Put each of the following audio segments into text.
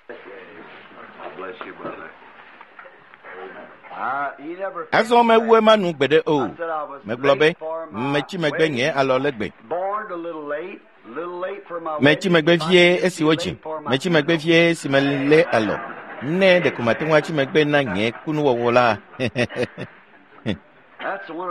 Bless you, brother. Azɔ mewu ema nu gbeɖe o. Megblɔ be, metsi megbe nye alɔ le gbe. Metsi megbe vie esi wodzi. Metsi megbe vie esi melé alɔ. Ne ɖeko mate ŋu atsi megbe na nye kunuwɔwɔ la,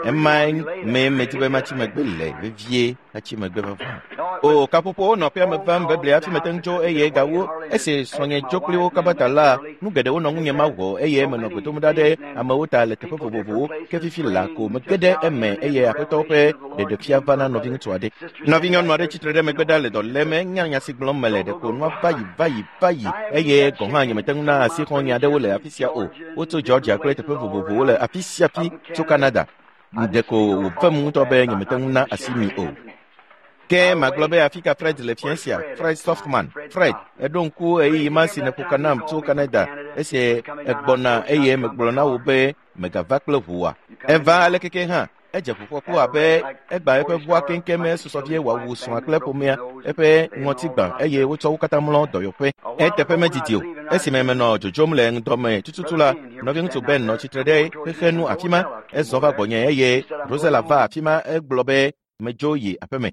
ema mee medi be matsi megbe le vevie atsi megbe vavã. O, kaƒoƒowo nɔ aƒea me vam bebli hafi mete ŋu tso eye gawu esi srɔ̃nye dzo kpli wo kaba ta la, nu geɖewo nɔ ŋunye mawɔ eye menɔ gbe dom ɖa ɖe amewo ta le teƒe vovovowo ke fifi la ko mege ɖe eme eye aƒetɔwo ƒe ɖeɖefia va na nɔviŋutsu aɖe. Nɔvinyɔnu aɖe tsitre ɖe megbe ɖa le dɔ lém enya nya si gblɔm mele ɖeko nua va yi va yi va yi eye gɔ̃ hã nyemete ŋu na asi xɔ̃nye aɖewo le afi sia o. Wotso Georgia kple teƒe vovovowo le afi sia fi tso Canada. Ɖeko wòvem ŋutɔ be nyemete ŋu na asi mi o. Ke magblɔ be afi ka Fred le fiẽ sia? Fred Softman. Fred, èɖo ŋku ɣeyiɣi ma si nèƒo ka nam tso Canada esi ègbɔna eye megblɔ na wò be mègava kple ʋu oa? Eva alekeke hã, edze ʋufɔku abe egbã eƒe ʋua keŋkeŋ esusɔ vie wòawu srɔ̃a kple ƒomea, eƒe ŋɔti gbã eye wotsɔ wo katã mlɔ dɔyɔƒe. Eteƒe medidi o, esime menɔ dzodzom le ŋdɔ me tututu la, nɔviŋutsu Ben nɔ tsitre ɖe xexenu afi ma. Ezɔ va gbɔnye eye Rosella va afi ma egblɔ be medzo yi aƒeme.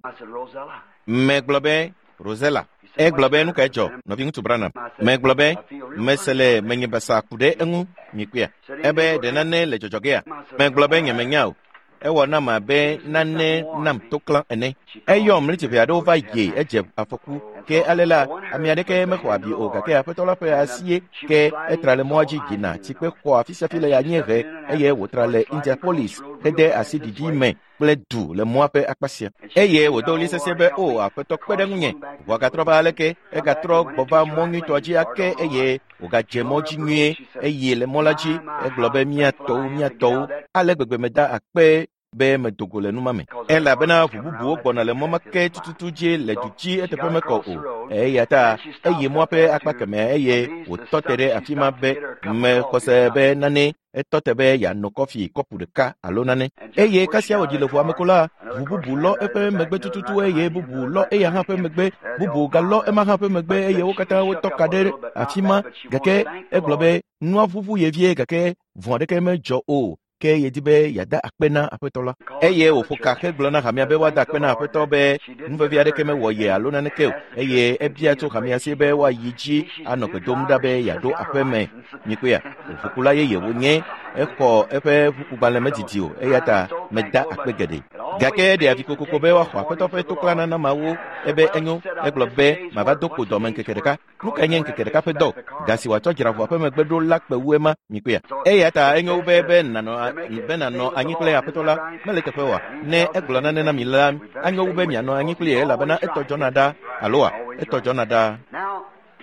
Megblɔ be, Rosella. Egblɔ be nu kae dzɔ, nɔviŋutsu Branham? Megblɔ be, mese le menye basa ku ɖe eŋu, mikpɔea. Ebe ɖe nane le dzɔdzɔ gea? Megblɔ be nyemenya o. Ewɔ nam abe nane nam to klã ene. Eyɔm ɣleti ʋɛ aɖewo va yi edze afɔku. Ke ale la, ame aɖeke mexɔ abi o gake aƒetɔ la ƒe asie ke etra le mɔa dzi yina tsikpe xɔ afi sia fi le anyiehe eye wòtra le Indianapolis hede asi ɖiɖi me kple du le mɔa ƒe akpa sia. Eye wòdo ɣli sesĩe be, O Aƒetɔ, kpe ɖe ŋunye! Ʋua gatrɔ va aleke? Egatrɔ gbɔ va mɔ nyuitɔa dzi ake eye wògadze mɔ dzi nyuie eye le mɔ la dzi egblɔ be mía tɔwo, mía tɔwo. Ale gbegbe meda akpe be medo go le nu ma me. Elabena ʋu bubuwo gbɔna le mɔ ma ke tututu dzi le du dzi eteƒe mekɔ o. Eya ta eyi mɔa ƒe akpa kemɛ eye wòtɔ te ɖe afi ma be mexɔ se be nane etɔ te be yeano kɔfi kɔpu ɖeka alo nane. Eye kasia wòɖi le ʋua me ko la, ʋu bubu lɔ eƒe megbe tututu eye bubu lɔ eya hã ƒe megbe, bubu galɔ ema hã ƒe megbe eye wo katã wotɔ ka ɖe afi ma. Gake egblɔ be nua ʋuʋu ye vie gake vɔ̃ aɖeke medzɔ o. Ke yedi be yeada akpe na Aƒetɔ la. Eye wòƒo ka hegblɔ na hamea be woada akpe na Aƒetɔ be nu vevi aɖeke mewɔ ye alo naneke o. Eye ebia tso hamea si be woayi dzi anɔ gbe dom ɖa be yeaɖo aƒe me. Mikpɔea, ʋukula yeye wònye. Exɔ eƒe ʋukugbalẽ medidi o eya ta meda akpe geɖe. Gake eɖe avi kokoko be woaxɔ Aƒetɔ ƒe toklãnana mawo. Ebe enyo. Egblɔ be mava do kpo dɔme ŋkeke ɖeka. Nu kae nye ŋkeke ɖeka ƒe dɔ? Ga si wòatsɔ dzra ʋua ƒe megbe ɖo la kpe wu ema, mikpɔea. Eya ta enyo wu be be nànɔ be nànɔ anyi kple Aƒetɔ la. Mele eteƒe oa? Ne egblɔ nane na mi la, anyo wu be mianɔ anyi kplii elabena etɔ dzɔna ɖa, aloa? Etɔ dzɔna ɖa.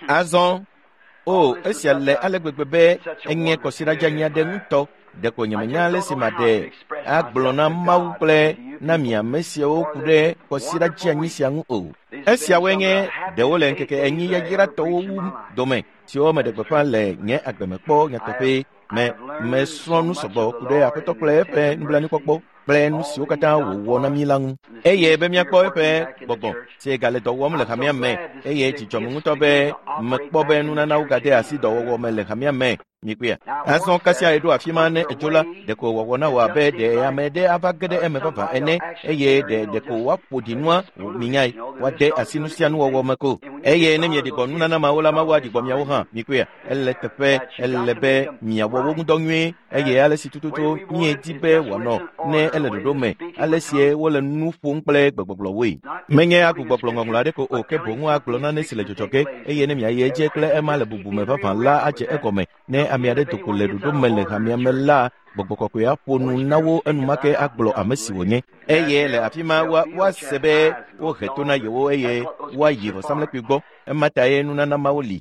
Azɔ, o, esia le ale gbegbe be enye kɔsiɖa dzeanyi aɖe ŋutɔ. Ɖeko nyemenya ale si maɖe agblɔ na Mawu kple na mi ame siawo ku ɖe kɔsiɖa dzeanyi sia ŋu o. Esiawoe nye ɖewo le ŋkeke enyi yayratɔwo wu dome siwo meɖe gbeƒã le nye agbe me kpɔ nyateƒe me. Mesrɔ̃ nu sɔgbɔ ku ɖe Aƒetɔ kple eƒe nublanuikpɔkpɔ kple nu siwo katã wòwɔ na mí la ŋu. Eye be míakpɔ eƒe gbɔgbɔ si gale dɔ wɔm le hamea me eye dzi dzɔm ŋutɔ be mekpɔ be nunanawo gade asi dɔwɔwɔ me le hamea me. Mikpɔea? Azɔ kasia eɖo afi ma ne edzo la, ɖeko wòawɔ na wò abe ɖe ame ɖe ava ge ɖe eme vavã ene eye ɖe ɖeko woaƒo ɖi nua minyae, woade asi nu sia nuwɔwɔ me ko. Eye ne mieɖi gbɔ nunana mawo la, Mawu aɖi gbɔ miawo hã. Mikpɔea? Ele teƒe, ele be miawɔ wo ŋudɔ nyuie eye ale si tututu miedi be wòanɔ ne ele ɖoɖo me, ale sie wole nu ƒom kple gbegbɔgblɔwoe. Menye agbugbɔgblɔ ŋɔŋlɔ aɖe ko o, ke boŋ agblɔ nane si le dzɔdzɔ ge eye ne miayi edzi kple ema le bubu me vavã la adze egɔme. Ne ame aɖe do go le ɖoɖo me le hamea me la, gbɔgbɔ kɔkɔe aƒo nu na wo enumake agblɔ ame si wònye. Eye le afi ma woase be wohe to na yewo eye woayi vɔsamlekpui gbɔ. Ema tae nunana mawo li.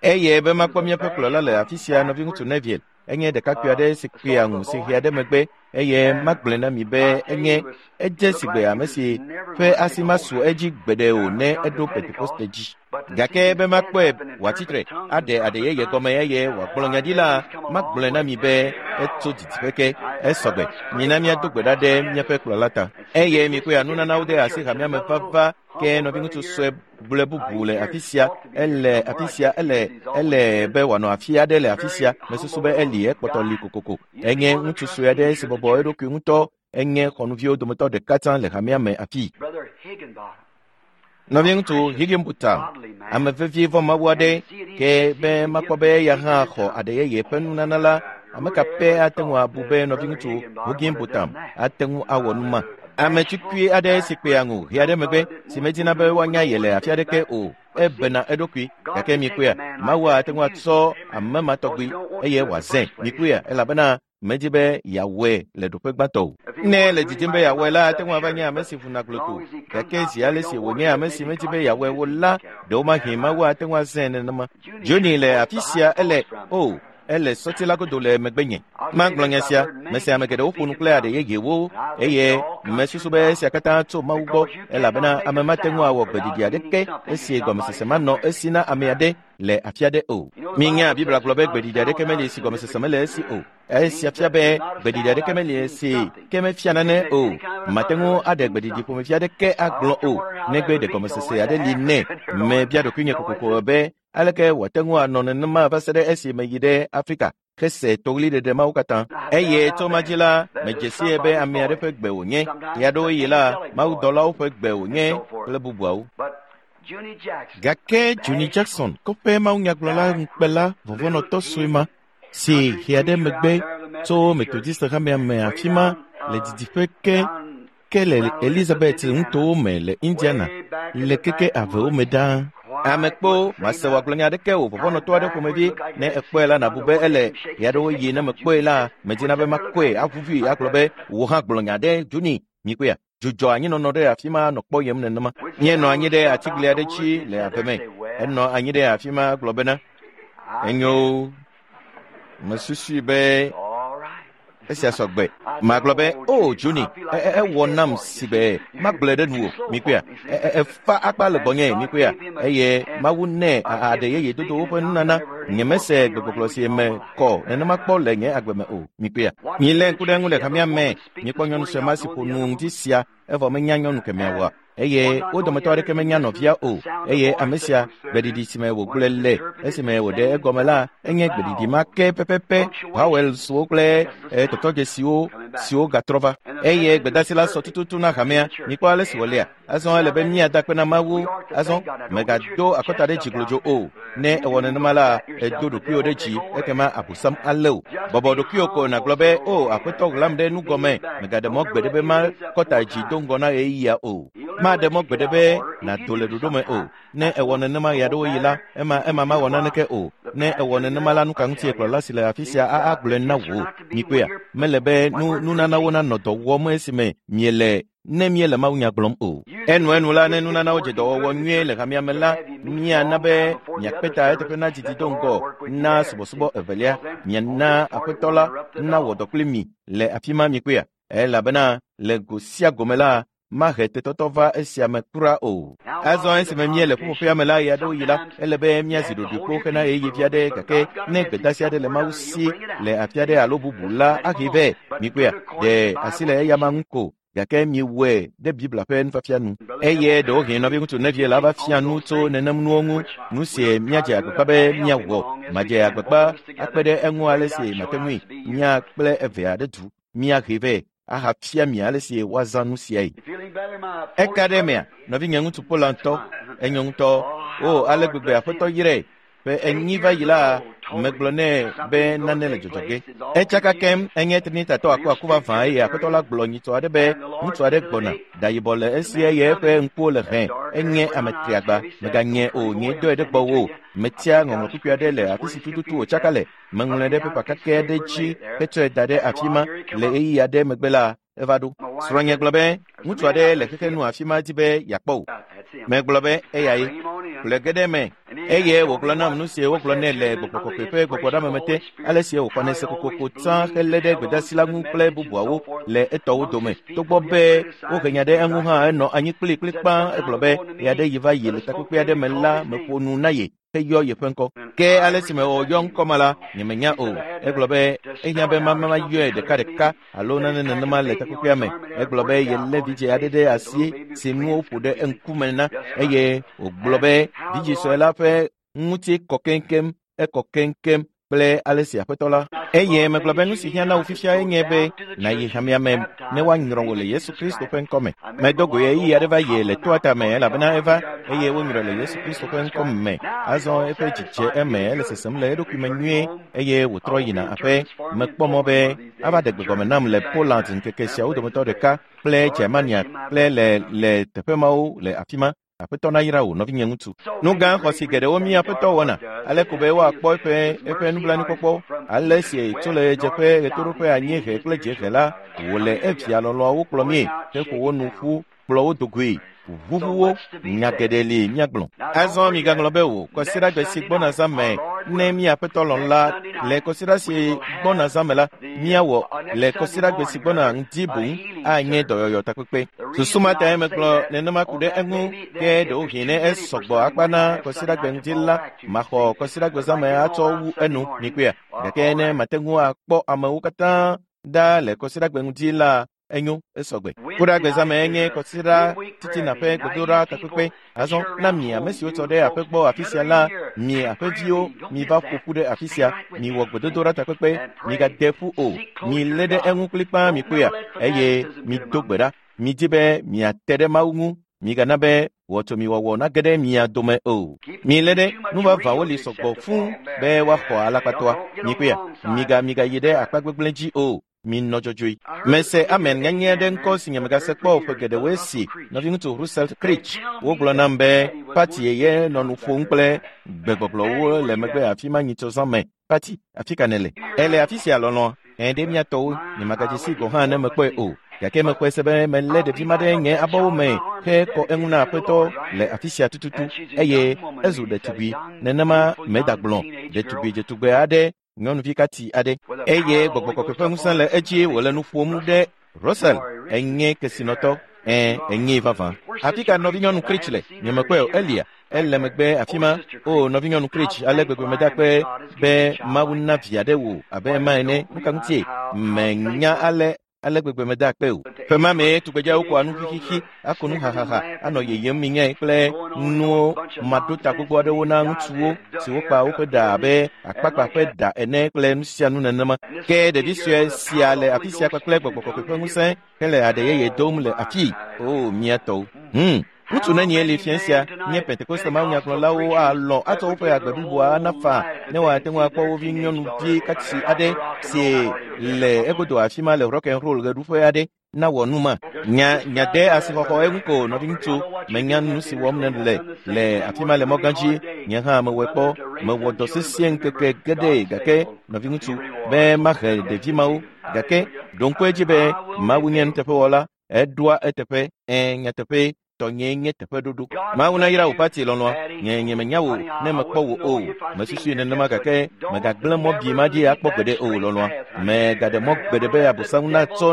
Eye be makpɔ míaƒe kplɔla le afi sia, nɔviŋutsu Neville, enye ɖekakpui aɖe si kpea ŋu si hea ɖe megbe eye magblɔe na mi be enye edze sigbe ame si ƒe asi masu edzi gbeɖe o ne eɖo Pentekoste dzi. Gake be makpɔe wòatsi tre, aɖe aɖe yeye gɔme eye wòagblɔ nya ɖi la, magblɔe na mi be etso didiƒe ke. Esɔgbe. Mina míado gbe ɖa ɖe míaƒe kplɔla ta. Eye mikpɔe nunanawo de asi hamea me vava ke nɔviŋutsu sue gblɔe bubu le afi sia, ele afi sia, ele ele be wòanɔ afi aɖe le afi sia. Mesusu be eli ekpɔtɔ li kokoko. Enye ŋutsu sue aɖe si bɔbɔ eɖokui ŋutɔ. Enye xɔnuviwo dometɔ ɖeka tsã le hamea me afi. Nɔviŋutsu Higginbotham, ame vevi vɔ Mawu aɖe, ke be makpɔ be eya hã xɔ aɖe yeye ƒe nunana la, ame ka pɛ ate ŋu abu be nɔviŋutsu Higginbotham ate ŋu awɔ nu ma? Ame tukui aɖe si kpea ŋu ʋi aɖe megbe, si medina be woanya ye le afi aɖeke o, ebena eɖokui. Gake mikpɔea, Mawu ate ŋu atsɔ ame ma tɔgbi eye wòazãe. Mikpɔea, elabena medzi be yeawɔe le ɖoƒe gbãtɔ o. Ne le didim be yeawɔe la, ate ŋu ava nye ame si ʋuna gloto. Gake zi ale si wònye ame si medzi be yeawɔe o la, ɖewomahi Mawu ate ŋu azãe nenema. Johnny le afi sia, ele o, ele sɔti la godo le megbenye. Magblɔ nya sia, mese ame geɖewo ƒo nu kple aɖe yeyewo eye mesusu be esia katã tso Mawu gbɔ, elabena ame mate ŋu awɔ gbeɖiɖi aɖeke esi gɔmesese manɔ esi na ame aɖe le afi aɖe o. Minya Biblia gblɔ be gbeɖiɖi aɖeke meli si gɔmesese mele esi o. Esia fia be gbeɖiɖi aɖeke meli esi ke mefia nane o. Mate ŋu aɖe gbeɖiɖi ƒomevi aɖeke agblɔ o, negbe ɖe gɔmesese aɖe li nɛ. Mebia ɖokuinye kokoko be aleke wòate ŋu anɔ nenema va se ɖe esi meyi ɖe Afrika hese toɣliɖeɖe mawo katã. Eye tso ma dzi la, medze sie be ame aɖe ƒe gbe wònye. Ɣeaɖewoɣi la, mawudɔlawo ƒe gbe wònye kple bubuawo. Gake Johnny Jackson, kɔƒe mawunyagblɔla ŋukpela vɔvɔ̃nɔtɔ sue ma, si ʋi aɖe megbe tso Methodist hamea me afi ma le didiƒe ke ke le Elizabeth nutowo me le Indiana, le keke avewo me ɖaa. Ame kpo mase wòagblɔ nya aɖeke o vɔvɔ̃nɔtɔ aɖe ƒomevi. Ne ekpɔe la, nàbu be ele. Ɣeaɖewoɣi ne mekpɔe la, medina be makɔe aʋuʋui agblɔ be wò hã gblɔ nya ɖe Johnny. Mikpɔea? Dzudzɔ anyinɔnɔ ɖe afi ma nɔ kpɔyem nenema. Míenɔ anyi ɖe atigli aɖe dzi le ave me. Enɔ anyi ɖe afi ma gblɔ bena, enyo, mesusui be esia sɔgbe. Magblɔ be, o Johnny, ewɔ nam si be magblɔe ɖe nuwò. Mikpɔea? Efa akpa le gbɔnye. Mikpɔea? Eye Mawu nɛ aɖe yeye dodo woƒe nunana. Nyemese gbegbɔgblɔ si me kɔ nenema kpɔ le nye agbe me o. Mikpɔea? Milé ŋku ɖe eŋu le hamea me. Mikpɔ nyɔnu sue ma si ƒo nu ŋdi sia, evɔ menya nyɔnu kemɛa oa? Eye wo dometɔ aɖeke menya nɔvia o. Eye ame sia, gbeɖiɖi si me wògblɔe le esime wòɖe egɔme la, enye gbeɖiɖi ma ke pɛpɛpɛ, vowelswo kple tɔtɔdzesiwo siwo gatrɔ va. Eye gbedasi la sɔ tututu na hamea. Mikpɔ ale si wòlea. Azɔ ele be míada akpe na Mawu. Azɔ mègado akɔta ɖe dzi glodzo o. Ne ewɔ nenema la, èdo ɖokuiwò ɖe dzi, ekema abosam alé wò. Bɔbɔ ɖokuiwò ko nàgblɔ be, o, Aƒetɔ ɣlam ɖe nu gɔme, mègaɖe mɔ gbeɖe be makɔta dzi do ŋgɔ na ɣeyiɣia o. Maɖe mɔ gbeɖe be nàdo le ɖoɖo me o. Ne ewɔ nenema ɣeaɖewoɣi la, ema ema mawɔ naneke o. Ne ewɔ nenema la, nu ka ŋutie kplɔla si le afi sia agblɔe na wò? Mikpɔea? Mele be nunanawo nanɔ dɔ wɔm esime miele ne míele mawunya gblɔm o. Enuenu la, ne nunanawo dze dɔwɔwɔ nyuie le hamea me la, míana be miakpe ta eteƒe na didi do ŋgɔ na subɔsubɔ evelia. Miana Aƒetɔ la nawɔ dɔ kpli mi le afi ma. Mikpɔea? Elabena le go sia gome la, mahe tetɔtɔ va esia me kura o. Azɔ esime míele ƒuƒoƒea me la, ɣeaɖewoɣi la, ele be míazi ɖoɖoe kpo hena ɣeyiɣi vi aɖe, gake ne gbedasi aɖe le Mawu si le afi aɖe alo bubu la, ahe vɛ. Mikpɔea? Ɖe asi le eyama ŋu ko, gake miewɔe ɖe Biblia ƒe nufiafia nu. Eye ɖewohĩ nɔviŋutsu Neville la va fia nu tso nenem nuwo ŋu, nu si míadze agbagba be míawɔ. Madze agbagba akpe ɖe eŋu ale si mate ŋui. Mía kple evea ɖe du, míahe vɛ ahafia mi ale si woazã nu siae. Eka ɖe emea, nɔvinye ŋutsu Pola ŋutɔ, enyo ŋutɔ. O, ale gbegbe Aƒetɔ yrae. Ƒe 4 va yi la, megblɔ nɛ be nane le dzɔdzɔ ge. Etsaka kem, enye Trinitatɔ akuaku vavã eye Aƒetɔ la gblɔ nyitsɔ aɖe be ŋutsu aɖe gbɔna, da yibɔ le esi eye eƒe ŋkuwo le hẽ. Enye ame triagba. Meganye o, nyee dɔe ɖe gbɔwò. Metia ŋɔŋlɔ kpukpui aɖe le afi si tututu wòtsaka le. Meŋlɔe ɖe pepa kakɛ aɖe dzi hetsɔe da ɖe afi ma. Le ɣeyiɣi aɖe megbe la, eva ɖo. Srɔ̃nye gblɔ be ŋutsu aɖe le xexe nu afi ma di be yeakpɔ wò. Megblɔ be eyae. Ƒle ge ɖe eme. Eye wògblɔ nam nu si wogblɔ nɛ le gbɔgbɔ kɔkɔe ƒe gbɔgbɔɖeameme te, ale si wòxɔnɛ se kokoko tsã helé ɖe gbedeasi la ŋu kple bubuawo le etɔwo dome. Togbɔ be wohe nya ɖe eŋu hã, enɔ anyi kplikplikpã. Egblɔ be ɣeaɖeɣi va yi le takpekpe aɖe me la, meƒo nu na ye heyɔ yeƒe ŋkɔ. Ke ale si mewɔ yɔ ŋkɔ ma la, nyemenya o. Egblɔ be ehiã be mama yɔe ɖekaɖeka alo nane nenema le takpekpea me. Egblɔ be yelé vidzĩ aɖe ɖe asi si nuwo ƒo ɖe eŋkume na eye wògblɔ be vidzĩ sue la ƒe ŋuti kɔ keŋkeŋ, ekɔ keŋkeŋ kple ale si aƒetɔ la. Eye megblɔ be nu si hiã na wò fifia enye be nàyi hamea me ne woanyrɔ wò le Yesu Kristo ƒe ŋkɔ me. Medo go ɣeyiɣi aɖe va yi le toa tame elabena eva eye wonyrɔe le Yesu Kristo ƒe ŋkɔ me. Azɔ eƒe dzi dze eme, ele sesem le eɖokui me nyuie eye wòtrɔ yina aƒe. Mekpɔ mɔ be ava ɖe gbegɔme nam le Poland ŋkeke siawo dometɔ ɖeka kple Germania kple le teƒe mawo le afi ma. Aƒetɔ nayra wò, nɔvinye ŋutsu. Nu gã xɔasi geɖewo mí aƒetɔ wɔna, ale ko be woakpɔ eƒe nublanuikpɔkpɔ. Ale si tso le ɣedzeƒe, ɣetoɖoƒe, anyiehe kple dziehe la, wòle evia lɔlɔ̃awo kplɔ mie heƒo wo nu ƒu, kplɔ wo do goe, ʋuʋu wo. Nya geɖe li míagblɔ. Azɔ migaŋlɔ be o, kɔsiɖagbe si gbɔna zã me, ne mí aƒetɔ lɔ̃ la, le kɔsiɖa si gbɔna zã me la, míawɔ le kɔsiɖagbe si gbɔna ŋdi boŋ anye dɔyɔyɔ takpekpe. Susu ma tae megblɔ nenema ku ɖe eŋu, ke ɖewohĩ ne esɔgbɔ akpa na kɔsiɖagbe ŋdi la, maxɔ kɔsiɖagbe zã me atsɔ wu enu, mikpɔea? Gake ne mate ŋu akpɔ amewo katã ɖa le kɔsiɖagbe ŋdi la, enyo, esɔgbe. Kuɖagbe zã me enye kɔsiɖa titina ƒe gbedoɖa takpekpe. Azɔ na mi ame siwo tsɔ ɖe aƒe gbɔ afi sia la, mi aƒeviwo miva ƒo ƒu ɖe afi sia, miwɔ gbedodoɖa takpekpe, migade ƒu o, milé ɖe eŋu kplikpaa mikpɔea, eye mido gbe ɖa. Midi be miate ɖe Mawu ŋu, migana be wɔtsomiwɔwɔ nage ɖe mia dome o. Milé ɖe nuvavawo li sɔgbɔ fũu be woaxɔ alakpatɔa. Mikpɔea, migayi ɖe akpa gbegblẽ dzi o. Minɔ dzɔdzɔe. Mese amen nyanyɛ ɖe ŋkɔ si nye megase kpɔ o ƒe geɖewoe si nɔviŋutsu Russell Creech. Wogblɔ nam be Pati ye nɔ nu ƒom kple gbegbɔgblɔwo le megbe afi ma nyitsɔ zã me. Pati, afi ka nèle? Ele afi sia lɔlɔ̃a? Ẽ, ɖe mía tɔwo, nyemagadze sii gɔ̃ hã ne mekpɔe o. Gake mexɔe se be melé ɖevi ma ɖe nye abɔwo me hekɔ eŋu na aƒetɔ le afi sia tututu eye ezu ɖetugbui. Nenema medagblɔ ɖetugbui dzetugbe aɖe, nyɔnuvi kati aɖe. Eye gbɔgbɔ kɔkɔe ƒe ŋusẽ le edzi wòle nu ƒom ɖe Russell, enye kesinɔtɔ. Ẽ, enyee vavã. Afi ka nɔvinyɔnu Creech le? Nyemekpɔe o, Elia. Ele megbe afi ma. O, nɔvinyɔnu Creech, ale gbegbe meda akpe be Mawu na vi aɖe wò abe ema ene. Nu ka ŋutie? Menya ale gbegbe meda akpe o. Ƒe ma mee tugbedzeawo kɔa nu xixixi, ako nu hahaha, anɔ yeyem minyae kple nuwo maɖota gbogbo aɖewo na ŋutsuwo siwo kpa woƒe ɖa abe akpakpa ƒe ɖa ene kple nu sia nu nenema. Ke ɖevi sue sia le afi sia kpakple gbɔgbɔ kɔkɔe ƒe ŋusẽ hele aɖe yeye dom le afii. O, mía tɔwo. Ŋutsu nenie li fia sia nye Pentekoste mawunyagblɔlawo alɔ̃ atsɔ woƒe agbe bliboa ana faa ne woate ŋu akpɔ wo vi nyɔnuvi katsi aɖe si le egodo afi ma le rock and roll ɣeɖuƒe aɖe nawɔ nu ma. Nya de asixɔxɔ eŋu ko, nɔviŋutsu, menya nu si wɔm nèle le afi ma le mɔgã dzi. Nye hã mewɔe kpɔ, mewɔ dɔ sesĩe ŋkeke geɖe gake nɔviŋutsu be mahe ɖevi mawo. Gake ɖo ŋku edzi be Mawu nye nuteƒewɔla, eɖoa eteƒe. Ẽ, nyateƒee, tɔnyee nye teƒeɖoɖo. Mawu nayra wò Pati lɔlɔ̃a. Nye nyemenya wò ne mekpɔ wò o. Mesusui nenema gake megagblẽ mɔ bi ma dzi akpɔ gbeɖe o lɔlɔ̃a. Megaɖe mɔ gbeɖe be Abosam natsɔ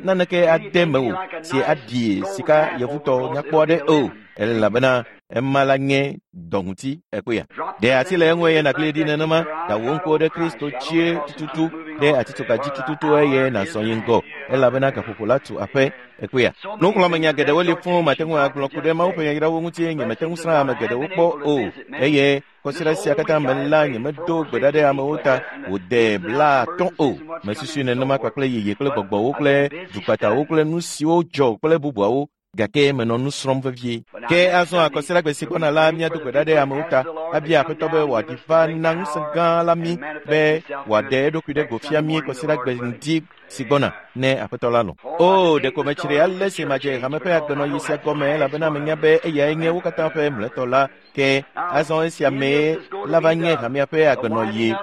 naneke ade mewò si aɖi sika yevutɔ nyakpɔ aɖe o, elabena ema la nye dɔŋuti ekpea. Ɖe asi le eŋu eye nàgli ɖi nenema, da wò ŋkuwo ɖe Kristo dzie tututu, ɖe atitsoga dzi tututu eye nàzɔ yi ŋgɔ, elabena gaƒoƒo la tu aƒe ekpea. Nuxlɔ̃amenya geɖewo li fũu mate ŋu agblɔ ku ɖe Mawu ƒe yayrawo ŋuti. Nyemete ŋu srã ame geɖewo kpɔ o, eye kɔsiɖa sia katã me la nyemedo gbe ɖa ɖe amewo ta wòde 50 o. Mesusui nenema kpakple yeye kple gbɔgbɔwo kple dukpatawo kple nu siwo dzɔ kple bubuawo, gake menɔ nu srɔ̃m vevie. Ke azɔ akɔsiɖagbe si gbɔna la, míado gbe ɖa ɖe amewo ta, abia aƒetɔ be wòaɖi va na ŋusẽ gã la mí be wòaɖe eɖokui ɖe go fia mí kɔsiɖagbe ŋdi si gbɔna ne aƒetɔ la lɔ̃. O, ɖeko metsri ale si madze hame ƒe agbenɔɣi sia gɔme, elabena menya be eyae nye wo katã ƒe mlɔetɔ la. Ke azɔ esia mee la va nye hamea ƒe agbenɔɣi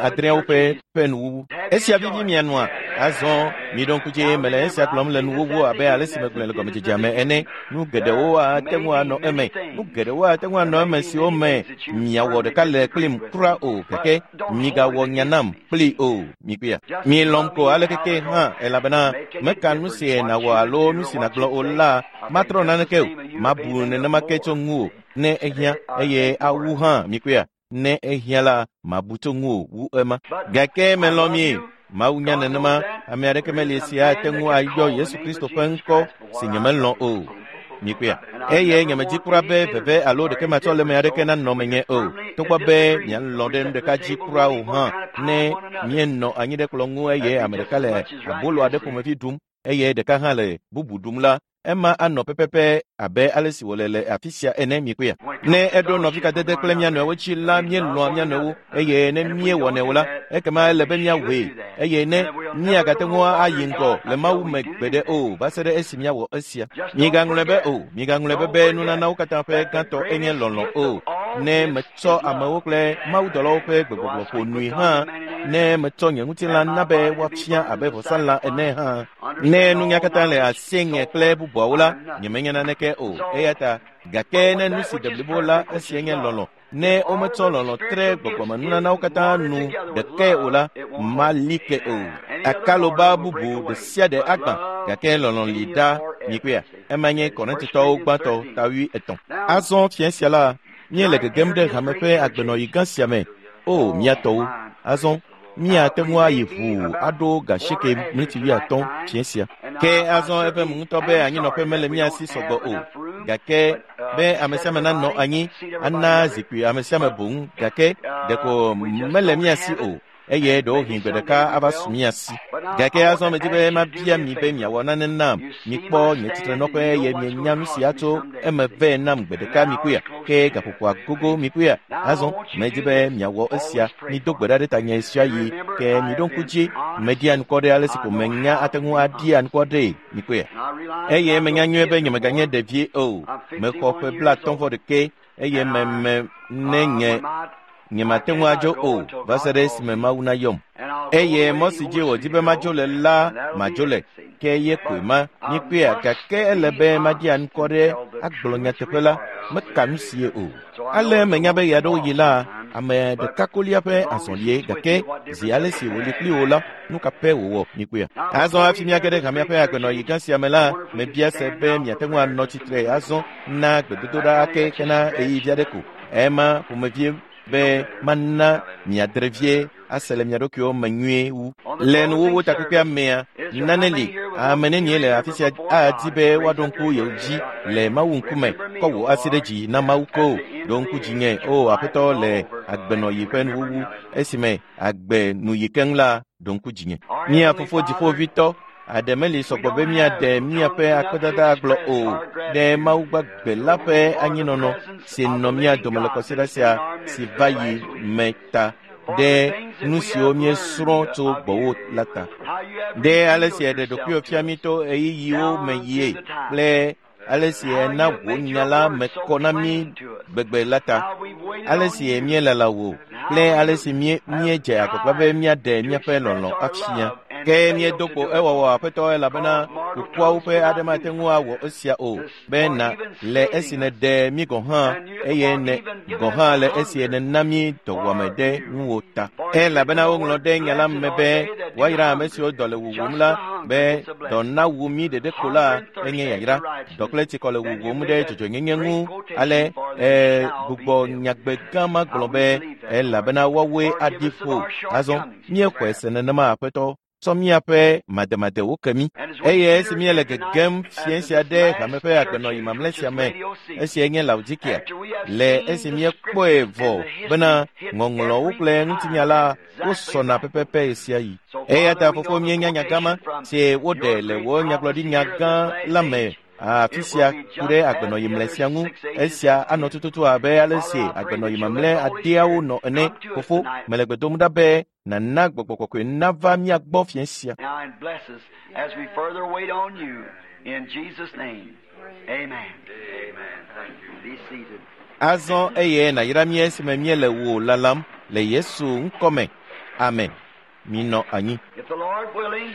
adreawo ƒe nuwuwu. Esia vivi mia nua. Azɔ miɖo ŋku dzi, mele esia gblɔm le nuwuwu abe ale si megblɔe le gɔmedzedzea me. me ene. Nu geɖewo ate ŋu anɔ eme. Nu geɖewo ate ŋu anɔ eme siwo me miawɔ ɖeka le kplim kura o, gake migawɔ nya nam kpli o. Mikpɔea? Mielɔ̃m ko alekeke hã elabena meka nu si nàwɔ alo nu si nàgblɔ o la matrɔ naneke o. Mabu nenema ke tso ŋuwò ne ehiã eye awu hã mikpɔea? Ne ehiã la mabu tso ŋuwò wu ema. Gake melɔ̃ mi. Mawu nya nenema, ame aɖeke meli si ate ŋu ayɔ Yesu Kristo ƒe ŋkɔ si nyemelɔ̃ o. Mikpɔea? Eye nyemedzi kura be veve alo ɖeke matsɔ le ame aɖeke nanɔ menye o. Togbɔ be mialɔ̃ ɖe nu ɖeka dzi kura o hã, ne mienɔ anyi ɖe kplɔ̃ ŋu eye ame ɖeka le abolo aɖe ƒomevi ɖum eye ɖeka hã le bubu ɖum la, ema anɔ pɛpɛpɛ abe ale si wòle le afi sia ene. Mikpɔea? Ne eɖo nɔvikadede kple mía nɔewo dzi la, míelɔ̃a mía nɔewo eye ne míewɔnɛ o la, ekema ele be míawɔe eye ne míagate ŋu ayi ŋgɔ le Mawu me gbeɖe o va se ɖe esi míawɔ esia. Migaŋlɔe be o, migaŋlɔe be be nunanawo katã ƒe gãtɔ enye lɔlɔ̃ o. Ne metsɔ amewo kple mawudɔlawo ƒe gbegbɔgblɔ ƒo nui hã, ne metsɔ nye ŋutilã na be woafia abe vɔsalã ene hã, ne nunya katã le asienye kple bubuawo la, nyemenya naneke o. Eya ta gake ne nu si de blibo la, esia nye lɔlɔ̃. Ne wometsɔ lɔlɔ̃ tre gbɔgbɔmenunanawo katã nu ɖekae o la, mali ke o. Akaloba bubu ɖe sia ɖe agbã, gake lɔlɔ̃ li ɖa. Mikpɔea? Ema nye Korintotɔwo gbãtɔ ta 13. Azɔ fiẽ sia la, míele gegem ɖe hame ƒe agbenɔɣi gã sia me. O, mía tɔwo! Azɔ míate ŋu ayi ʋuu aɖo gasieke miniti 50 fiẽ sia. Ke azɔ evem ŋutɔ be anyinɔƒe mele mía si sɔgbɔ o, gake be ame sia ame nanɔ anyi ana zikpui ame sia ame boŋ, gake ɖeko mele mía si o eye ɖewohĩ gbe ɖeka ava su mía si. Gake azɔ medzi be mabia mi be miawɔ nane nam. Mikpɔ nye tsitrenɔƒe eye mienya nu sia tso eme vɛ nam gbe ɖeka. Mikpɔea? Ke gaƒoƒoa gogo. Mikpɔea? Azɔ medzi be miawɔ esia. Mido gbe ɖa ɖe tanye sia yi ke miɖo ŋku dzi. Meɖia ŋkɔ ɖe ale si ko menya ate ŋu aɖia ŋkɔ ɖee. Mikpɔea? Eye menya nyuie be nyemeganye ɖevie o. Mexɔ ƒe 51 eye meme ne nye nyemate ŋu adzo o va se ɖe esime Mawu nayɔm. Eye mɔ si dzi wòdi be madzo le la, madzo le. Ke ye koe ma. Mikpɔea? Gake ele be maɖia ŋkɔ ɖe agblɔ nyateƒe la, meka nu sie o. Ale menya be ɣeaɖewoɣi la, ame ɖeka kolia ƒe azɔlie, gake zi ale si wòli kpli wò la, nu ka pɛ wòwɔ. Mikpɔea? Azɔ hafi míage ɖe hamea ƒe agbenɔɣi gã sia me la, mebia se be miate ŋu anɔ tsitre azɔ na gbedodoɖa ake hena ɣeyiɣi vi aɖe ko. Ema ƒomevie be mana miadre vie ase le mia ɖokuiwo me nyuie wu. Le nuwuwu takpekpea mea, nane li ame nenie le afi sia adi be woaɖo ŋku yewo dzi le Mawu ŋkume. Kɔ wò asi ɖe dzi na Mawu ko. Ɖo ŋku dzinye, o Aƒetɔ, le agbenɔɣi ƒe nuwuwu esime agbe nu yi keŋ la, ɖo ŋku dzinye. Mía Fofo Dziƒoʋĩtɔ, aɖe meli sɔgbɔ be míaɖe míaƒe akpedada agblɔ o ɖe Mawu gbagbe la ƒe anyinɔnɔ si nɔ mía dome le kɔsiɖa sia si va yi me ta, ɖe nu siwo míesrɔ̃ tso gbɔwò la ta, ɖe ale si èɖe ɖokuiwò fia mí to ɣeyiɣiwo me yie kple ale si èna wò nya la me kɔ na mí gbegbe la ta, ale si míelala wò kple ale si míedze agbagba be míaɖe míaƒe lɔlɔ̃ afia. Ke míedo kpo ewɔwɔ, Aƒetɔ, elabena kukuawo ƒe aɖe mate ŋu awɔ esia o, be na le esi nèɖe mí gɔ̃ hã eye ne gɔ̃ hã le esi nèna mí dɔwuame ɖe ŋuwò ta. Elabena woŋlɔ ɖe nya la me be woayra ame siwo dɔ le wuwum la, be dɔ nawu mí ɖeɖe ko la enye yayra. Dɔ kple tsikɔ le wuwum ɖe dzɔdzɔenyenye ŋu. Ale gbugbɔ nyagbe gã ma gblɔ be elabena woawoe aɖi ƒo. Azɔ míexɔe se nenema, Aƒetɔ. Tsɔ míaƒe mademadewo ke mí. Eye esi míele gegem fiẽ sia ɖe hame ƒe agbenɔɣi mamlɛ sia me, esiae nye Laodikea, le esi míekpɔe vɔ bena ŋɔŋlɔwo kple ŋutinya la wosɔna pɛpɛpɛ ɣesiaɣi. Eya ta Fofo, míenya nya gã ma si woɖe le wò nyagblɔɖinya gã la me afi sia ku ɖe agbenɔɣi mlɛ sia ŋu. Esia anɔ tututu abe ale si agbenɔɣi mamlɛ adeawo nɔ ene. Fofo, mele gbe dom ɖa be nana gbɔgbɔ kɔkɔe nava mía gbɔ fiẽ sia. Now and bless us as we further wait on you in Jesus' name. Amen. Amen. Thank you. Be seated. Azɔ eye nàyra mí esime míele wò lalam le Yesu ŋkɔme. Amen. Minɔ anyi. If the Lord willing,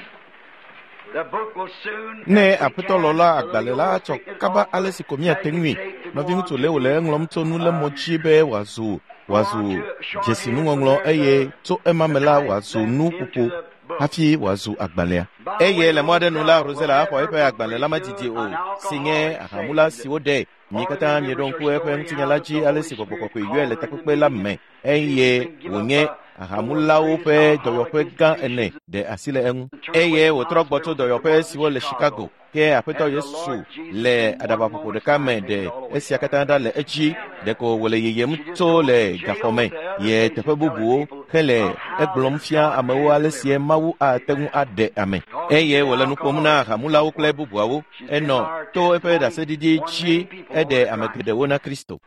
Ne aƒetɔ lɔ la agbalẽ la atsɔ kaba ale si ko míate ŋui. Nɔviŋutsu Leo le eŋlɔm tso nulémɔ dzi be wòazu wòazu dzesinuŋɔŋlɔ eye tso ema me la wòazu nuƒoƒo hafi wòazu agbalẽa. Eye le mɔ aɖe nu la, Rosella axɔ eƒe agbalẽ la medidi o, si nye ahamula si woɖe. Mi katã mieɖo ŋku eƒe ŋutinya la dzi ale si gbɔgbɔ kɔkɔe yɔe le takpekpe la me eye wònye ahamulawo ƒe dɔyɔƒe gã ene ɖe asi le eŋu. Eye wòtrɔ gbɔ tso dɔyɔƒe siwo le Chicago. Ke aƒetɔ Yesu le aɖabaƒoƒo ɖeka me ɖe esia katã ɖa le edzi ɖeko wòle yiyim tso le gaxɔ me ye teƒe bubuwo hele egblɔm fia amewo ale sie Mawu ate ŋu aɖe ame. Eye wòle nu ƒom na ahamulawo kple bubuawo. Enɔ to eƒe ɖaseɖiɖi dzi eɖe ame geɖewo na Kristo.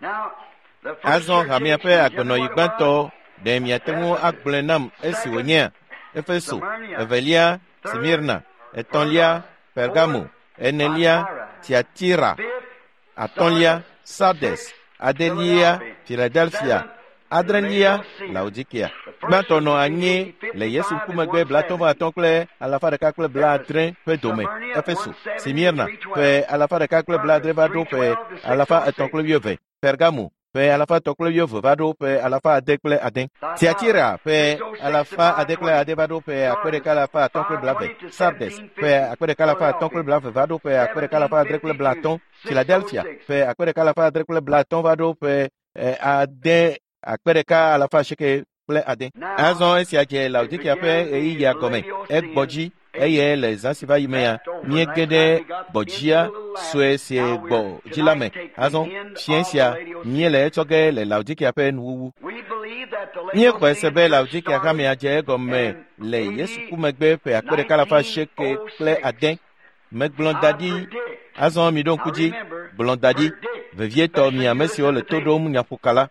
Azɔ hamea ƒe agbenɔyi gbãtɔ ɖe miate ŋu agblɔe nam esi wònyea Efeso, evelia Smirna, etɔ̃lia Pergamo, enelia Tiatira, atɔ̃lia Sardes, adelia Filadelfia, adrelia Laodikea. Gbãtɔ nɔ anyi le Yesu ŋkumegbe 55 kple 170 ƒe dome Efeso, Smirna ƒe 170 va ɖo ƒe 320, Pergamo ƒe 320 va ɖo ƒe 606, Tiatira ƒe 606 va ɖo ƒe 1520, Sardes ƒe 1520 va ɖo ƒe 1650, Philadelphia ƒe 1650 va ɖo ƒe 6,806. Azɔ esia dze Laodikea ƒe ɣeyiɣia gɔme. Egbɔ dzi eye le zã si va yi mea, míege ɖe gbɔdzia sue si gbɔ dzi la me. Azɔ fiẽ sia míele etsɔ ge le Laodikea ƒe nuwuwu. Míexɔe se be Laodikea hamea dze egɔme le Yesu ku megbe ƒe 1806. Megblɔ da ɖi. Azɔ miɖo ŋku dzi, gblɔ da ɖi, vevietɔ mi ame siwo le to ɖom nyaƒoka la.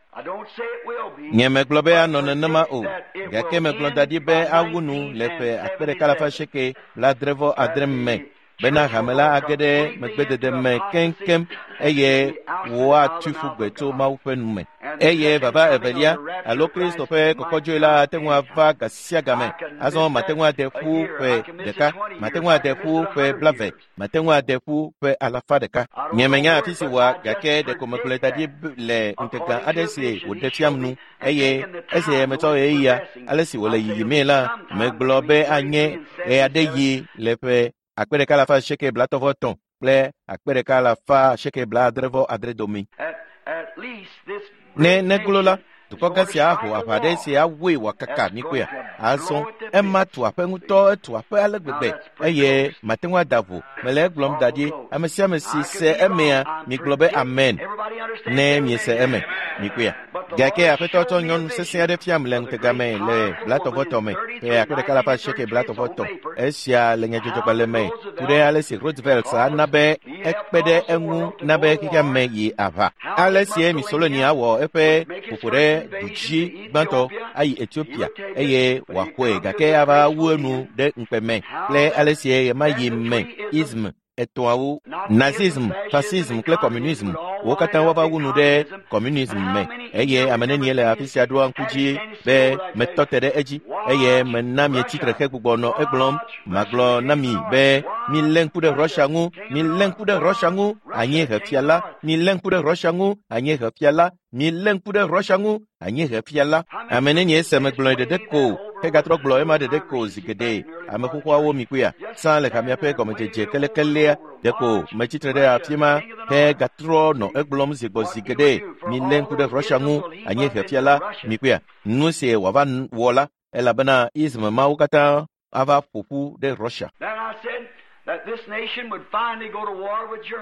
Nye megblɔ be anɔ nenema o, gake megblɔ da ɖi be awu nu le ƒe 1896 me bena hame la age ɖe megbedede me keŋkeŋ eye woatui ƒu gbe tso Mawu ƒe nu me. Eye vava evelia alo Kristo ƒe kɔkɔdzoe la ate ŋu ava ga sia game. Azɔ mate ŋu ade ƒu ƒe ɖeka, mate ŋu ade ƒu ƒe 20, mate ŋu ade ƒu ƒe 100. Nye menya afi si wòa, gake ɖeko megblɔe da ɖi le ŋutega aɖe si wòɖe fiam nu eye esi metsɔ ɣeyiɣia ale si wòle yiyimee la, megblɔ be anye ɣe aɖe yi le ƒe 1833 kple 1869 dome. Ne neglo la, dukɔ gã sia aho aʋa ɖe si awɔe wòakaka mikpɔea. Azɔ ema tu aƒe ŋutɔ, etu aƒe ale gbegbe eye mate ŋu ada vo. Mele egblɔm da ɖi, ame sia ame si se emea, migblɔ be amen ne miese eme. Mikpɔea. Gake aƒetɔ tsɔ nyɔnu sesẽ aɖe fiam le ŋutega me le 33 me ƒe 1833. Esia le nyadzɔdzɔgbalẽ me ku ɖe ale si Roosevelt ana be ekpe ɖe eŋu na be xexea me yi aʋa. Ale sie Mussolini awɔ eƒe ƒoƒo ɖe du dzi gbãtɔ ayi Ethiopia eye wòaxɔe gake ava wu enu ɖe ŋukpe me kple ale sie ɣemaɣi me ism etɔ̃awo Nazism, Fascism kple Communism wo katã woava wu nu ɖe communism me eye ame nenie le afi sia ɖoa ŋku dzi be metɔ te ɖe edzi eye mena mietsi tre hegbugbɔ nɔ egblɔm. Magblɔ na mi be milé ŋku ɖe Russia ŋu, milé ŋku ɖe Russia ŋu, anyiehefia la, milé ŋku ɖe Russia ŋu, anyiehefia la, milé ŋku ɖe Russia ŋu, anyiehefia la. Ame nenie se megblɔe ɖeɖe ko hegatrɔ gblɔ ema ɖeɖe ko zi geɖe. Ame xoxoawo mi kpɔea sã le hamea ƒe gɔmedzedze kelekelea ɖeko metsi tre ɖe afi ma hegatrɔ nɔ egblɔm zi gbɔ zi geɖe. Milé ŋku ɖe Russia ŋu, anyiehefia la, mi kpɔea nu si wòava wɔ la, elabena ism mawo katã ava ƒo ƒu ɖe Russia.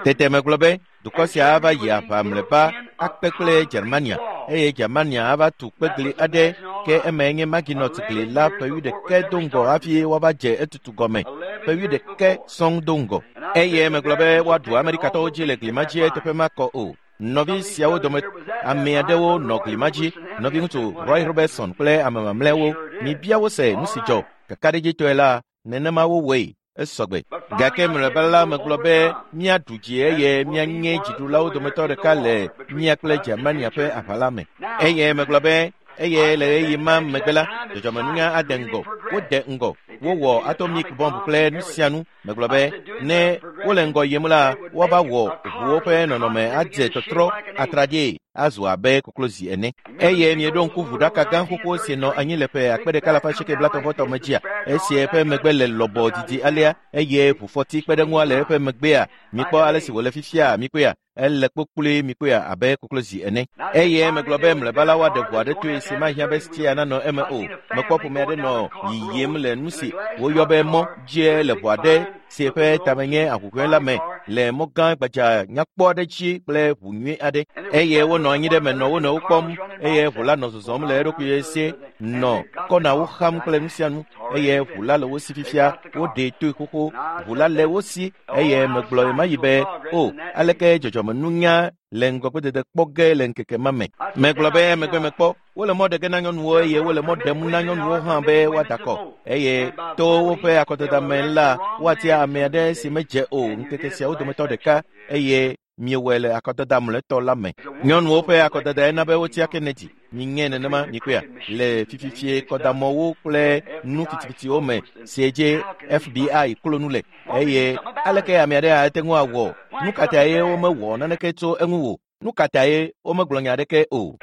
Tete megblɔ be dukɔ sia ava yi aʋa mlɔeba akpe kple Germania eye Germania ava tu kpegli aɖe ke emae nye Maginot gli la ƒe 11 do ŋgɔ hafi woava dze etutu gɔme ƒe 11 sɔŋ do ŋgɔ. Eye megblɔ be woaɖu Amerikatɔwo dzi le gli ma dzi eteƒe makɔ o. Nɔvi siawo dome ame aɖewo nɔ gli ma dzi, nɔviŋutsu Roy Robertson kple ame mamlɛawo. Mibia wo se nu si dzɔ. Kakaɖedzitɔe la, nenema wowɔe. Esɔgbe. Gake mlɔeba la megblɔ be míaɖu dzi eye míanye dziɖulawo dometɔ ɖeka le mía kple Germania ƒe aʋa la me. Eye megblɔ be eye le ɣeyiɣi ma megbe la, dzɔdzɔmenunya ade ŋgɔ. Wode ŋgɔ. Wowɔ atomic bomb kple nu sia nu. Megblɔ be ne wole ŋgɔ yim la, woava wɔ ʋuwo ƒe nɔnɔme adze tɔtrɔ atraɖie azu abe koklozi ene. Eye mieɖo ŋku ʋuɖaka gã xoxo si nɔ anyi le ƒe 1980 me dzia, esi eƒe megbe le lɔbɔ didi alea eye ʋufɔti kpe ɖe ŋua le eƒe megbea. Mikpɔ ale si wòle fifia, mikpɔea? Ele kpokploe, mikpɔea, abe koklozi ene. Eye megblɔ be mlɔeba la woaɖe ʋu aɖe toe si mahiã be stia nanɔ eme o. Mekpɔ ƒome aɖe nɔ yiyim le nu si woyɔ be mɔ dzie le ʋu aɖe si eƒe tame nye ahuhɔ̃e la me le mɔ gã gbadza nyakpɔ aɖe dzi kple ʋu nyui aɖe. Eye wonɔ anyi ɖe eme nɔ wo nɔewo kpɔm eye ʋu la nɔ zɔzɔm le eɖokui sie nɔ kɔnawo xam kple nu sia nu eye ʋu la le wo si fifia. Woɖee toe xoxo. Ʋu la le wo si eye megblɔ ɣemaɣi be o, aleke dzɔdzɔmenunya le ŋgɔgbedede kpɔ ge le ŋkeke ma me. Megblɔ be emegbe mekpɔ wole mɔ ɖe ge na nyɔnuwo eye wole mɔ ɖem na nyɔnuwo hã be woada akɔ eye to woƒe akɔdada me la woatia ame aɖe si medze o ŋkeke siawo dometɔ ɖeka eye miewɔe le akɔdada mlɔetɔ la me. Nyɔnuwo ƒe akɔdada ena be wotia Kennedy. Miŋe nenema mikpɔea le fififie kɔdamɔwo kple nu fitifitiwo me si dze FBI klo nu le eye aleke ame aɖe ate ŋu awɔ? Nu ka tae womewɔ naneke tso eŋu o? Nu ka tae womegblɔ nya aɖeke o?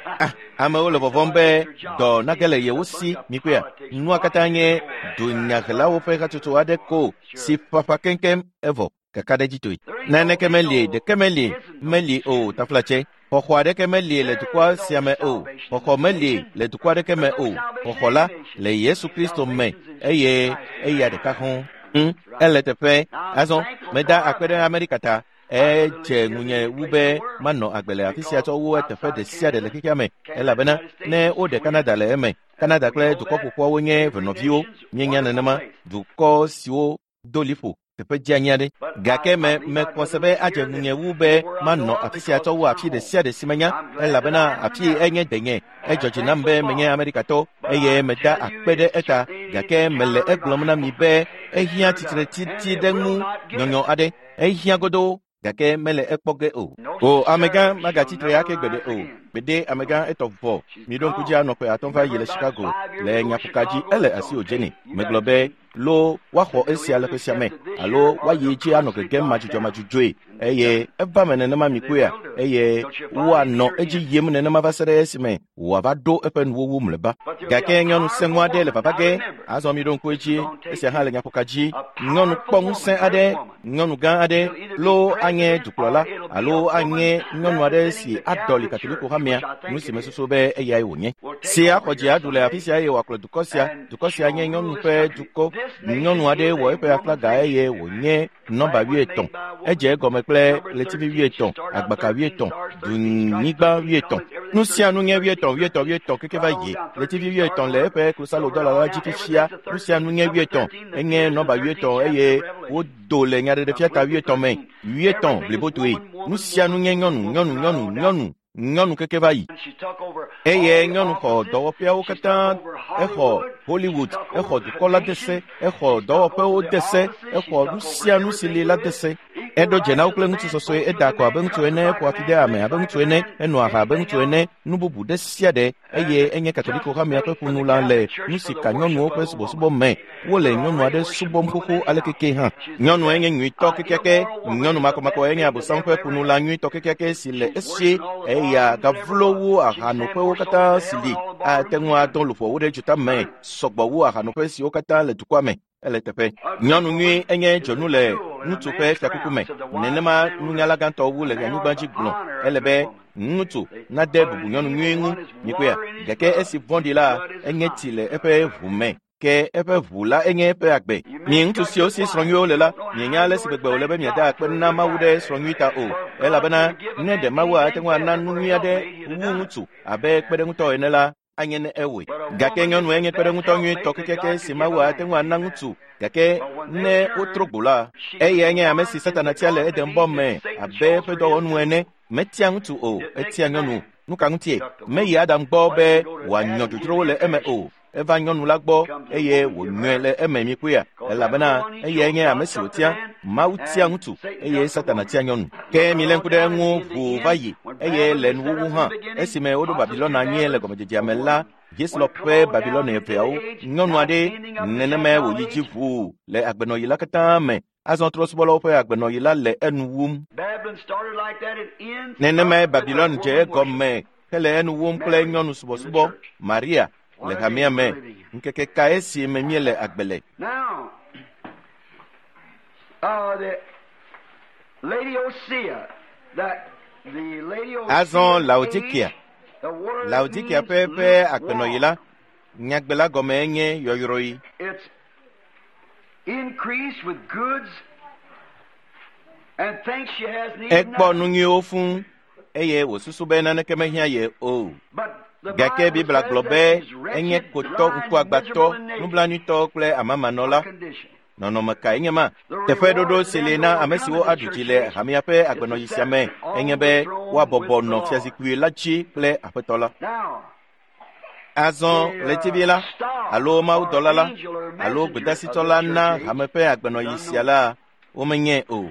Amewo le vɔvɔ̃m be dɔ nage le yewo si. Mikpɔea, nua katã nye dunyahelawo ƒe hatsotso aɖe ko si ƒaƒã keŋkeŋ evɔ kakaɖedzitoe. Naneke meli, ɖeke meli, meli o taflatse. Xɔxɔ aɖeke meli le dukɔ sia me o. Xɔxɔ meli le dukɔ aɖeke me o. Xɔxɔ la le Yesu Kristo me eye eya ɖeka hɔ̃. Ele teƒe. Azɔ meda akpe ɖe Amerika ta. Edze ŋunye wu be manɔ agbe le afi sia tsɔ wu eteƒe ɖe sia ɖe le xexea me elabena ne woɖe Canada le eme. Canada kple dukɔ ƒoƒuawo nye venɔviwo. Míenya nenema dukɔ siwo do liƒo teƒe dzeanyi aɖe. Gake me mekpɔ se be adze ŋunye wu be manɔ afi sia tsɔ wu afi ɖe sia ɖe si menya elabena afi enye denye. Edzɔ dzi nam be menye Amerikatɔ eye meda akpe ɖe eta gake mele egblɔm na mi be ehiã tsitretiti ɖe ŋu nyɔnyɔ aɖe. Ehiã godoo gake mele ekpɔ ge o. O amegã magatsitre ake gbeɖe o. Gbede amegã etɔ vɔ. Miɖo ŋku dzi anɔ ƒe 5 va yi le Chicago le nyaƒoka dzi ele asi wòdze nɛ. Megblɔ be lo woaxɔ esia le ƒe sia me alo woayi dzi anɔ gegem madzudzɔmadzudzɔe eye eva me nenema mikpɔea eye woanɔ edzi yim nenema va se ɖe esime wòava ɖo eƒe nuwuwu mlɔeba. Gake nyɔnu sẽŋu aɖe le vava ge. Azɔ miɖo ŋku edzi esia hã le nyaƒoka dzi. Nyɔnu kpɔ ŋusẽ aɖe, nyɔnu gã aɖe lo anye dukplɔla alo anye nyɔnu aɖe si aɖɔli Katoliko hamea, nu si mesusu be eyae wònye. Si axɔ dzi aɖu le afi sia eye wòakplɔ dukɔ sia. Dukɔ sia nye nyɔnu ƒe dukɔ. Nyɔnu aɖe wɔ eƒe aflaga eye wònye nɔmba 80. Edze egɔme kple ɣletivi 80, agbaka 80, dunyigba 80. Nu sia nu nye 80, 80, 80 keke va yi. Ɣletivi 80 le eƒe klosalo dɔla la dzi fifia. Nu sia nu nye 80. Enye nɔmba 80 eye wodo le nyaɖeɖefia ta 80 me. 80 blibotoe. Nu sia nu nye nyɔnu, nyɔnu, nyɔnu, nyɔnu, nyɔnu keke va yi. Eye nyɔnu xɔ dɔwɔƒeawo katã. Exɔ Hollywood, exɔ dukɔ la de se, exɔ dɔwɔƒewo de se, exɔ nu sia nu si li la de se. Eɖo dze na wo kple ŋutsu sɔsɔe, eda akɔ abe ŋutsu ene, eƒo afi ɖe ame abe ŋutsu ene, enɔ aha abe ŋutsu ene, nu bubu ɖe sia ɖe eye enye Katoliko hamea ƒe ƒonula le nu si ka nyɔnuwo ƒe subɔsubɔ me. Wole nyɔnu aɖe subɔm xoxo alekeke hã. Nyɔnue nye nyuitɔ kekeake. Nyɔnu makɔmakɔ enye Abosam ƒe ƒonula nyuitɔ kekeake si le esi eya gavlo wu ahanoƒewo katã si li. Ate ŋu adɔ luʋɔwo ɖe dzota me sɔgbɔ wu ahanoƒe siwo katã le dukɔa me. Ele teƒe. Nyɔnu nyui enye dzonu le ŋutsu ƒe fiakuku me. Nenema nunyala gãtɔ wu le anyigba dzi gblɔ. Ele be ŋutsu nade bubu nyɔnu nyui ŋu. Mikpɔea, gake esi vɔ̃ɖi la enye tsi le eƒe ʋu me. Ke eƒe ʋu la enye eƒe agbe. Mi ŋutsu siwo si srɔ̃ nyuiwo le la, mienya ale si gbegbe wòle be miada akpe na Mawu ɖe srɔ̃ nyui ta o. Elabena ne ɖe Mawu ate ŋu ana nu nyui aɖe wu ŋutsu abe kpeɖeŋutɔ ene la, anye ne ewɔe. Gake nyɔnue nye kpeɖeŋutɔ nyuitɔ kekeake si Mawu ate ŋu ana ŋutsu. Gake ne wotro gbo la, eyae nye ame si Satana tia le Edenbɔ me abe eƒe dɔwɔnu ene. Metia ŋutsu o, etia nyɔnu. Nu ka ŋutie? Meyi Adam gbɔ be wòanyɔ dzodzrowo le eme o. Eva nyɔnu la gbɔ eye wònyɔe le eme mikpɔea, elabena eyae nye ame si wòtia. Mawu tia ŋutsu eye Satana tia nyɔnu. Ke milé ŋku ɖe eŋu ʋuu va yi eye le nuwuwu hã. Esime woɖo Babilɔna anyi le gɔmedzedzea me la, Hislop ƒe Babilɔne eveawo. Nyɔnu aɖe nenemae wòyi dzi ʋuu le agbenɔɣi la katã me. Azɔ trɔ̃subɔlawo ƒe agbenɔɣi la le enu wum. Nenemae Babilɔn dze egɔme hele enu wum kple nyɔnu subɔsubɔ Maria le hamea me. Ŋkeke kae si me míele agbe le? Azɔ Laodikea. Laodikea ƒe eƒe agbenɔɣi la, nyagbe la gɔmee nye yɔyrɔyi. Ekpɔ nu nyuiwo fũu eye wòsusu be naneke mehiã ye o. Gake Biblia gblɔ be enye kotɔ, ŋkuagbãtɔ, nublanuitɔ kple amamanɔla. Nɔnɔme kae nye ma? Teƒeɖoɖo si li na ame siwo aɖu dzi le hamea ƒe agbenɔɣi sia me enye be woabɔbɔ nɔ fiazikpui la dzi kple Aƒetɔ la. Azɔ ɣletivi la, alo mawudɔla la, alo gbedasitsɔla na hame ƒe agbenɔɣi sia la, womenyae o.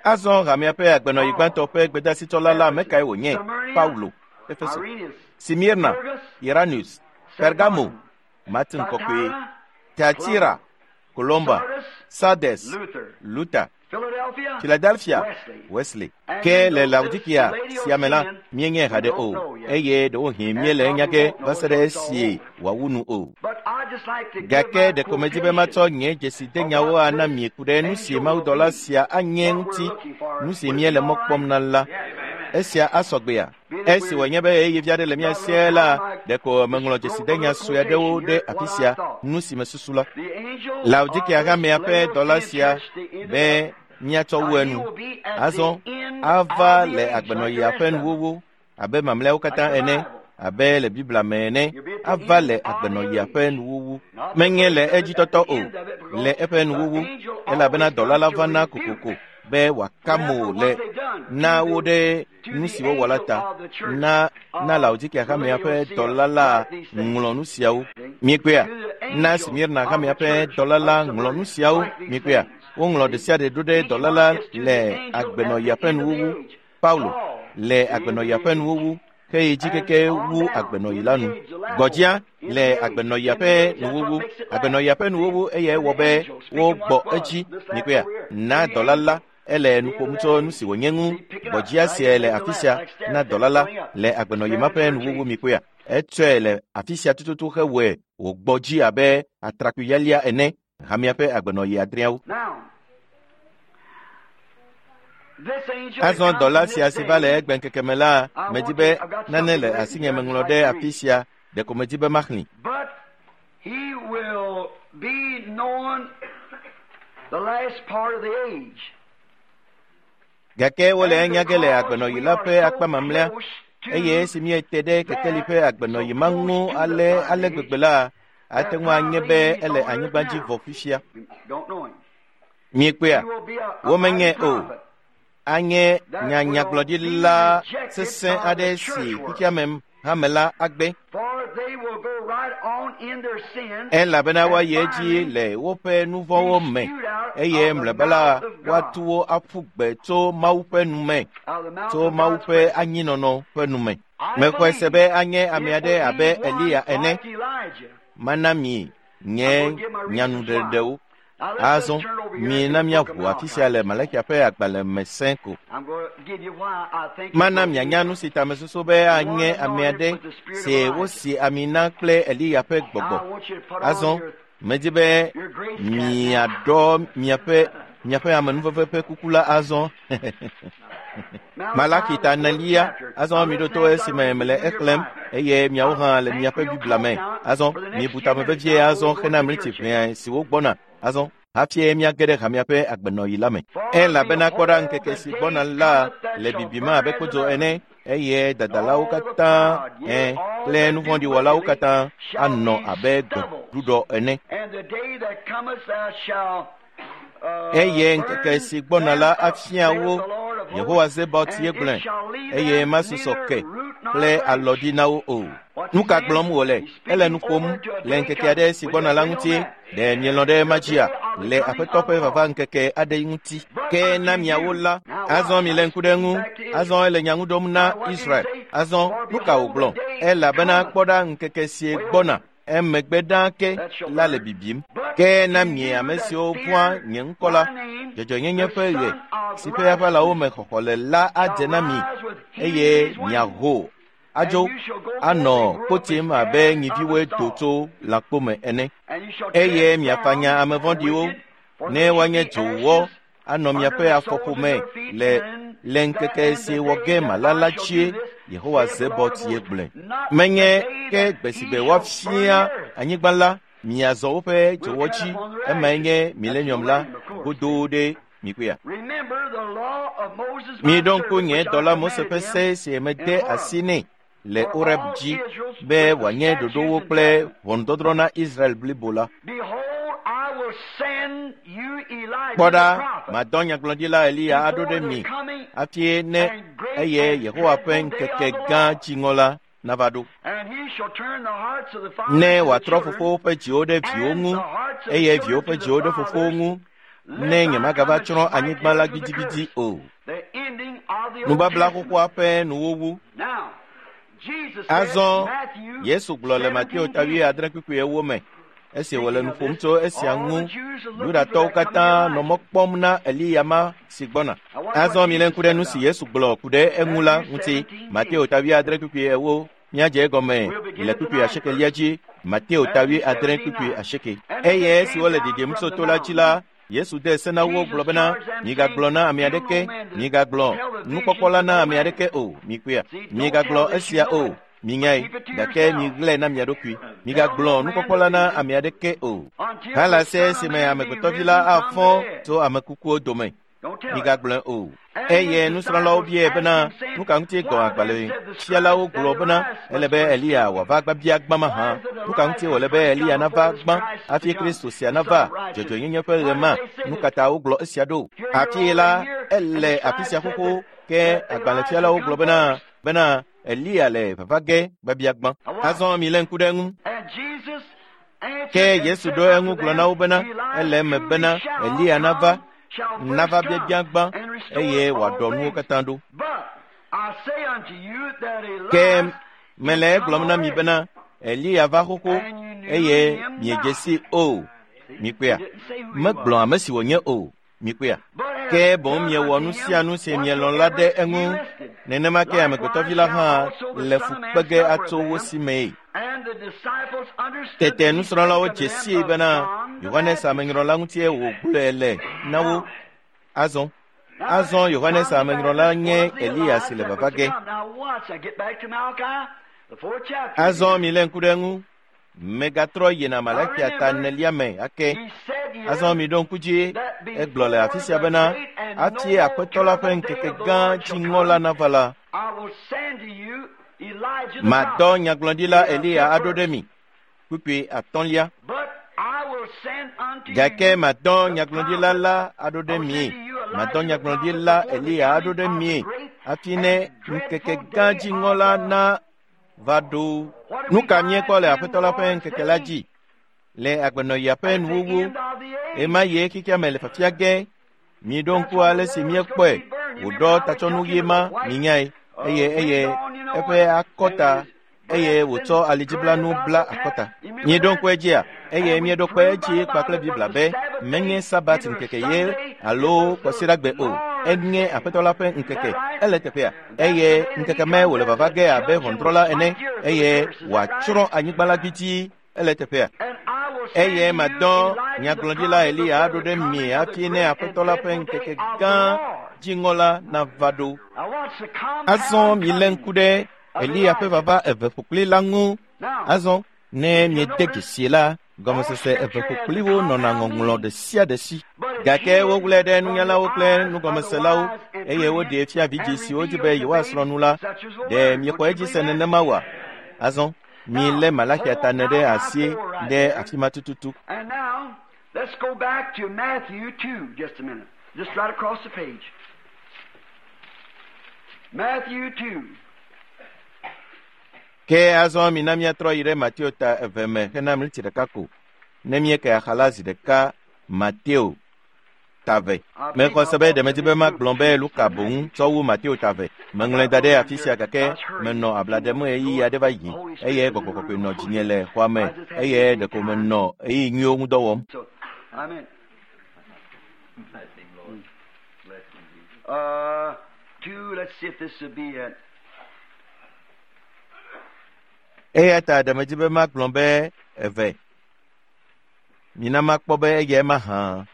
Azɔ hamea ƒe agbenɔɣi gbãtɔ ƒe gbedasitsɔla la ame kae wònye? Paulo, Efeso, Simirna, Iranus, Pergamo, Martin Kɔkɔe, Tiatira, Columba, Sardes, Luther, Philadelphia, Wesley. Ke le Laodikea sia me la, míenye haɖe o, eye ɖewohĩ míele enya ge va se ɖe esi wòawu nu o. Gake ɖeko medi be matsɔ nye dzesidenyawo ana mi ku ɖe nu si mawudɔla sia anye ŋuti, nu si míele mɔ kpɔm na la. Esia asɔ gbea? Esi wònye be ɣeyiɣi aɖe le mía sie la, ɖeko meŋlɔ dzesidenya sue aɖewo ɖe afi sia, nu si mesusu la. Laodikea hamea ƒe dɔla sia be míatsɔ wu enu. Azɔ ava le agbenɔɣia ƒe nuwuwu abe mamlɛawo katã ene, abe le Biblia me ene, ava le agbenɔɣia ƒe nuwuwu. Menye le edzitɔtɔ o, le eƒe nuwuwu, elabena dɔla la vana kokoko be wòaka mo le na wo ɖe nu si wowɔ la ta. Na na Laodikea hamea ƒe dɔla la ŋlɔ nu siawo. Miekpɔea? Na Smirna hamea ƒe dɔla la ŋlɔ nu siawo. Miekpɔea? Woŋlɔ ɖe sia ɖe ɖo ɖe dɔla la le agbenɔɣia ƒe nuwuwu. Paulo le agbenɔɣia ƒe nuwuwu heyi dzi keke wu agbenɔɣi la nu. Gbɔdzia le agbenɔɣia ƒe nuwuwu. Agbenɔɣia ƒe nuwuwu eye ewɔ be wogbɔ edzi. Miekpɔea? Na dɔla la ele nu ƒom tso nu si wònye ŋu. Gbɔdzia sia le afi sia na dɔla la le agbenɔɣi ma ƒe nuwuwu. Miekpɔea? Etsɔe le afi sia tututu hewɔe wògbɔ dzi abe atrakpui lialia ene. Hamea ƒe agbenɔɣi adreawo. Azɔ dɔla sia si va le egbe ŋkeke me la, medi be nane le asinye meŋlɔ ɖe afi sia, ɖeko medi be maxlẽ. Gake wole enya ge le agbenɔɣi la ƒe akpa mamlɛa, eye esi míete ɖe kekeli ƒe agbenɔɣi ma ŋu ale ale gbegbe la, ate ŋu anye be ele anyigba dzi vɔ fifia. Miekpɔea? Womenye o. Anye nyanyagblɔɖila sesẽ aɖe si xexeame hame la agbe. Elabena woayi edzi le woƒe nu vɔ̃wo me, eye mlɔeba la woatu wo aƒu gbe tso Mawu ƒe nu me, tso Mawu ƒe anyinɔnɔ ƒe nu me. Mexɔe se be anye ame aɖe abe Eliya ene. Mana mi nye nyanuɖeɖewo. Azɔ mina míaʋu afi sia le Malakia ƒe agbalẽ me sẽ ko. Mana mianya nu si ta mesusu be anye ame aɖe si wosi ami na kple Eliya ƒe gbɔgbɔ. Azɔ medi be miaɖɔ miaƒe miaƒe amenuveve ƒe kuku la azɔ. Malaki ta enelia. Azɔ miɖo to esime mele exlẽm eye miawo hã le miaƒe Biblia me. Azɔ mibu tame vevie azɔ hena mliti ʋɛ siwo gbɔna. Azɔ hafi míage ɖe hamea ƒe agbenɔɣi la me. Elabena kpɔ ɖa ŋkeke si gbɔna la le bibim abe kpodzo ene, eye dadalawo katã kple nu vɔ̃ɖi wɔlawo katã anɔ abe gbeɖuɖɔ ene. Eye ŋkeke si gbɔna la afia wo, Yehowa Zebaot ye gblɔe, eye masusɔ ke kple alɔɖi na wo o. Nu ka gblɔm wòle? Ele nu ƒom le ŋkeke aɖe si gbɔna la ŋuti. Ɖe mielɔ̃ ɖe ema dzia? Le Aƒetɔ ƒe vava ŋkeke aɖe ŋuti. Ke na miawo la, azɔ mile ŋku ɖe eŋu. Azɔ ele nya ŋu ɖom na Israel. Azɔ nu ka wògblɔ? Elabena kpɔ ɖa ŋkeke sie gbɔna emegbe ɖaa ke la le bibim. Ke na mie ame siwo vɔ̃a nye ŋkɔ la, dzɔdzɔenyenye ƒe ɣe si ƒe aʋalawo me xɔxɔ le la adze na mi eye miaho adzo anɔ kpotim abe nyiviwoe do tso lãkpo me ene. Eye miafanya ame vɔ̃ɖiwo ne woanye dzowɔ anɔ miaƒe afɔƒome le le ŋkeke si wɔ ge mala la dzie Yehowa Zebɔt ye gblɔe. Menye ke gbe si gbe woafia anyigba la miazɔ woƒe dzowɔ dzi emae nye milenium la godoo ɖe mikpɔea. Miɖo ŋku nye dɔla Mose ƒe se si mede asi nɛ le Oreb dzi be wòanye ɖoɖowo kple ʋɔnudɔdrɔ̃ na Israel blibo la. Kpɔ ɖa, madɔ nyagblɔɖila Eliya aɖo ɖe mi hafi ne eye Yehowa ƒe ŋkeke gã dziŋɔ la nava ɖo. Ne wòatrɔ fofowo ƒe dziwo ɖe viwo ŋu eye viwo ƒe dziwo ɖe fofowo ŋu, ne nyemagava tsrɔ̃ anyigba la gbidigbidi o. Nubabla xoxoa ƒe nuwuwu. Azɔ Yesu gblɔ le Mateo ta 7:8 me esi wòle nu ƒom tso esia ŋu. Yudatɔwo katã nɔ mɔ kpɔm na Eliya ma si gbɔna. Azɔ milé ŋku ɖe nu si Yesu gblɔ ku ɖe eŋu la ŋuti. Mateo ta 7:8 míadze egɔme le kpukpui asiekelia dzi. Mateo ta 7:8. Eye esi wole ɖiɖim tso to la dzi la, Yesu de se na wo gblɔ bena, migagblɔ na ame aɖeke, migagblɔ nukpɔkpɔ la na ame aɖeke o, mikpɔea. Migagblɔ esia o, minyae, gake miɣlae na mia ɖokui. Migagblɔ nukpɔkpɔ la na ame aɖeke o. Hala se esime amegbetɔvi la afɔ tso ame kukuwo dome. Migagblɔe o. Eye nusrɔ̃lawo biae bena, nu ka ŋuti gɔ̃ agbalẽfialawo gblɔ bena ele be Eliya wòava gbabia gbã mahã? Nu ka ŋuti wòle be Eliya nava gbã hafi Kristo sia nava dzɔdzɔenyenye ƒe ɣe ma? Nu ka ta wogblɔ esia ɖo? Hafi la, ele afi sia xoxo ke agbalẽfialawo gblɔ bena bena Eliya le vava ge gbabia gbã. Azɔ milé ŋku ɖe eŋu. Ke Yesu ɖo eŋu gblɔ na wo bena ele eme bena Eliya nava nava biabia gbã eye wòaɖɔ nuwo katã ɖo. Ke mele egblɔm na mi bena Eliya va xoxo eye miedze sii o. Mikpɔea? Megblɔ ame si wònye o. Mikpɔea? Ke boŋ miewɔ nu sia nu si mielɔ̃ la ɖe eŋu. Nenema ke amegbetɔvi la hã le fu kpe ge atso wo si mee. Tete nusrɔ̃lawo dze sii bena Yohanes Amenyrɔla ŋutie wògblɔe le na wo. Azɔ azɔ Yohanes Amenyrɔla nye Eliya si le vava ge. Azɔ milé ŋku ɖe eŋu. Megatrɔ yina Malakia ta enelia me ake. Azɔ miɖo ŋku dzi egblɔ le afi sia bena hafi Aƒetɔ la ƒe ŋkeke gã dziŋɔ la nava la, madɔ nyagblɔɖila Eliya aɖo ɖe mi. Kpukpui atɔ̃lia. Gake madɔ nyagblɔɖila la aɖo ɖe mi. Madɔ nyagblɔɖila Eliya aɖo ɖe mi hafi ne ŋkeke gã dziŋɔ la na va ɖo. Nu ka míekpɔ le Aƒetɔ la ƒe ŋkeke la dzi? Le agbenɔɣia ƒe nuwuwu, ɣemaɣie xexea me le fafia ge. Miɖo ŋku ale si míekpɔe wòɖɔ tatsɔnu ɣi ma minyae eye eye eƒe akɔta eye wòtsɔ alidziblanu bla akɔta. Míeɖo ŋku edzia eye míeɖo kpe edzi kpakple Biblia be menye Sabat ŋkeke ye alo Kɔsiɖagbe o. Enye Aƒetɔ la ƒe ŋkeke. Ele teƒea eye ŋkeke me wòle vava ge abe ʋɔnudrɔ̃la ene eye wòatsrɔ̃ anyigba la gbidii. Ele teƒea. Eye madɔ nyagblɔɖila Eliya aɖo ɖe mi hafi ne Aƒetɔ la ƒe ŋkeke gã dziŋɔ la nava ɖo. Azɔ milé ŋku ɖe Eliya ƒe vava eve ƒokpli la ŋu. Azɔ ne miede dzesi la, gɔmesese eve ƒokpliwo nɔna ŋɔŋlɔ ɖe sia ɖe si. Gake woŋlɔe ɖe nunyalawo kple nugɔmeselawo eye woɖee fia vidzĩ siwo di be yewoasrɔ̃ nu la. Ɖe miexɔ edzi se nenema oa? Azɔ milé Malaxia ta ene ɖe asi ɖe afi ma tututu. And now, let's go back to Matthew 2, just a minute. Just right across the page. Matthew 2. Ke azɔ mina míatrɔ yi ɖe Mateo ta eve me hena mliti ɖeka ko. Ne míeke axa la zi ɖeka Mateo ta ve. Mexɔ se be ɖe medi be magblɔ be Luka boŋ tsɔ wu Mateo ta ve. Meŋlɔe da ɖe afi sia gake menɔ abla ɖem ɣeyiɣi aɖe va yi eye gbɔgbɔ kɔkɔe nɔ dzinye le xɔa me eye ɖeko menɔ ɣeyiɣi nyuiwo ŋu dɔ wɔm. So, amen. Bless him, Lord. Bless him, Jesus. 2, let's see if this would be it. Eya ta ɖe medi be magblɔ be eve. Mina makpɔ be eyae mahã.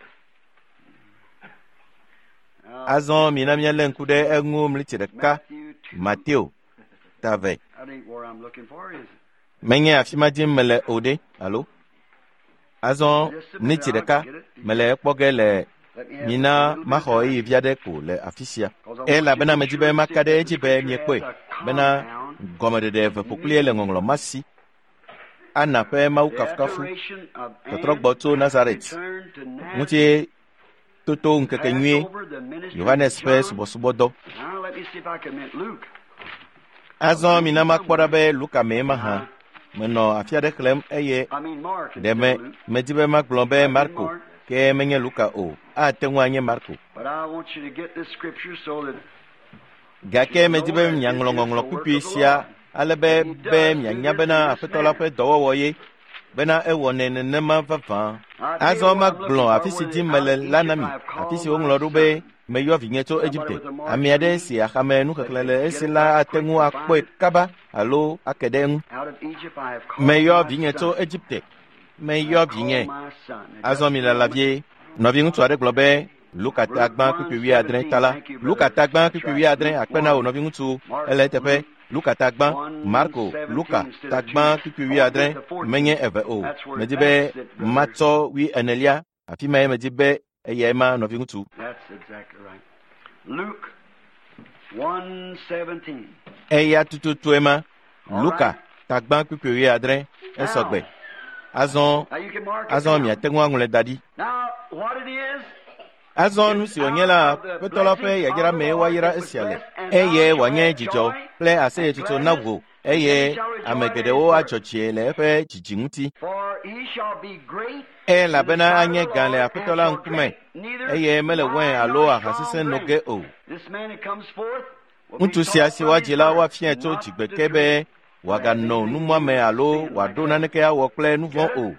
Azɔ mina míalé ŋku ɖe eŋu mliti ɖeka Matthew 2. Mateo ta ve. That ain't where I'm looking for, is it? Menye afi ma dim mele o ɖe alo? Azɔ mliti ɖeka mele ekpɔ ge le Let me have mina a little bit maxɔ of time. ɣeyiɣi vi aɖe ko le afi sia. 'Cause I want you Elabena to be medi sure be and see maka that ɖe the edzi be scripture miekpɔe has a bena compound gɔmeɖeɖe eve ƒokplie le ŋɔŋlɔ ma si. Ana ƒe Mawu The kafukafu adoration of tɔtrɔgbɔ Anne tso Nazaret returned to Nazareth, ŋuti toto ŋkeke nyuie Passover, the ministry of Yohanes ƒe John. subɔsubɔdɔ. Now let me see if I can meet Luke. Azɔ mina makpɔ ɖa be Luka mee mahã. Menɔ afi aɖe xlẽm eye I mean Mark ɖe instead me of Luke. medi be magblɔ be Marko ke menye Luka o. Ate ŋu anye Marko. But I want you to get this scripture so that Gake medi be miaŋlɔ ŋɔŋlɔ kpukpui sia ale be be mianya bena Aƒetɔ la ƒe dɔwɔwɔ ye bena ewɔnɛ nenema vavã. I tell you Azɔ what I'm magblɔ looking for, afi si where dim out mele of la Egypt na mi, I have afi called si my woŋlɔ ɖo be son. meyɔ vinye tso Somebody Egipte. with a mark Ame aɖe screen si axame that nuxexlẽ could le get esi it la back ate quick ŋu and akpɔe find it. kaba alo ake ɖe eŋu. Out of Egypt I have called Meyɔ my vinye tso son. Egipte. I Meyɔ have vinye. called my son. Now Azɔ just mi a lala moment. vie. Nɔviŋutsu aɖe gblɔ be Luka ta Luke gbã kpukpui wuiadre 1:17. ta la. Thank you, Luka brother. ta gbã That's kpukpui right. wuiadre Luke akpe na wò 1. nɔviŋutsu. Mark Ele eteƒe. Luke Luka ta gbã, Marko, Luka 1:17 instead ta of gbã 2. kpukpui I want to wuiadre get the menye 14. eve o. That's where Medi be that's it, brother. matsɔ wui enelia. Afi mae medi be eyae ma nɔviŋutsu. That's exactly right. Luke 1:17. Eya tututue ma. All Luka right. ta gbã kpukpui wuiadre esɔgbe. Now, Azɔ now you can mark it azɔ down. miate ŋu aŋlɔe da ɖi. Now, what it is, Azɔ nu it's si wònye out la of the Aƒetɔ la ƒe blessings yayra of the mee Lord woayra that was esia le blessed, and eye thou shalt wòanye have dzidzɔ joy kple and aseyetsotso na gladness, wò and many eye shall ame rejoice at his geɖewo birth. adzɔ dzi le eƒe dzidzi ŋuti. For he shall be great in the Elabena sight of anye the gã le Lord, Aƒetɔ and la shall ŋkume drink neither eye mele wain wine alo nor aha strong sesẽ no drink. ge o. This man that comes forth will be Ŋutsu sia taught si from his woadzi la birth woafiae tso not to dzigbe ke drink be or have wòaganɔ anything to do numuame with alo sin like wòaɖo that. naneke awɔ kple nu vɔ̃ Get it? o.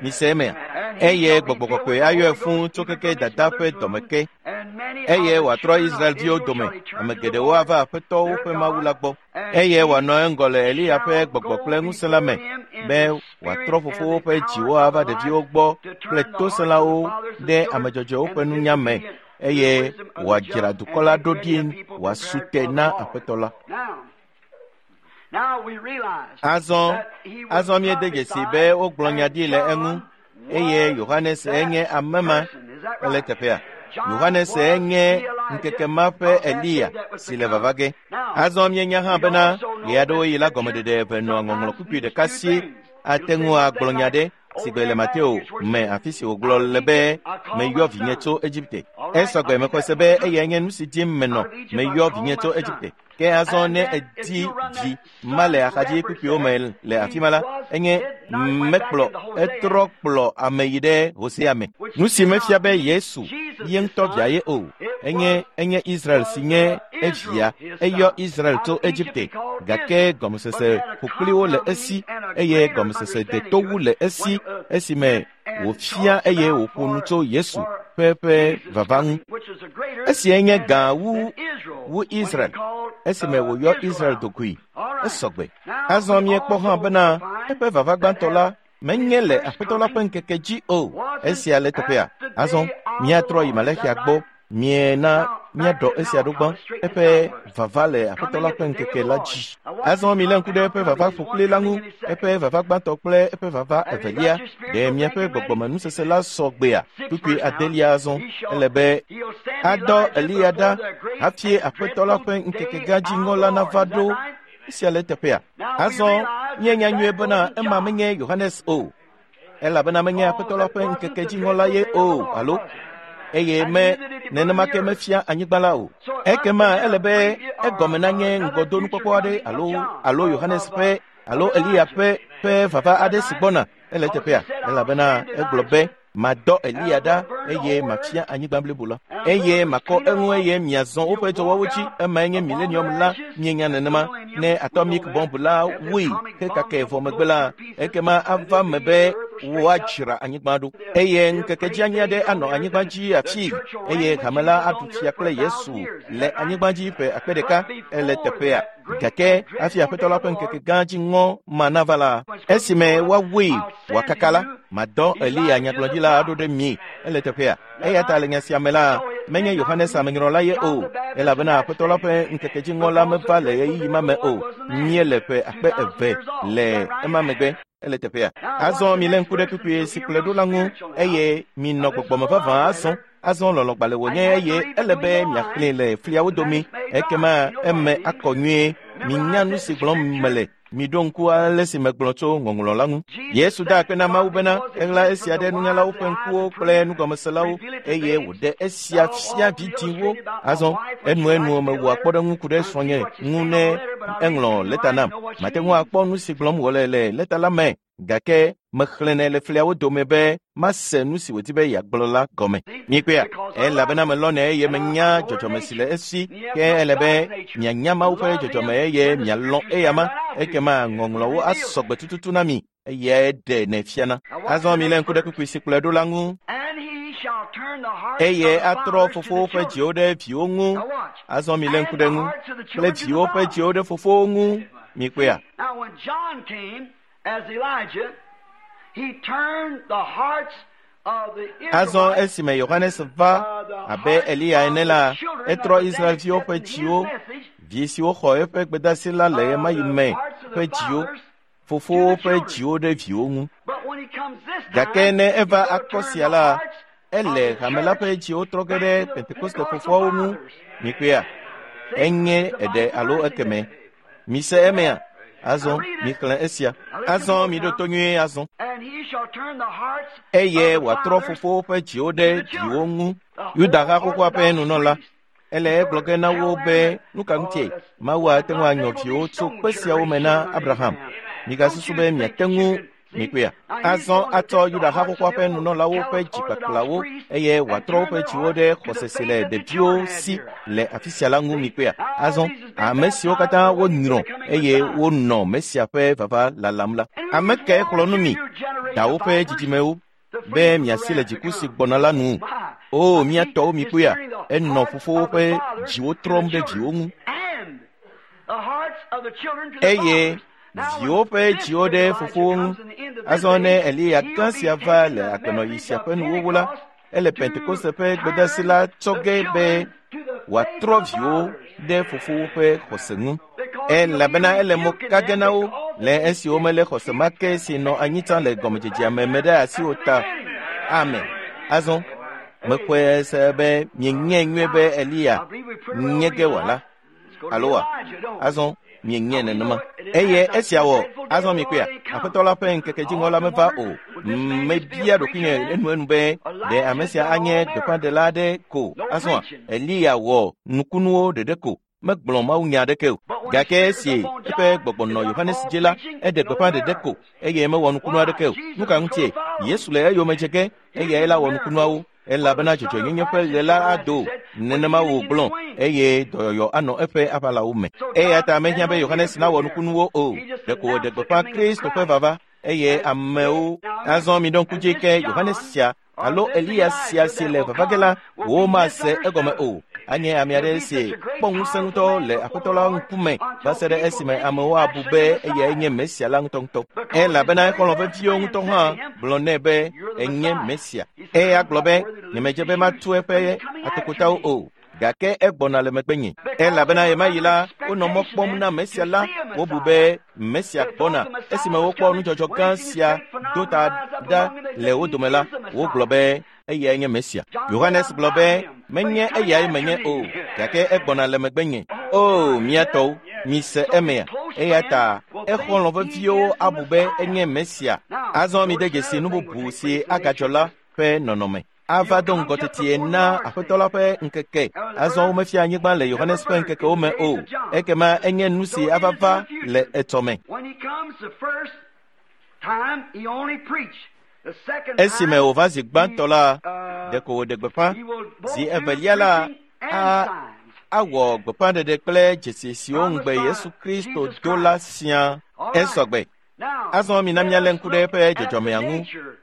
Mise emea? And he Eye shall be gbɔgbɔ filled kɔkɔe with the ayɔe Holy fũu Ghost tso even keke from his dada ƒe mother's dɔme womb. ke And many eye of the wòatrɔ children of Israelviwo Israel dome. shall he turn Ame to the geɖewo Lord ava Aƒetɔ their woƒe Mawu God, la gbɔ and eye he wòanɔ eŋgɔ le Eliya ƒe shall gbɔgbɔ go kple ŋusẽ la before me him in be the wòatrɔ spirit and fofowo the ƒe power dziwo of ava Elias ɖeviwo gbɔ to kple turn the hearts of the tosẽlawo fathers to ɖe the ame children dzɔdzɔewo and ƒe the nunya me disobedient to the eye wisdom of the wòadzra just, dukɔ and la make ɖo ready a ɖi people wòasu prepared te for the na Lord. Aƒetɔ la. Now, now we realize Azɔ that he was azɔ míede dzesi be prophesied wogblɔ nya and ɖi le eŋu John eye was Yohanes that enye ame ma person. Is that ele right? teƒea. John Yohanes was enye the Elijah ŋkeke ma ƒe of that day Eliya that was si to le come. vava ge. Now, Azɔ míenya hã we bena also know that ɣeaɖewoɣi la Scripture gɔmeɖeɖe eve nɔa ŋɔŋlɔ sometimes kpukpui means ɖeka two si things. ate It'll say ŋu one agblɔ thing nya like ɖe si over gbe le in Mateo Matthew where it me says, afi si Out wògblɔ of le be Egypt I called meyɔ my vinye son. tso Egipte. All right, Esɔgbe I think mexɔe that se be one time. eyae nye nu si dim menɔ Out of Egypt I meyɔ called vinye my tso son. Egipte. Ke azɔ And ne then if edi you run vi that ma le son axadzi reference kpukpuiwo there, me le he afi ma la, was enye did not went back mekplɔ into Hosea, etrɔ kplɔ ame yi ɖe Hosea me. which Nu si did mefia not be mean Yesu Jesus ye his ŋutɔ son. via ye o. It Enye was enye Israel si was nye Israel evia. his Eyɔ son. Israel Out tso of Egypt he Egipte called gake Israel, but gɔmesese had a ƒokpliwo le compound esi meaning and a eye greater gɔmesese understanding deto to wu it le when esi it esime went and wòfia talked eye about wòƒo nu for tso Yesu for ƒe ƒe Jesus vava ŋu. coming, which is a greater Esiae nye than gã wu than Israel wu when he Israel called esime wòyɔ Israel Israel out. dokui. All right. Esɔgbe. Now Azɔ we míekpɔ hã also bena find eƒe vava that gbãtɔ at la menye his le first Aƒetɔ la ƒe coming ŋkeke dzi o. wasn't Esia le teƒea. at the Azɔ day of the míatrɔ yi Lord. Is Malexia that gbɔ right? miena Now back míaɖɔ to esia ɖo gbã Malachi, straighten this eƒe out first. vava le Aƒetɔ Coming la at ƒe the day of ŋkeke the la Lord. dzi. Now watch Azɔ this milé ŋku ɖe compound eƒe vava coming. There's one ƒokpli la coming ŋu, any second. eƒe vava gbãtɔ kple eƒe vava Have you evelia. got your Ɖe spiritual miaƒe thinking ready? gbɔgbɔmenusese la sɔ gbea? Six Kpukpui verse now. adelia azɔ. He shall Ele be he'll send adɔ Elijah Eliya before ɖa the great hafi and Aƒetɔ la dreadful ƒe ŋkeke day gã of dziŋɔ the la Lord. nava Is that ɖo. right? Esia le teƒea. Now we Azɔ realize that míenya nyuie that bena wasn't ema John. menye Yohanes o elabena menye Because Aƒetɔ la it ƒe wasn't ŋkeke the dziŋɔ la dreadful ye day of the o Lord, alo was it? eye And me neither did he burn nenema the ke earth. mefia anyigba la o. So it must have Ekema been ele a be previous or egɔme nanye another future ŋgɔdonukpɔkpɔ aɖe coming of alo John alo of Yohanes of ƒe alo Eliya ƒe vava aɖe si gbɔna ele teƒea elabena egblɔ be madɔ Eliya ɖa eye mafia anyigba blibo la eye makɔ eŋu eye miazɔ woƒe dɔwɔwɔwo dzi. Emae nye milenium la. Mienya nenema ne atomic bomb la wui hekake vɔ megbe la, ekema ava me be woadzra anyigba ɖo eye ŋkeke dzi aɖe anɔ anyigba dzi afi eye hame la aɖu fia kple Yesu le anyigba dzi ƒe akpe ɖeka ele teƒea. Gake hafi Aƒetɔ la ƒe ŋkeke gã dzi ŋɔ ma nava la, esime woawui wòakaka la, madɔ Eliya nyagblɔɖila aɖo ɖe mi ele teƒea. Eya ta le nya sia me la, menye Yohanes amenyrɔla ye o, elabena Aƒetɔ la ƒe ŋkeke dzi ŋɔ la meva le ɣeyiɣi ma me o. Míele ƒe akpe eve le ema megbe ele teƒea. Azɔ milé ŋku ɖe kpukpui si kplɔe ɖo la ŋu eye minɔ gbɔgbɔme vavã azɔ. Azɔ lɔlɔ̃gbalẽ wònye eye ele be miaxlẽe le fliawo domi, ekema eme akɔ nyuie. Minya nu si gblɔm mele. Miɖo ŋku ale si megblɔ tso ŋɔŋlɔ la ŋu. Yesu da akpe na Mawu bena eɣla esia ɖe nunyalawo ƒe ŋkuwo kple nugɔmeselawo eye wòɖe esia fia vidzĩwo. Azɔ enuenu mewɔa kpɔɖeŋu ku ɖe srɔ̃nye ŋu ne eŋlɔ lɛta nam. Mate ŋu akpɔ nu si gblɔm wòle le lɛta la me, gake mexlẽnɛ le fliawo dome be mase nu si wòdi be yeagblɔ la gɔme. Mikpɔea, elabena melɔ̃nɛ eye menya dzɔdzɔme si le esi, ke ele be mianya Mawu ƒe dzɔdzɔme eye mialɔ̃ eyama, ekema ŋɔŋlɔwo asɔ gbe tututu na mi eye ɖe nɛ fiana. Azɔ milé ŋku ɖe kpukpui si kplɔe ɖo la ŋu. Eye atrɔ fofowo ƒe dziwo ɖe viwo ŋu. Azɔ milé ŋku ɖe ŋu kple viwo ƒe dziwo ɖe fofowo ŋu. Mikpɔea. Azɔ esime Yohanes va abe Eliya ene la, etrɔ Israelviwo ƒe dziwo, vi siwo xɔ eƒe gbedeasi la le ɣemaɣi me ƒe dziwo, fofowo ƒe dziwo ɖe viwo ŋu. Gake ne eva akɔ sia la, ele hame la ƒe dziwo trɔ ge ɖe Pentekoste fofoawo ŋu. Mikpɔea, enye eɖe alo ekeme. Mise emea. Azɔ mixlẽ esia. Azɔ miɖo to nyuie azɔ. Eye wòatrɔ fofowo ƒe dziwo ɖe viwo ŋu. Yuda ha xoxoa ƒe nunɔla ele egblɔ ge na wo be nu ka ŋutie Mawu ate ŋu anyɔ viwo tso kpe siawo me na Abraham. Migasusu be miate ŋu mikpɔea. Azɔ atsɔ Yuda ha xoxoa ƒe nunɔlawo ƒe dzikpakplawo eye wòatrɔ woƒe dziwo ɖe xɔse si le ɖeviwo si le afi sia la ŋu. Mikpɔea. Azɔ ame siwo katã wonyrɔ eye wonɔ Mesia ƒe vava lalam la, ame kae xlɔ̃ nu mi dawo ƒe dzidzimewo be miasi le dziku si gbɔna la nu? O mía tɔwo, mikpɔea, enɔ fofowo ƒe dziwo trɔm ɖe viwo ŋu eye viwo ƒe dziwo ɖe fofowo ŋu. Azɔ ne Eliya gã sia va le agbenɔɣi sia ƒe nuwuwu la, ele Pentekoste ƒe gbedeasi la tsɔ ge be wòatrɔ viwo ɖe fofowo ƒe xɔse ŋu, elabena ele mo ka ge na wo le esi womelé xɔse ma ke si nɔ anyi tsã le gɔmedzedzea me me ɖe asi o ta. Amen. Azɔ mexɔe se be mienyae nyuie be Eliya nye ge wòala alo wa? Azɔ mienyae nenema. Eye esia wɔ azɔ mikpɔea, Aƒetɔ la ƒe ŋkeke dziŋɔ la meva o. Mebia ɖokuinye enuenu be ɖe ame sia anye gbeƒãɖela aɖe ko. Azɔa Eliya wɔ nukunuwo ɖeɖe ko, megblɔ mawunya aɖeke o. Gake esi eƒe gbɔgbɔ nɔ Yohanes dzi la, eɖe gbeƒã ɖeɖe ko eye mewɔ nukunu aɖeke o. Nu ka ŋutie? Yesu le eyome dze ge eyae la wɔ nukunuawo, elabena dzɔdzɔenyenye ƒe ɣe la ado. Nenema wògblɔ eye dɔyɔyɔ anɔ eƒe aʋalawo me. Eya ta mehiã be Yohanes nawɔ nukunuwo o, ɖeko wòɖe gbeƒã Kristo ƒe vava eye amewo. Azɔ miɖo ŋku dzi ke Yohanes sia alo Eliya sia si le vava ge la, womase egɔme o. Anye ame aɖe si kpɔ ŋusẽ ŋutɔ le Aƒetɔ la ŋkume va se ɖe esime amewo abu be eyae nye Mesia la ŋutɔŋutɔ. Elabena exɔlɔ̃ veviwo ŋutɔ hã gblɔ nɛ be enye Mesia. Eya gblɔ be nyemedze be matu eƒe atokotawo o, gake egbɔna le megbenye. Elabena ɣemaɣi la, wonɔ mɔ kpɔm na Mesia la. Wobu be Mesia gbɔna. Esime wokpɔ nudzɔdzɔ gã sia do ta ɖa le wo dome la, wogblɔ be eyae nye Mesia. Yohanes gblɔ be menye eyae menye o, gake egbɔna le megbenye. O mía tɔwo, mise emea. Eya ta exɔlɔ̃ veviwo abu be enye Mesia. Azɔ mide dzesi nu bubu si agadzɔ la ƒe nɔnɔme. Ava do ŋgɔ tetie na Aƒetɔ la ƒe ŋkeke. Azɔ womefia anyigba le Yohanes ƒe ŋkekewo me o. Ekema enye nu si ava va le etsɔme. Esime wòva zi gbãtɔ la, ɖeko wòɖe gbeƒã. Zi evelia la, awɔ gbeƒãɖeɖe kple dzesi siwo ŋugbe Yesu Kristo do la siaa. Esɔgbe. Azɔ mina míalé ŋku ɖe eƒe dzɔdzɔmea ŋu.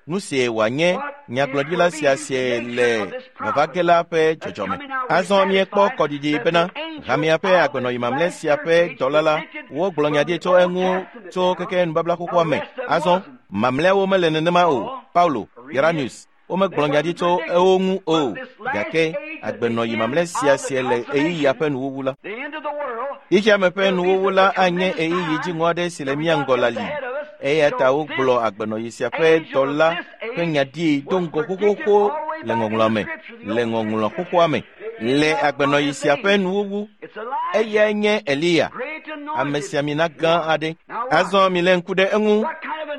Nu sie wòanye nyagblɔɖila sia sie le vava ge la ƒe dzɔdzɔme. Azɔ míekpɔ kɔɖiɖi bena hamea ƒe agbenɔyi mamlɛ sia ƒe dɔla la, wogblɔ nya ɖi tso eŋu tso keke nubabla xoxoa me. Azɔ mamlɛawo mele nenema o. Paulo, Irenaeus, womegblɔ nya ɖi tso ewo ŋu o, gake agbenɔyi mamlɛ sia sie le ɣeyiɣia ƒe nuwuwu la. Xexeame ƒe nuwuwu la anye ɣeyiɣi dziŋɔ aɖe si le mía ŋgɔ la li. Eya ta wogblɔ agbenɔyi sia ƒe dɔla ƒe nya ɖi do ŋgɔ xoxoxo le ŋɔŋlɔa me, le ŋɔŋlɔ xoxoa me. Le agbenɔyi sia ƒe nuwuwu, eyae nye Eliya, amesiamina gã aɖe. Azɔ milé ŋku ɖe eŋu.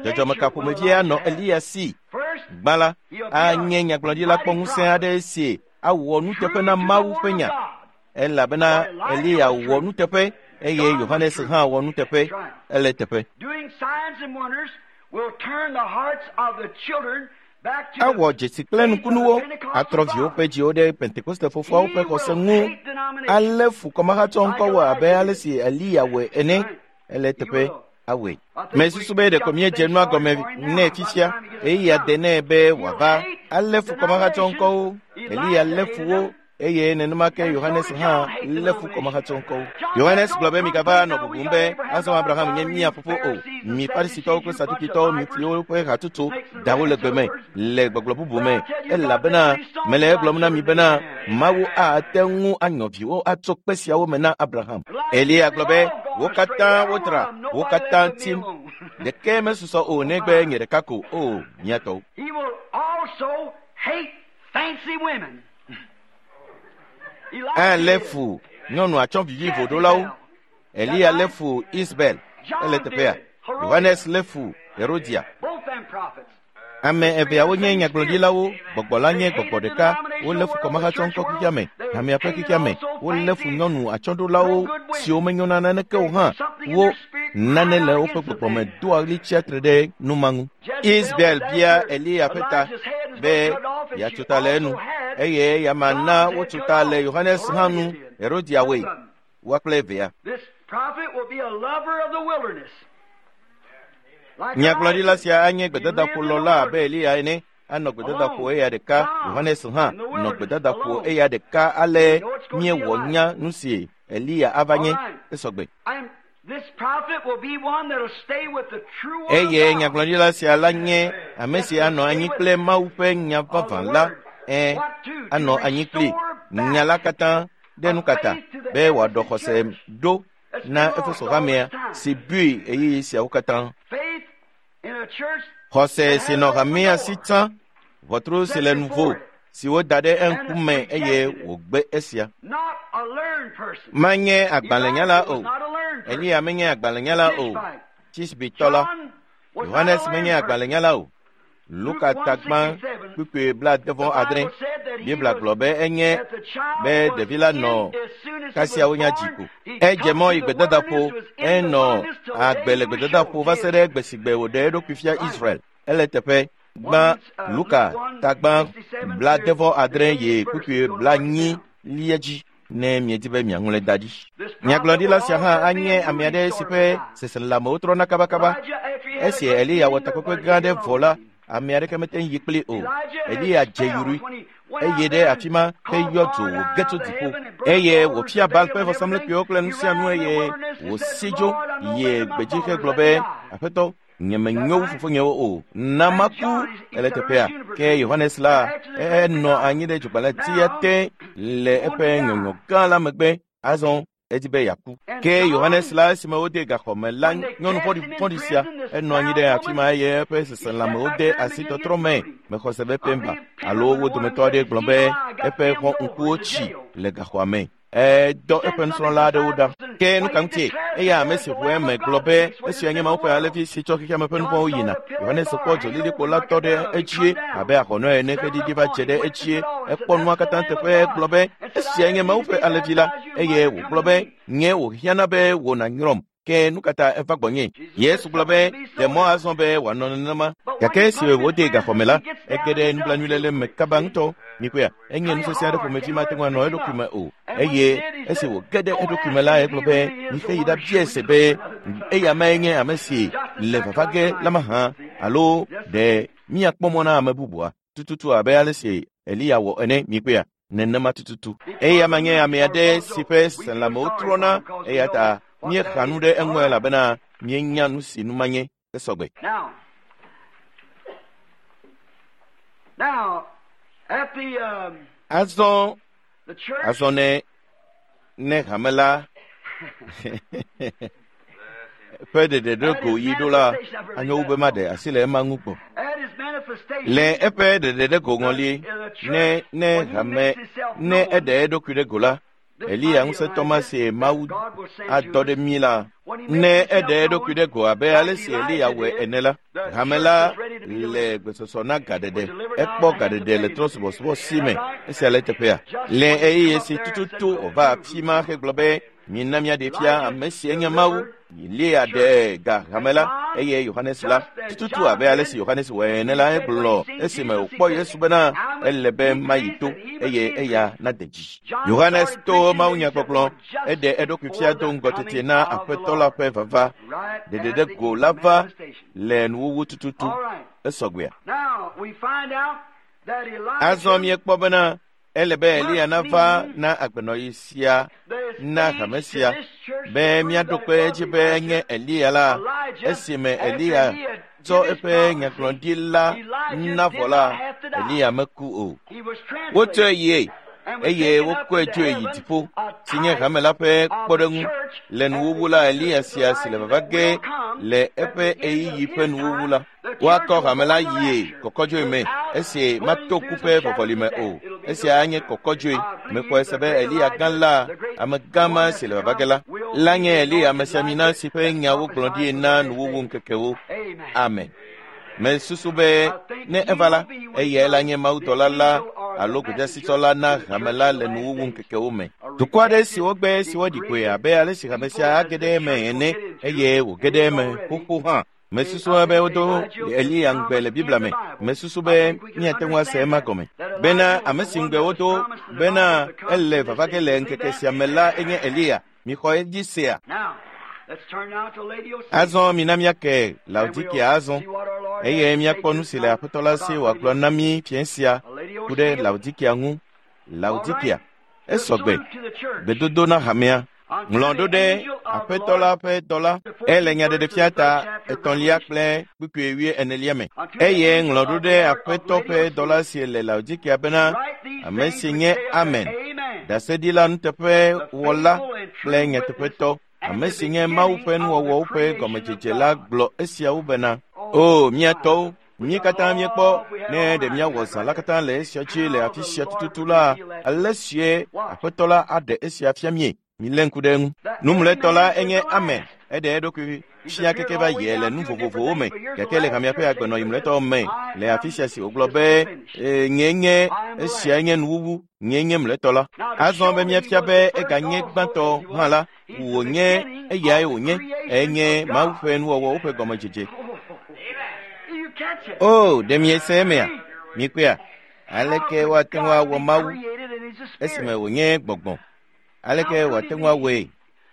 Dzɔdzɔme ka ƒomevie anɔ Eliya si? Gbã la, anye nyagblɔɖila kpɔŋusẽ aɖe si awɔ nuteƒe na Mawu ƒe nya. Elabena Eliya wɔ nuteƒe eye Yohanes hã wɔ nuteƒe. Ele teƒe. Awɔ dzesi kple nukunuwo, atrɔ viwo ƒe dziwo ɖe Pentekoste fofoawo ƒe xɔse ŋu, alé fu kɔmahatsɔ ŋkɔwo abe ale si Eliya wɔe ene. Ele teƒe. Awɔe. Mesusu be ɖeko míedze nua gɔme nɛ fifia. Ɣeyiɣia de nɛ be wòava alé fu kɔmahatsɔ ŋkɔwo. Eliya lé fu wo eye nenema ke Yohanes hã lé fu kɔmahatsɔ ŋkɔwo. Yohanes gblɔ be migava nɔ bubum be azɔ Abraham nye mía fofo o. Mi Farisitɔwo kple Sadukitɔwo mi fli woƒe hatsotso dawo le gbe me le gbɔgblɔ bubu me, elabena mele egblɔm na mi bena Mawu ate ŋu anyɔ viwo atso kpe siawo me na Abraham. Eliya gblɔ be wo katã wodzra, wo katã tim. Ɖeke mesusɔ o negbe nye ɖeka ko o mía tɔwo. He will also hate fancy women. Alé fu nyɔnu atsɔ vivivoɖolawo. Eliya lé fu Isabel. Ele teƒea. Yohanes lé fu Herodia. Both them prophets. Ame eveawo nye nyagblɔɖilawo, gbɔgbɔ la nye gbɔgbɔ ɖeka. Wolé fu kɔmahatsɔ ŋkɔ xexea me, hamea ƒe xexea me. Wolé fu nyɔnu atsyɔ̃ɖolawo siwo menyo na naneke o hã. Wo nane le woƒe gbɔgbɔ me doa ɣli tsia tre ɖe nu ma ŋu. Isabel bia Eliya ƒe ta be yeatso ta le enu eye yeama na wotso ta le Yohanes hã nu. Herodia wɔe, woa kple evea. This prophet will be a lover of the wilderness. Like Nyagblɔɖila Elijah. sia anye gbedadaƒolɔla abe Eliya ene. Anɔ gbedadaƒo eya ɖeka. Yohanes hã nɔ gbedadaƒo eya ɖeka ale míewɔ nya nu si Eliya ava nye. Esɔgbe. And this prophet will be one that'll stay with the true word of Eye God. nyagblɔɖila sia la nye ame si anɔ anyi kple Mawu ƒe nya vavã la. Ẽ, anɔ anyi kpli nya la katã ɖe nu kata be wòaɖɔ xɔse ɖo na Efeso hamea si bui ɣeyiɣi siawo katã. Faith in a church Xɔse si nɔ hamea si tsã, ʋɔtru si le nuvo si woda ɖe eŋkume eye wògbe esia. not a learned person. Menye agbalẽnyala Elijah o. was not a learned person. Eliya menye agbalẽnyala o. Tisbitɔ la. John was not Yohanes a menye learned person. agbalẽnyala o. Luka tagba kpukpui 76. Biblia gblɔ be enye That the child be was ɖevi la in nɔ as soon as he kasia was wonya dzi born, ko. he Edze come mɔ to yi the gbedadaƒo, wilderness, was in the enɔ wilderness till the agbe day le he was gbedadaƒo shown va to se ɖe Israel. gbe si gbe wòɖe eɖokui fia Israel. Ele teƒe gbã Luka tagba 76 yi kpukpui 80 lia dzi ne miedi be miaŋlɔe da ɖi. Nyagblɔɖila sia hã anye ame aɖe si ƒe seselelãmewo trɔna kabakaba. Elijah, after he had a Esi great Eliya wɔ meeting, takpekpe nobody gã aɖe could get vɔ along la, with him. ame aɖeke mete ŋu yi kpli o. Elijah had Eliya dze spells yurui when he went eye out ɖe there and afi ma called heyɔ dzo fire down wòge out tso of the dziƒo heaven and burned eye all the wòfia Baal ƒe Baal and vɔsamlekpuiwo kple everything. nu He sia ran nu out in the eye wilderness and said, wòsi dzo Lord, I know yi better than my gbedzi fathers. hegblɔ Let be me die. Aƒetɔ nyemenyo wu fofonyewo o na maku ele teƒea. Ke Yohanes la enɔ anyi ɖe dzogbalẽtia te le eƒe nyɔnyɔ gã la megbe. Azɔ edi be yeaku. Ke Yohanes la esime wode gaxɔ me la nyɔnu vɔ̃ɖivɔ̃ɖi sia enɔ anyi ɖe afi ma eye eƒe seselãmewo de asi tɔtrɔ me. Mexɔ se be Pemba alo wo dometɔ aɖe gblɔ be eƒe xɔ ŋkuwo tsi le gaxɔa me. Edɔ eƒe nusrɔ̃la aɖewo ɖa. Ke nu ka ŋutie? Eya ame si ʋu eme gblɔ be esia nye Mawu ƒe alẽvi si tsɔ xexea me ƒe nu vɔ̃wo yina. Yohanes kpɔ dzolilikpo la tɔ ɖe edzie abe ahɔnɔ ene xeɖiɖi va dze ɖe edzie. Ekpɔ nua katã teƒe gblɔ be esia nye Mawu ƒe alẽvi la eye wògblɔ be nye wòhiãna be wò nànyrɔm. Ke nu ka ta eva gbɔnye? Yesu gblɔ be ɖe mɔ azɔ be wòanɔ nenema. Gake esi wòdee gaxɔme la, ege ɖe nublanuiléle me kaba ŋutɔ. Mikpɔea, enye nusese aɖe ƒomevi mate ŋu anɔ eɖokui me o. Eye esi wòge ɖe eɖokui me la, egblɔ be mixe yi ɖabiae se be eya mae nye ame si le vava ge la mahã alo ɖe míakpɔ mɔ na ame bubua tututu abe ale si Eliya wɔ ene. Mikpɔea, nenema tututu. Eya ma nye ame aɖe si ƒe seselãmewo trɔna eya ta míexa nu ɖe eŋu elabena míenya nu si nu ma nye esɔgbe. Azɔ ne hame la ƒe ɖeɖe ɖe go yi ɖo la, anyo wu be maɖe asi le ema ŋu gbɔ. Le eƒe ɖeɖe ɖe go ŋɔli, ne hame ne eɖe eɖokui ɖe go la, Eliya ŋusẽtɔ ma si Mawu adɔ ɖe mí la, ne eɖe eɖokui ɖe go abe ale si Eliya wɔe ene la, hame la le gbesɔsɔ na gaɖeɖe. Ekpɔ gaɖeɖe le trɔ̃subɔsubɔ si me. Esia le teƒea. Le ɣeyiɣi si tututu wòva afi ma hegblɔ be mina míaɖee fia ame si enye Mawu. Eliya ɖe ga hame la eye Yohanes la tututu abe ale si Yohanes wɔe ene la egblɔ esime wòkpɔ Yesu bena ele be mayi to eye eya nade dzi. Yohanes to mawunyagbɔgblɔ eɖe eɖokui fia do ŋgɔ tete na Aƒetɔ la ƒe vava. Ɖeɖe ɖe go la va le nuwuwu tututu. Esɔgbea. Azɔ míekpɔ bena ele be Eliya nava na agbenɔɣi sia na hame sia be míaɖo kpe edzi be enye Eliya la. Esime Eliya tsɔ eƒe nyagblɔɖi la na vɔ la, Eliya meku o. Wotsɔe yie eye wokɔe dzoe yi dziƒo, si nye hame la ƒe kpɔɖeŋu le nuwuwu la. Eliya sia si le vava ge le eƒe ɣeyiɣi ƒe nuwuwu la, woakɔ hame la yie kɔkɔdzoe me esi mato ku ƒe vɔvɔli me o. Esia anye kɔkɔdzoe. Mexɔe se be Eliya gã la, ame gã ma si le vava ge la nye Eliya amesiamina si ƒe nyawo gblɔ ɖi na nuwuwu ŋkekewo. Amen. Mesusu be ne eva la, eyae la nye mawudɔla la alo gbedeasitɔ la na hame la le nuwuwu ŋkekewo me. Dukɔ aɖe si wogbe si woɖi koe abe ale si hame sia age ɖe eme ene eye wòge ɖe eme xoxo hã. Mesusu be wodo Eliya ŋugbe le Biblia me. Mesusu be míate ŋu ase ema gɔme bena ame si ŋugbe wodo bena ele vava ge le ŋkeke sia me la enye Eliya. Mixɔ edzi sea. Azɔ mina míake Laodikea azɔ eye míakpɔ nu si le Aƒetɔ la si wòagblɔ na mí fiẽ sia ku ɖe Laodikea ŋu. Laodikea esɔgbe. Gbedodo na hamea. Ŋlɔ ɖo ɖe Aƒetɔ la ƒe dɔla. Ele nyaɖeɖefia ta 3 kple kpukpui 24 me. Eye ŋlɔ ɖo ɖe Aƒetɔ ƒe dɔla si le Laodikea bena ame si nye Amen, ɖaseɖila nuteƒewɔla kple nyateƒetɔ, ame si nye Mawu ƒe nuwɔwɔwo ƒe gɔmedzedze la gblɔ esiawo bena, O mía tɔwo, mí katã míekpɔ ne ɖe míawɔ zã la katã le esia dzi le afi sia tututu la, ale sie Aƒetɔ la aɖe esia fia mie. Milé ŋku ɖe eŋu. Numlɔetɔ la enye Amen. Eɖe eɖokui fia keke va yie le nu vovovowo me, gake le hamea ƒe agbenɔɣi mlɔetɔ me le afi sia si wògblɔ be nye nye esia nye nuwuwu, nye nye mlɔetɔ la. Azɔ be míafia be eganye gbãtɔ hã la, wònye eyae wònye, enye Mawu ƒe nuwɔwɔwo ƒe gɔmedzedze. O, ɖe miese emea? Mikpɔea? Aleke woate ŋu awɔ Mawu esime wònye gbɔgbɔ? Aleke wòate ŋu awɔe?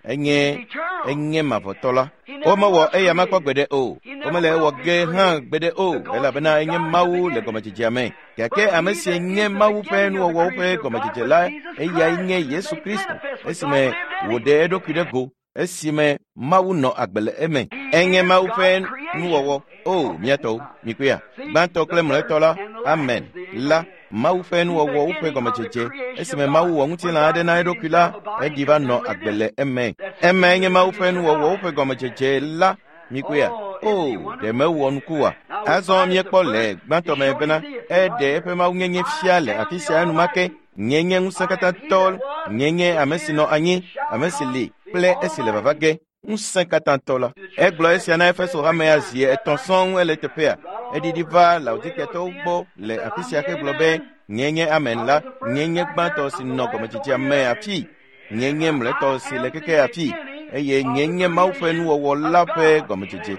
Enye mavɔtɔ la. Womewɔ eya makpɔ gbeɖe o. Womele ewɔ ge hã gbeɖe o, elabena enye Mawu le gɔmedzedzea me. Gake ame si nye Mawu ƒe nuwɔwɔwo ƒe gɔmedzedze la, eyae nye Yesu Kristo, esime wòɖe eɖokui ɖe go, esime Mawu nɔ agbe le eme. Enye Mawu ƒe nuwɔwɔ. O, mía tɔwo, mikpɔea? Gbãtɔ kple mlɔetɔ la, Amen la, Mawu ƒe nuwɔwɔwo ƒe gɔmedzedze. Esime Mawu wɔ ŋutilã aɖe na eɖokui la, eɖi va nɔ agbe le eme. Emae nye Mawu ƒe nuwɔwɔwo ƒe gɔmedzedze la. Mikpɔea? O, ɖe mewɔ nuku oa? Azɔ míekpɔ le gbãtɔ me bena eɖe eƒe mawunyenye fia le afi sia enumake. Nye nye ŋusẽkatãtɔ, nye nye ame si nɔ anyi, ame si li, kple esi le vava ge ŋusẽ katãtɔ la. Egblɔ esia na Efeso hamea zi 3 sɔŋ ele teƒea. Eɖiɖi va Laodikiatɔwo gbɔ le afi sia hegblɔ be nye nye Amen la, nye nye gbãtɔ si nɔ gɔmedzedzea me afi, nye nye mlɔetɔ si le keke afi, eye nye nye Mawu ƒe nuwɔwɔ la ƒe gɔmedzedze.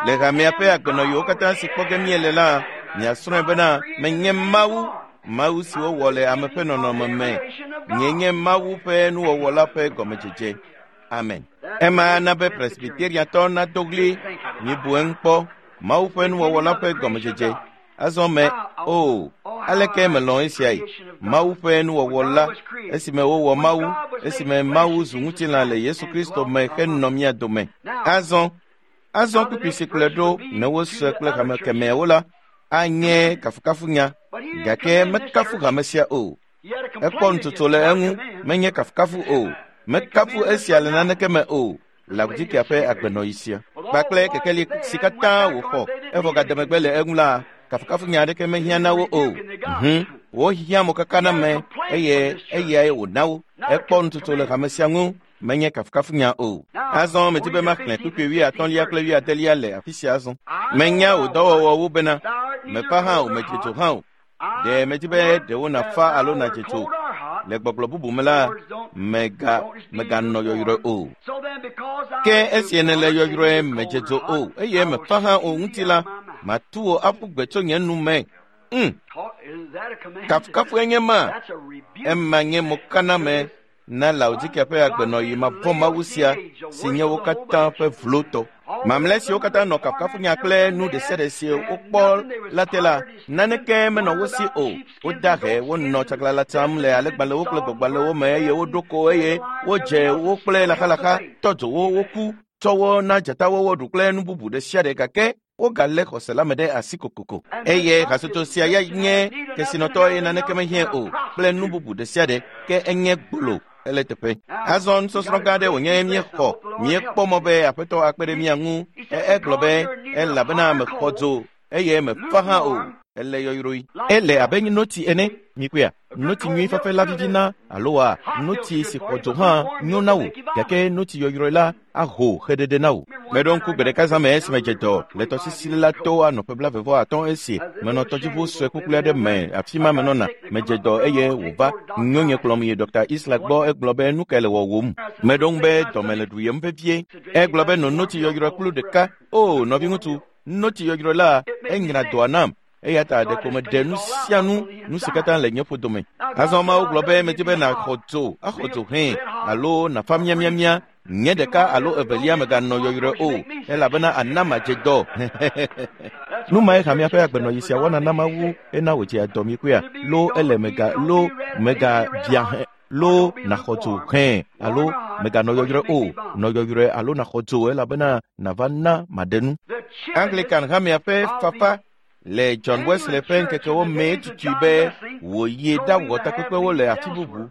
Le hamea ƒe agbenɔɣiwo katã si kpɔ ge míele la, miasrɔ̃e bena menye Mawu, Mawu si wowɔ le ame ƒe nɔnɔme me. Nye nye Mawu ƒe nuwɔwɔ la ƒe gɔmedzedze. Amen. Ema na be Presbyteriatɔ nado ɣli, mibu eŋu kpɔ, Mawu ƒe nuwɔwɔ la ƒe gɔmedzedze. Azɔ me, o, aleke melɔ̃ esiae? Mawu ƒe nuwɔwɔ la, esime wowɔ Mawu, esime Mawu zu ŋutilã le Yesu Kristo me henɔ mía dome. Azɔ kpukpui si kplɔe ɖo ne wosɔe kple hame kemɛawo la, anye kafukafunya, gake mekafu hame sia o. Ekpɔ nutsotso le eŋu, menye kafukafu o. Mekafu esia le naneke me o. Laodikia ƒe agbenɔɣi sia kpakple kekeli si katã wòxɔ evɔ gade megbe le eŋu la, kafukafunya aɖeke mehiã na wo o. Wohiã mokaka na me eye eyae wòna wo. Ekpɔ nutsotso le hame sia ŋu, menye kafukafunya o. Azɔ medi be maxlẽ kpukpui 80 kple 80 le afi sia azɔ. Menya wò dɔwɔwɔwo bena mefa hã o, medze dzo hã o. Ɖe medi be ɖewo nàfa alo nàdze dzo. Le gbɔgblɔ bubu me la, meganɔ yɔyrɔe o. Ke esi nèle yɔyrɔe medze dzo o, eye mefa hã o ŋuti la, matu wò aƒu gbe tso nye nu me. Kafukafue nye ma. Ema nye mokaname na Laodikia ƒe agbenɔɣi mavɔ̃ Mawu sia si nye wo katã ƒe vlotɔ. Mamlɛ siwo katã nɔ kafukafunya kple nu ɖe sia ɖe si wokpɔ la te la, naneke menɔ wo si o. Woda he, wonɔ tsaglãla tsam le alegbalẽwo kple gbɔgbalẽwo me eye woɖo ko eye wodze wo kple laxalaxa, tɔ dzo wo, woku, tsɔ wo na dzatawo woɖu kple nu bubu ɖe sia ɖe gake wogalé xɔse la me ɖe asi kokoko. Eye hatsotso sia ya nye kesinɔtɔ eye naneke mehiã o kple nu bubu ɖe sia ɖe, ke enye gbolo ele teƒe. Azɔ nusɔsrɔ̃ gã aɖe wònye míexɔ, míekpɔ mɔ be Aƒetɔ akpe ɖe mía ŋu. Egblɔ be elabena mexɔ dzo eye mefa hã o. Ele yɔyrɔe. Ele abe notsi ene. Mikpɔea, notsi nyui fafɛ la vivina alo wa notsi si xɔ dzo hã nyo na wò, gake notsi yɔyrɔe la aho xeɖeɖe na wò. Meɖo ŋku gbe ɖeka zã me esime dze dɔ le tɔsisi la to anɔ ƒe 40 esi menɔ tɔdziʋu sue kpukplu aɖe me afi ma menɔna. Medze dɔ eye wòva nyonye kplɔm yi Dr. Isla gbɔ. Egblɔ be nu kae le wɔwòm? Meɖo ŋu be dɔme le ɖuyem vevie. Egblɔ be no notsi yɔyrɔe kplu ɖeka. O nɔviŋutsu, notsi yɔyrɔe la enyra dɔa nam. Eya ta ɖeko meɖe nu sia nu, nu si katã le nye ƒodome. Azɔ Mawu gblɔ be medi be nàxɔ dzo, axɔ dzo hẽ, alo nàfa miamiamia, nye ɖeka alo evelia meganɔ yɔyrɔe o, elabena ana madze dɔ. Nu mae hamea ƒe agbenɔɣi sia wɔna na Mawu ena wòdzea dɔ mikpɔea. Lo ele mega lo mega bia hẽ, lo nàxɔ dzo hẽ, alo meganɔ yɔyrɔe o, nɔ yɔyrɔe alo nàxɔ dzo elabena nàva na maɖe nu. Anglican hamea ƒe fafa le John Wesley ƒe ŋkekewo mee tutui be wòyi ɖawɔ takpekpewo le afi bubu,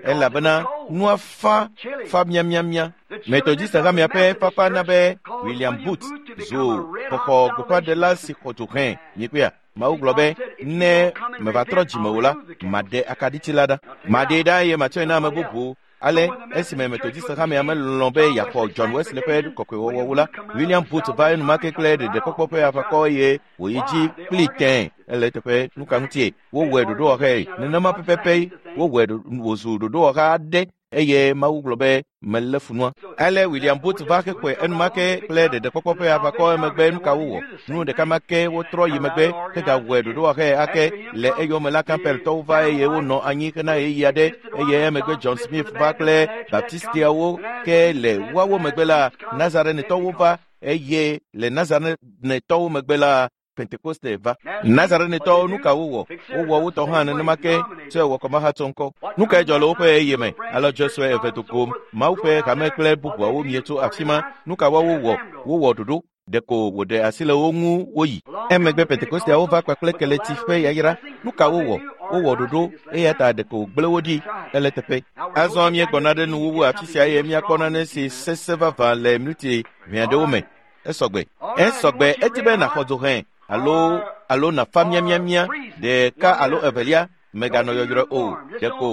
elabena nua fa fa miamiamia. Methodist hamea ƒe fafa na be William Booth zu xɔxɔ gbeƒãɖela si xɔ dzo hẽ. Mikpɔea, Mawu gblɔ be ne meva trɔ dzime o la, maɖe akaɖiti la ɖa. Maɖee ɖa eye matsɔe na ame bubu. Ale esime Methodist hamea melɔ̃ be yeaxɔ John Wesley ƒe kɔkɔewɔwɔwo la, William Booth va enumake kple ɖeɖekpɔkpɔ ƒe aʋakɔ eye wòyi dzi kpli tẽe. Ele teƒe nuka ŋutie wowɔe ɖoɖowɔxɛ nenema pɛpɛpɛ wowɔe wòzu ɖoɖowɔxa aɖe eye Mawu gblɔ be melé funua. Ale William Booth va hexɔe enumake kple ɖeɖekpɔkpɔ ƒe aʋakɔ emegbe nuka wowɔ? Nu ɖeka ma ke wotrɔ yi megbe hegawɔe ɖoɖowɔxɛ ake. Le eyome la Campbelltɔwo va eye wonɔ anyi hena ɣeyiɣi aɖe eye emegbe John Smith va kple Baptistiawo ke le woawo megbe la Nazarenetɔwo va eye le Nazarenetɔwo megbe la Pentekoste va. Nazarenetɔwo nu ka wowɔ? Wowɔ wotɔ hã nenema ke tsɔe wɔ kɔmahatsɔ ŋkɔ. Nu kae dzɔ le woƒe ɣeyiɣi me? Alɔdzɔ sue eve do gom, Mawu ƒe hame kple bubuawo mie tso afi ma. Nu ka woawo wɔ? Wowɔ ɖoɖo. Ɖeko wòɖe asi le wo ŋu woyi. Emegbe Pentekosteawo va kpakple keleti ƒe yayra. Nu ka wowɔ? Wowɔ ɖoɖo eya ta ɖeko wògblẽ wo ɖi. Ele teƒe. Azɔ míegbɔna ɖe nuwuwu afi sia eye míakpɔ nane si sesẽ vavã le minuti ʋɛ aɖewo me. Esɔgbe. Edi be nàxɔ dzo hẽ alo nàfa miamiamia ɖeka alo evelia. Mèganɔ yɔyrɔe o. Ɖeko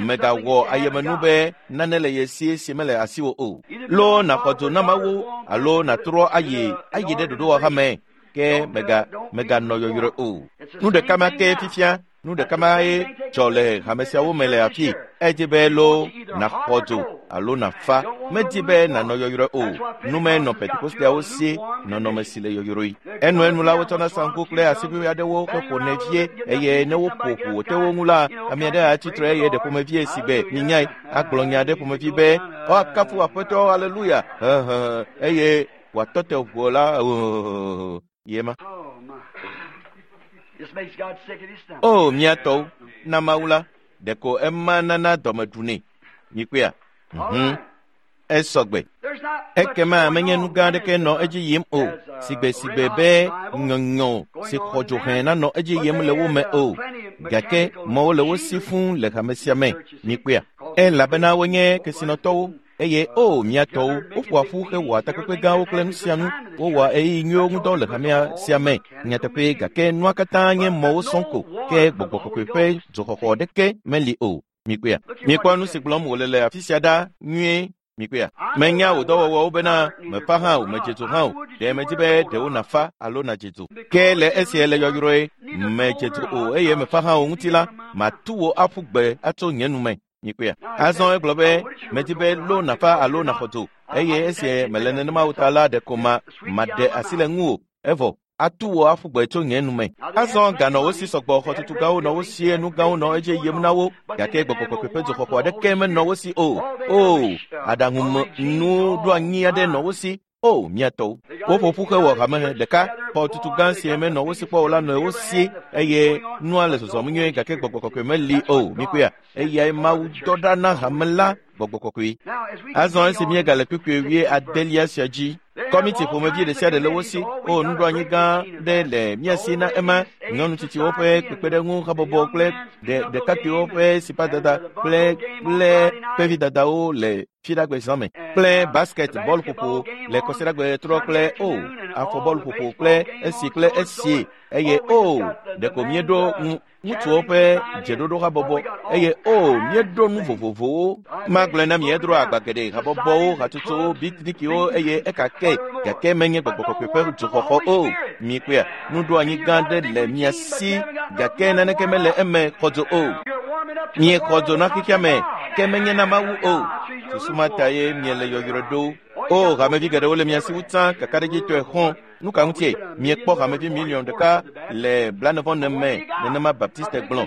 mègawɔ ayemenu be nane le ye si si mele asiwò o. Loo nàxɔ dzo na Mawu alo nàtrɔ ayi ayi ɖe ɖoɖowɔha me ke mèganɔ yɔyrɔe o. Nu ɖeka ma ke fifia, nu ɖeka ma ye dzɔ le hame siawo me le afi. Edzi be loo nàxɔ dzo alo nàfa. Medi be nànɔ yɔyrɔe o. Nume nɔ Pentekosteawo si nɔnɔme si le yɔyrɔe. Enuenu la wotsɔna saŋku kple asiʋui aɖewo heƒonɛ vie eye ne woƒo ʋu wòte wo ŋu la, ame aɖe atsitre eye ɖe ƒomevie si gbe minyae agblɔ nya aɖe ƒomevi be woakafu Aƒetɔ, aleluya, hehehe, eye wòatɔ te ʋuo la yema. O mía tɔwo, na Mawu la, ɖeko ema nana dɔme ɖunɛ. Mikpɔea? Esɔgbe. Ekema menye nu gã aɖeke nɔ edzi yim o, sigbesigbe be nyɔnyɔ si xɔ dzo hẽ nanɔ edzi yim le wo me o. Gake mɔwo le wo si fũu le hame sia me. Mikpɔea? Elabena wonye kesinɔtɔwo eye o mía tɔwo, woƒoa ƒu hewɔa takpekpe gãwo kple nu sia nu. Wowɔa ɣeyiɣi nyuiwo ŋudɔ le hamea sia me. Nyateƒee, gake nua katã nye mɔwo sɔŋ ko, ke gbɔgbɔ kɔkɔe ƒe dzoxɔxɔ ɖeke meli o. Mikpɔea? Mikpɔ nu si gblɔm wòle le afi sia ɖa nyuie. Mikpɔea? Menya wò dɔwɔwɔwo bena mefa hã o, medze dzo hã o. Ɖe medzi be ɖewo nàfa alo nàdze dzo. Ke le esia le yɔyrɔe, medze dzo o eye mefa hã o ŋuti la, matu wò aƒu gbe atso nye nu me. Mikpɔea? Azɔ egblɔ be medzi be lo nàfa alo nàxɔ dzo eye esia mele nenema o ta la ɖeko maɖe asi le ŋuwò evɔ atu wò aƒu gbe tso nye nu me. Azɔ ganɔ wo si sɔgbɔ, xɔtutu gãwo nɔ wo si, nu gãwo nɔ edzi yim na wo, gake gbɔgbɔ kɔkɔe ƒe dzoxɔxɔ aɖeke menɔ wo si o. O, aɖaŋunuɖoanyi aɖe nɔ wo si. O, mía tɔwo. Woƒo ƒu hewɔ hame ɖeka, xɔtutu gã si menɔ wo si kpɔ o la nɔ wo si eye nua le zɔzɔm nyuie gake gbɔgbɔ kɔkɔe meli o. Mikpɔea? Eyae Mawu dɔ ɖa na hame la gbɔgbɔ kɔkɔe. Azɔ esi míegale kpukpui 8 sia dzi, kɔmiti ƒomevi ɖe sia ɖe le wo si. O, nuɖoanyi gã ɖe le mía si na ema, nyɔnu tsitsiwo ƒe kpekpeɖeŋu habɔbɔ kple ɖekakpuiwo ƒe sipadada kple kpevidadawo le fiɖagbe zã me kple basket bɔluƒoƒo le kɔsiɖagbe trɔ kple o afɔbɔluƒoƒo kple esi kple esi eye o ɖeko míeɖo ŋutsuwo ƒe dzeɖoɖo habɔbɔ eye o míeɖo nu vovovowo. Magblɔe na mi edro agba geɖe habɔbɔwo, hatsotsowo, bitnikiwo eye ekake gake menye gbɔgbɔ kɔkɔe ƒe dzoxɔxɔ o. Mikpɔea? Nuɖoanyi gã ɖe le mia si gake naneke mele eme xɔ dzo o. Miexɔ dzo na xexea me ke menye na Mawu o. Susu ma ta ye miele yɔyrɔe ɖo. O, hamevi geɖewo le mia si wu tsã kakaɖedzitɔe xɔ̃. Nu ka ŋutie miekpɔ hamevi miliɔn ɖeka le 94 me nenema Baptiste gblɔ.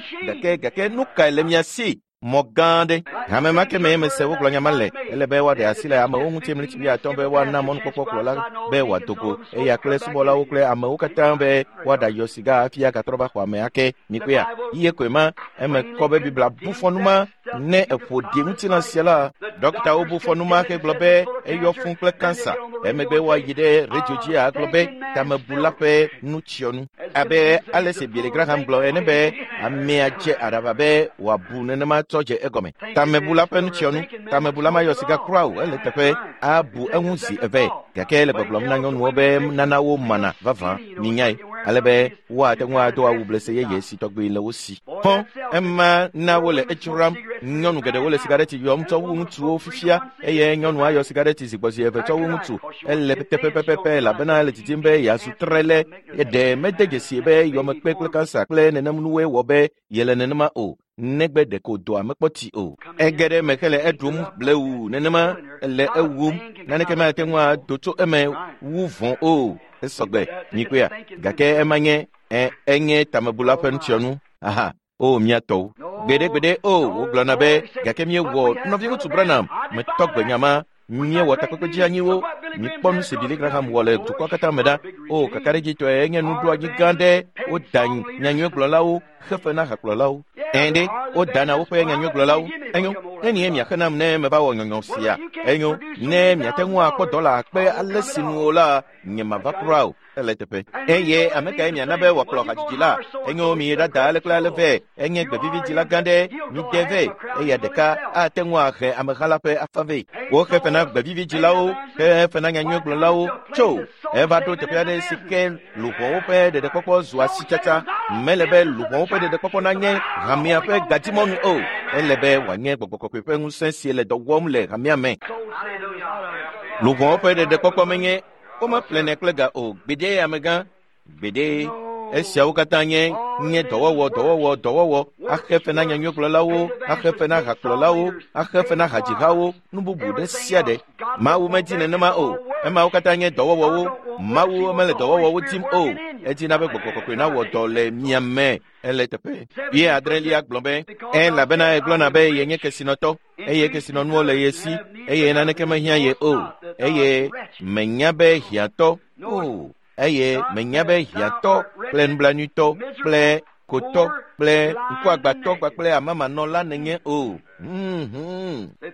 Gake nu kae le mia si? Mɔ gã ɖe. Hame ma ke mee mese wogblɔ nya ma le. Ele be woaɖe asi le amewo ŋuti mlitsi 50 be woana mɔnukpɔkpɔ kplɔla be wòado go eya kple subɔlawo kple amewo katã be woaɖayɔ siga hafi agatrɔ va xɔa me ake. Mikpɔea? Iye koe ma. Eme kɔ be Biblia bu fɔ nu ma ne eƒo ɖi ŋutilã sia la. Dɔktawo bu fɔ nu ma hegblɔ be eyɔ fũ kple kansa. Emegbe woayi ɖe redio dzi agblɔ be tamebula ƒe nutsyɔnu. Abe ale si Billy Graham gblɔ ene be amea dze aɖaʋa be wòabu nenema tsɔ dze egɔme. Tamebula ƒe nutsyɔnu. Tamebula mayɔ siga kura o, ele teƒe abu eŋu zi eve. Gake le gbɔgblɔm na nyɔnuwo be nana wo mana vavã, minyae, ale be woate ŋu ado awu blese yeye si tɔgbi le wo si. Xɔ ema na wole edzram. Nyɔnu geɖewo le sigareti yɔm tsɔ wu ŋutsuwo fifia eye nyɔnu ayɔ sigareti zi gbɔ zi eve tsɔ wu ŋutsu. Ele teƒe pɛpɛpɛ elabena ele didim be yeazu trele. Ɖe mede dzesi be yɔmekpe kple kansa kple nenem nuwoe wɔ be yele nenema o. Negbe ɖeko dɔa mekpɔ ti o. Ege ɖe eme hele eɖum blewu nenema ele ewum. Naneke mate ŋu ado tso eme wu vɔ̃ o. Esɔgbe, mikpɔea? Gake ema nye enye tamebula ƒe nutsyɔnu. Aha, o mía tɔwo. Gbeɖegbeɖe o, wogblɔna be gake míewɔ nɔviŋutsu Branham metɔ gbe nya ma. Míewɔ takpekpe dzeanyiwo. Mikpɔ nu si Billy Graham wɔ le dukɔa katã me ɖa. O, kakaɖedzitɔe enye nuɖoanyi gã ɖe. Woda nyanyuiegblɔlawo xefe na hakplɔlawo. Ɛ̃ ɖe, wodana woƒe nyanyuiegblɔlawo. Enyo, nenie miaxe nam ne meva wɔ nyɔnyɔ sia? Enyo, ne miate ŋu akpɔ dɔla akpe ale si nu o la, nye mava kura o. Ele teƒe. Eye ame kae miana be wòakplɔ hadzidzi la? Enyo, mi ɖada ale kple ale vɛ. Enye gbevividzila gã ɖe. Mi de vɛ. Eya ɖeka ate ŋu ahe ameha la ƒe afa vɛ. Woxe fe na gbevividzilawo, xe fe na nyanyuiegblɔlawo. Tso, eva ɖo teƒe aɖe si ke luʋɔwo ƒe ɖeɖekpɔkpɔ zu asitsatsa. Mele be luʋɔwo ƒe ɖeɖekpɔkpɔ nanye hamea ƒe gadimɔnu o. Ele be wòanye gbɔgbɔ kɔkɔe ƒe ŋusẽ si le dɔ wɔm le hamea me. Luʋɔwo ƒe ɖeɖekpɔkpɔ menye womeƒlenɛ kple ga o. Gbeɖe amegã, gbeɖe. Esiawo katã nye dɔwɔwɔ, dɔwɔwɔ, dɔwɔwɔ, axe fe na nyanyuigblɔlawo, axe fe na hakplɔlawo, axe fe na hadzihawo, nu bubu ɖe sia ɖe. Mawu medi nenema o. Emawo katã nye dɔwɔwɔwo. Mawu mele dɔwɔwɔwo dim o. Edina be gbɔgbɔ kɔkɔe nawɔ dɔ le mia me. Ele teƒe. Ye adrelia gblɔ be, elabena egblɔna be yenye kesinɔtɔ, eye kesinɔnuwo le ye si, eye naneke mehiã ye o, eye menya be hiãtɔ o. Eye menya be hiãtɔ kple nublanuitɔ kple kotɔ kple ŋkuagbatɔ kpakple amamanɔla nenye o.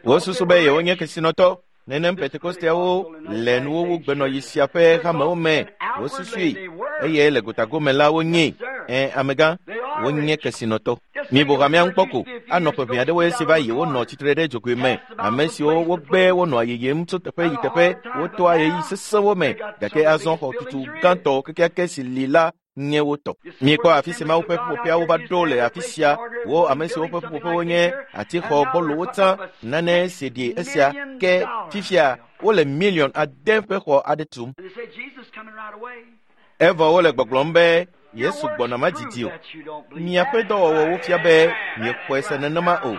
Wosusu be yewonye kesinɔtɔ. Nenem Pentekosteawo le nuwowu gbenɔyi sia ƒe hamewo me. Wosusui eye le gotagome la wonye. Amegã, wonye kesinɔtɔ. Mibu hamea ŋu kpɔ ko. Anɔ ƒe ʋɛ aɖewo esi va yi wonɔ tsitre ɖe dzogoe me. Ame siwo wogbe wonɔa yiyim tso teƒe yi teƒe, wotoa ɣeyiɣi sesẽwo me, gake azɔ xɔtutu gãtɔ kekeake si li la nye wo tɔ. Miekpɔ afi si Mawu ƒe ƒuƒoƒeawo va ɖo le afi sia. Wo ame siwo ƒe ƒuƒoƒewo nye atixɔ gbɔlowo tsã, nane si ɖi esia ke fifia wole miliɔn ade ƒe xɔ aɖe tum. Evɔ wole gbɔgblɔm be Yesu gbɔna madzidzi o. Miaƒe dɔwɔwɔwo fia be miexɔe se nenema o.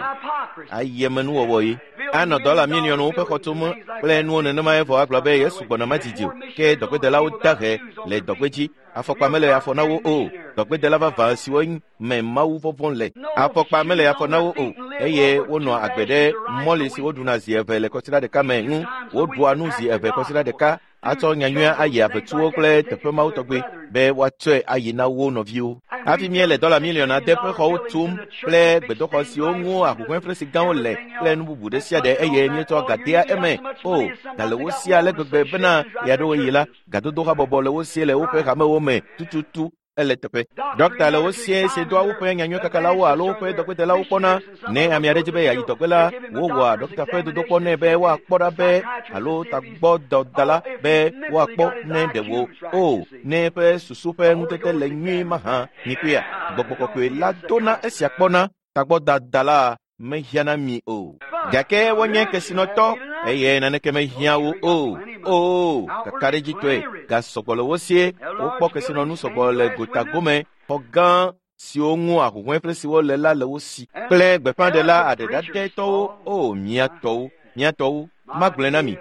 Ayemenuwɔwɔ ye. Anɔ dɔla miliɔnwo ƒe xɔ tum kple nuwo nenema evɔ agblɔ be Yesu gbɔna madzidzi o. Ke dɔgbedelawo dahe le dɔgbe dzi. Afɔkpa mele afɔ na wo o. Dɔgbedela vavã siwo me Mawu vɔvɔ̃ le. Afɔkpa mele afɔ na wo o. Eye wonɔa agbe ɖe mɔli si woɖuna zi eve le kɔsiɖa ɖeka me ŋu. Woɖua nu zi eve kɔsiɖa ɖeka atsɔ nyanyuia ayi avetuwo kple teƒe mawo tɔgbe be woatsɔe ayi na wo nɔviwo. Hafi míele dɔla miliɔn ade ƒe xɔwo tum kple gbedoxɔ siwo ŋu ahuhɔ̃eflesi gãwo le kple nu bubu ɖe sia ɖe eye míetsɔ ga dea eme. O, ga le wo si ale gbegbe bena ɣeaɖewoɣi la, gadodo habɔbɔ le wo sie le woƒe hamewo me tututu. Ele teƒe. Dɔkta le wo sie si doa woƒe nyanyuikakalawo alo woƒe dɔgbedelawo kpɔna. Ne ame aɖe dzi be yeayi dɔgbe la, wowɔa dɔkta ƒe dodokpɔ nɛ be woakpɔ ɖa be alo tagbɔdɔdala be woakpɔ ne ɖe wo o ne eƒe susu ƒe ŋutete le nyuie mahã. Mikpɔea, gbɔgbɔ kɔkɔe la dona esia kpɔna. Tagbɔdadala mehiã na mi o. Gake wonye kesinɔtɔ eye naneke mehiã wo o. O, kakaɖedzitɔe, ga sɔgbɔ le wo sie. Wokpɔ kesinɔnu sɔgbɔ le gotagome. Xɔ gã siwo ŋu ahuhɔ̃eflesi siwo le la le wo si. Kple gbeƒãɖela aɖeɖaɖɛtɔwo. O, miatɔwo, miatɔwo, magblɔe na mi.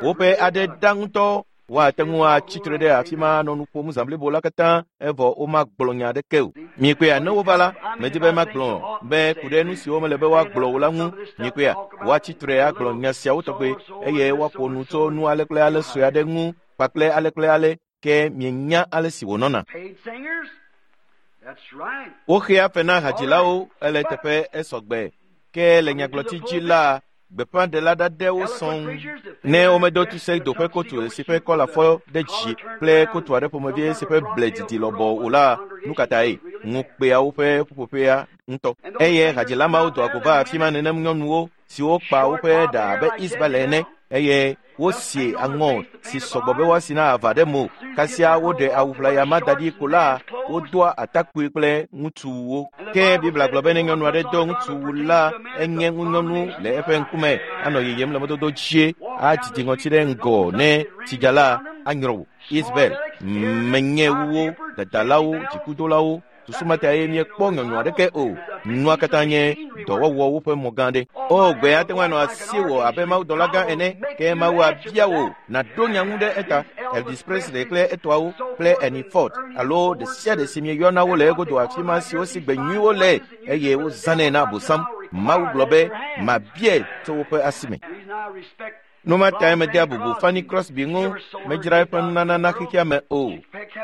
Woƒe aɖe ɖa ŋutɔ. Woate ŋu atsitre ɖe afi ma anɔ nu ƒom zã blibo la katã evɔ womagblɔ nya aɖeke o. Miekpɔea, ne wova la, medi be magblɔ be ku ɖe nu siwo mele be woagblɔ o la ŋu. Miekpɔea, woatsitre agblɔ nya siawo tɔgbe eye woaƒo nu tso nu ale kple ale sue aɖe ŋu kpakple ale kple ale ke mienya ale si wònɔna. Woxea fe na hadzilawo ele teƒe esɔgbe ke le nyagblɔtsi dzi la gbeƒãɖela ɖaɖɛwo sɔŋ. Ne womedo tuse do ƒe kotu si ƒe kɔla fɔ ɖe dzi kple kotu aɖe ƒomevi si ƒe ble didi lɔbɔ o la, nu ka tae? Ŋukpea woƒe ƒuƒoƒea ŋutɔ. Eye hadzila mawo doa go va afi ma nenem nyɔnuwo siwo kpa woƒe ɖa abe Isabel ene eye wosi aŋɔ si sɔgbɔ be woasi na ava ɖe mo. Kasia woɖe awu ʋlaya ma da ɖi ko la, wodoa atakpui kple ŋutsuwo. Ke Biblia gblɔ be ne nyɔnu aɖe do ŋutsuwu la, enye ŋunyɔnu le eƒe ŋkume, anɔ yiyim le mɔdodo dzie, adzidzi ŋɔti ɖe ŋgɔ ne tsidza la anyrɔ wò. Isabel, menye wuwo, dadalawo, dzikudolawo, susu ma ta ye míekpɔ nyɔnyɔ aɖeke o. Nua katã nye dɔwɔwɔwo ƒe mɔ gã ɖe. O, gbe ate ŋu anɔ asiwò abe mawudɔla gã ene, ke Mawu abia wò nàɖo nya ŋu ɖe eta. Elvis Presley kple etɔawo kple Ernie Ford alo ɖe sia ɖe si mieyɔna wo le egodo afi ma siwo si gbe nyuiwo le eye wozãnɛ na Abosam. Mawu gblɔ be mabiae tso woƒe asi me. Nu ma tae medea bubu Fanny Crosby ŋu, medzra eƒe nunana na xexea me o.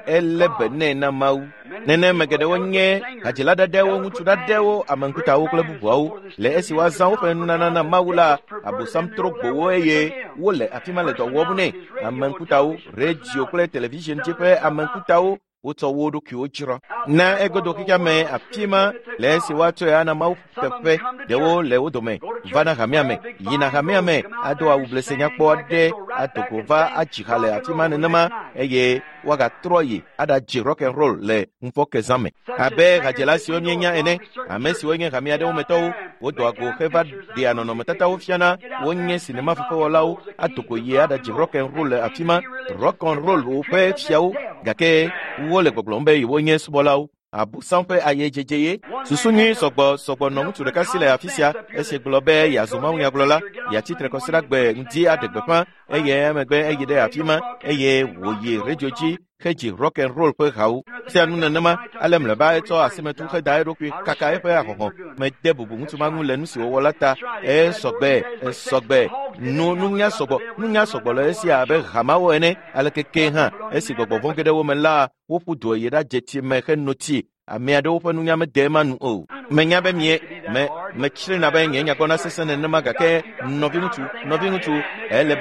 Elé be nɛ na Mawu. Nenema geɖewo nye hadzila ɖaɖɛwo, ŋutsu ɖaɖɛwo, ame ŋkutawo kple bubuawo. Le esi woazã woƒe nunana na Mawu la, Abosam trɔ gbo wo eye wole afi ma le dɔ wɔm nɛ. Ame ŋkutawo, redio kple television dzi ƒe ame ŋkutawo. Wotsɔ wo ɖokuiwo dzra na egodo xexea me afi ma le esi woatsɔe ana Mawu teƒe. Ɖewo le wo dome vana hamea me, yina hamea me, ado awu blese nyakpɔ aɖe, ado go va adzi ha le afi ma nenema eye woagatrɔ yi aɖadzi rock and roll le ŋufɔke zã me. Abe hadzela siwo míenya ene, ame siwo nye hame aɖewo me tɔwo, wodoa go heva ɖea nɔnɔmetatawo fiana, wonye sinemafefewɔlawo, ado go yi aɖadzi rock and roll le afi ma, rock and roll woƒe fiawo, gake wole gbɔgblɔm be yewonye subɔlawo. Abosam ƒe ayedzedze ye. Susu nyui sɔgbɔ nɔ ŋutsu ɖeka si le afi sia esi gblɔ be yeazu mawunyagblɔla, yeatsi tre kɔsiɖagbe ŋdi aɖe gbeƒã eye emegbe eyi ɖe afi ma eye wòyi redio dzi hedzi rock and roll ƒe hawo. Sia nu nenema ale mlɔeba etsɔ asimetu heda eɖokui kaka eƒe ahɔhɔ̃ mede bubu ŋutsu ma ŋu le nu si wòwɔ la ta. Esɔgbe nunya sɔgbɔ le esia abe hamawo ene. Aleke ke hã esi gbɔgbɔ vɔ̃ ge ɖe wo me la, woƒu du yi ɖadze tsi me heno tsi. Ame aɖewo ƒe nunya mede ema nu o. Menya be mie me metsrina be nye nyagbɔna sesẽ nenema, gake nɔviŋutsu, ele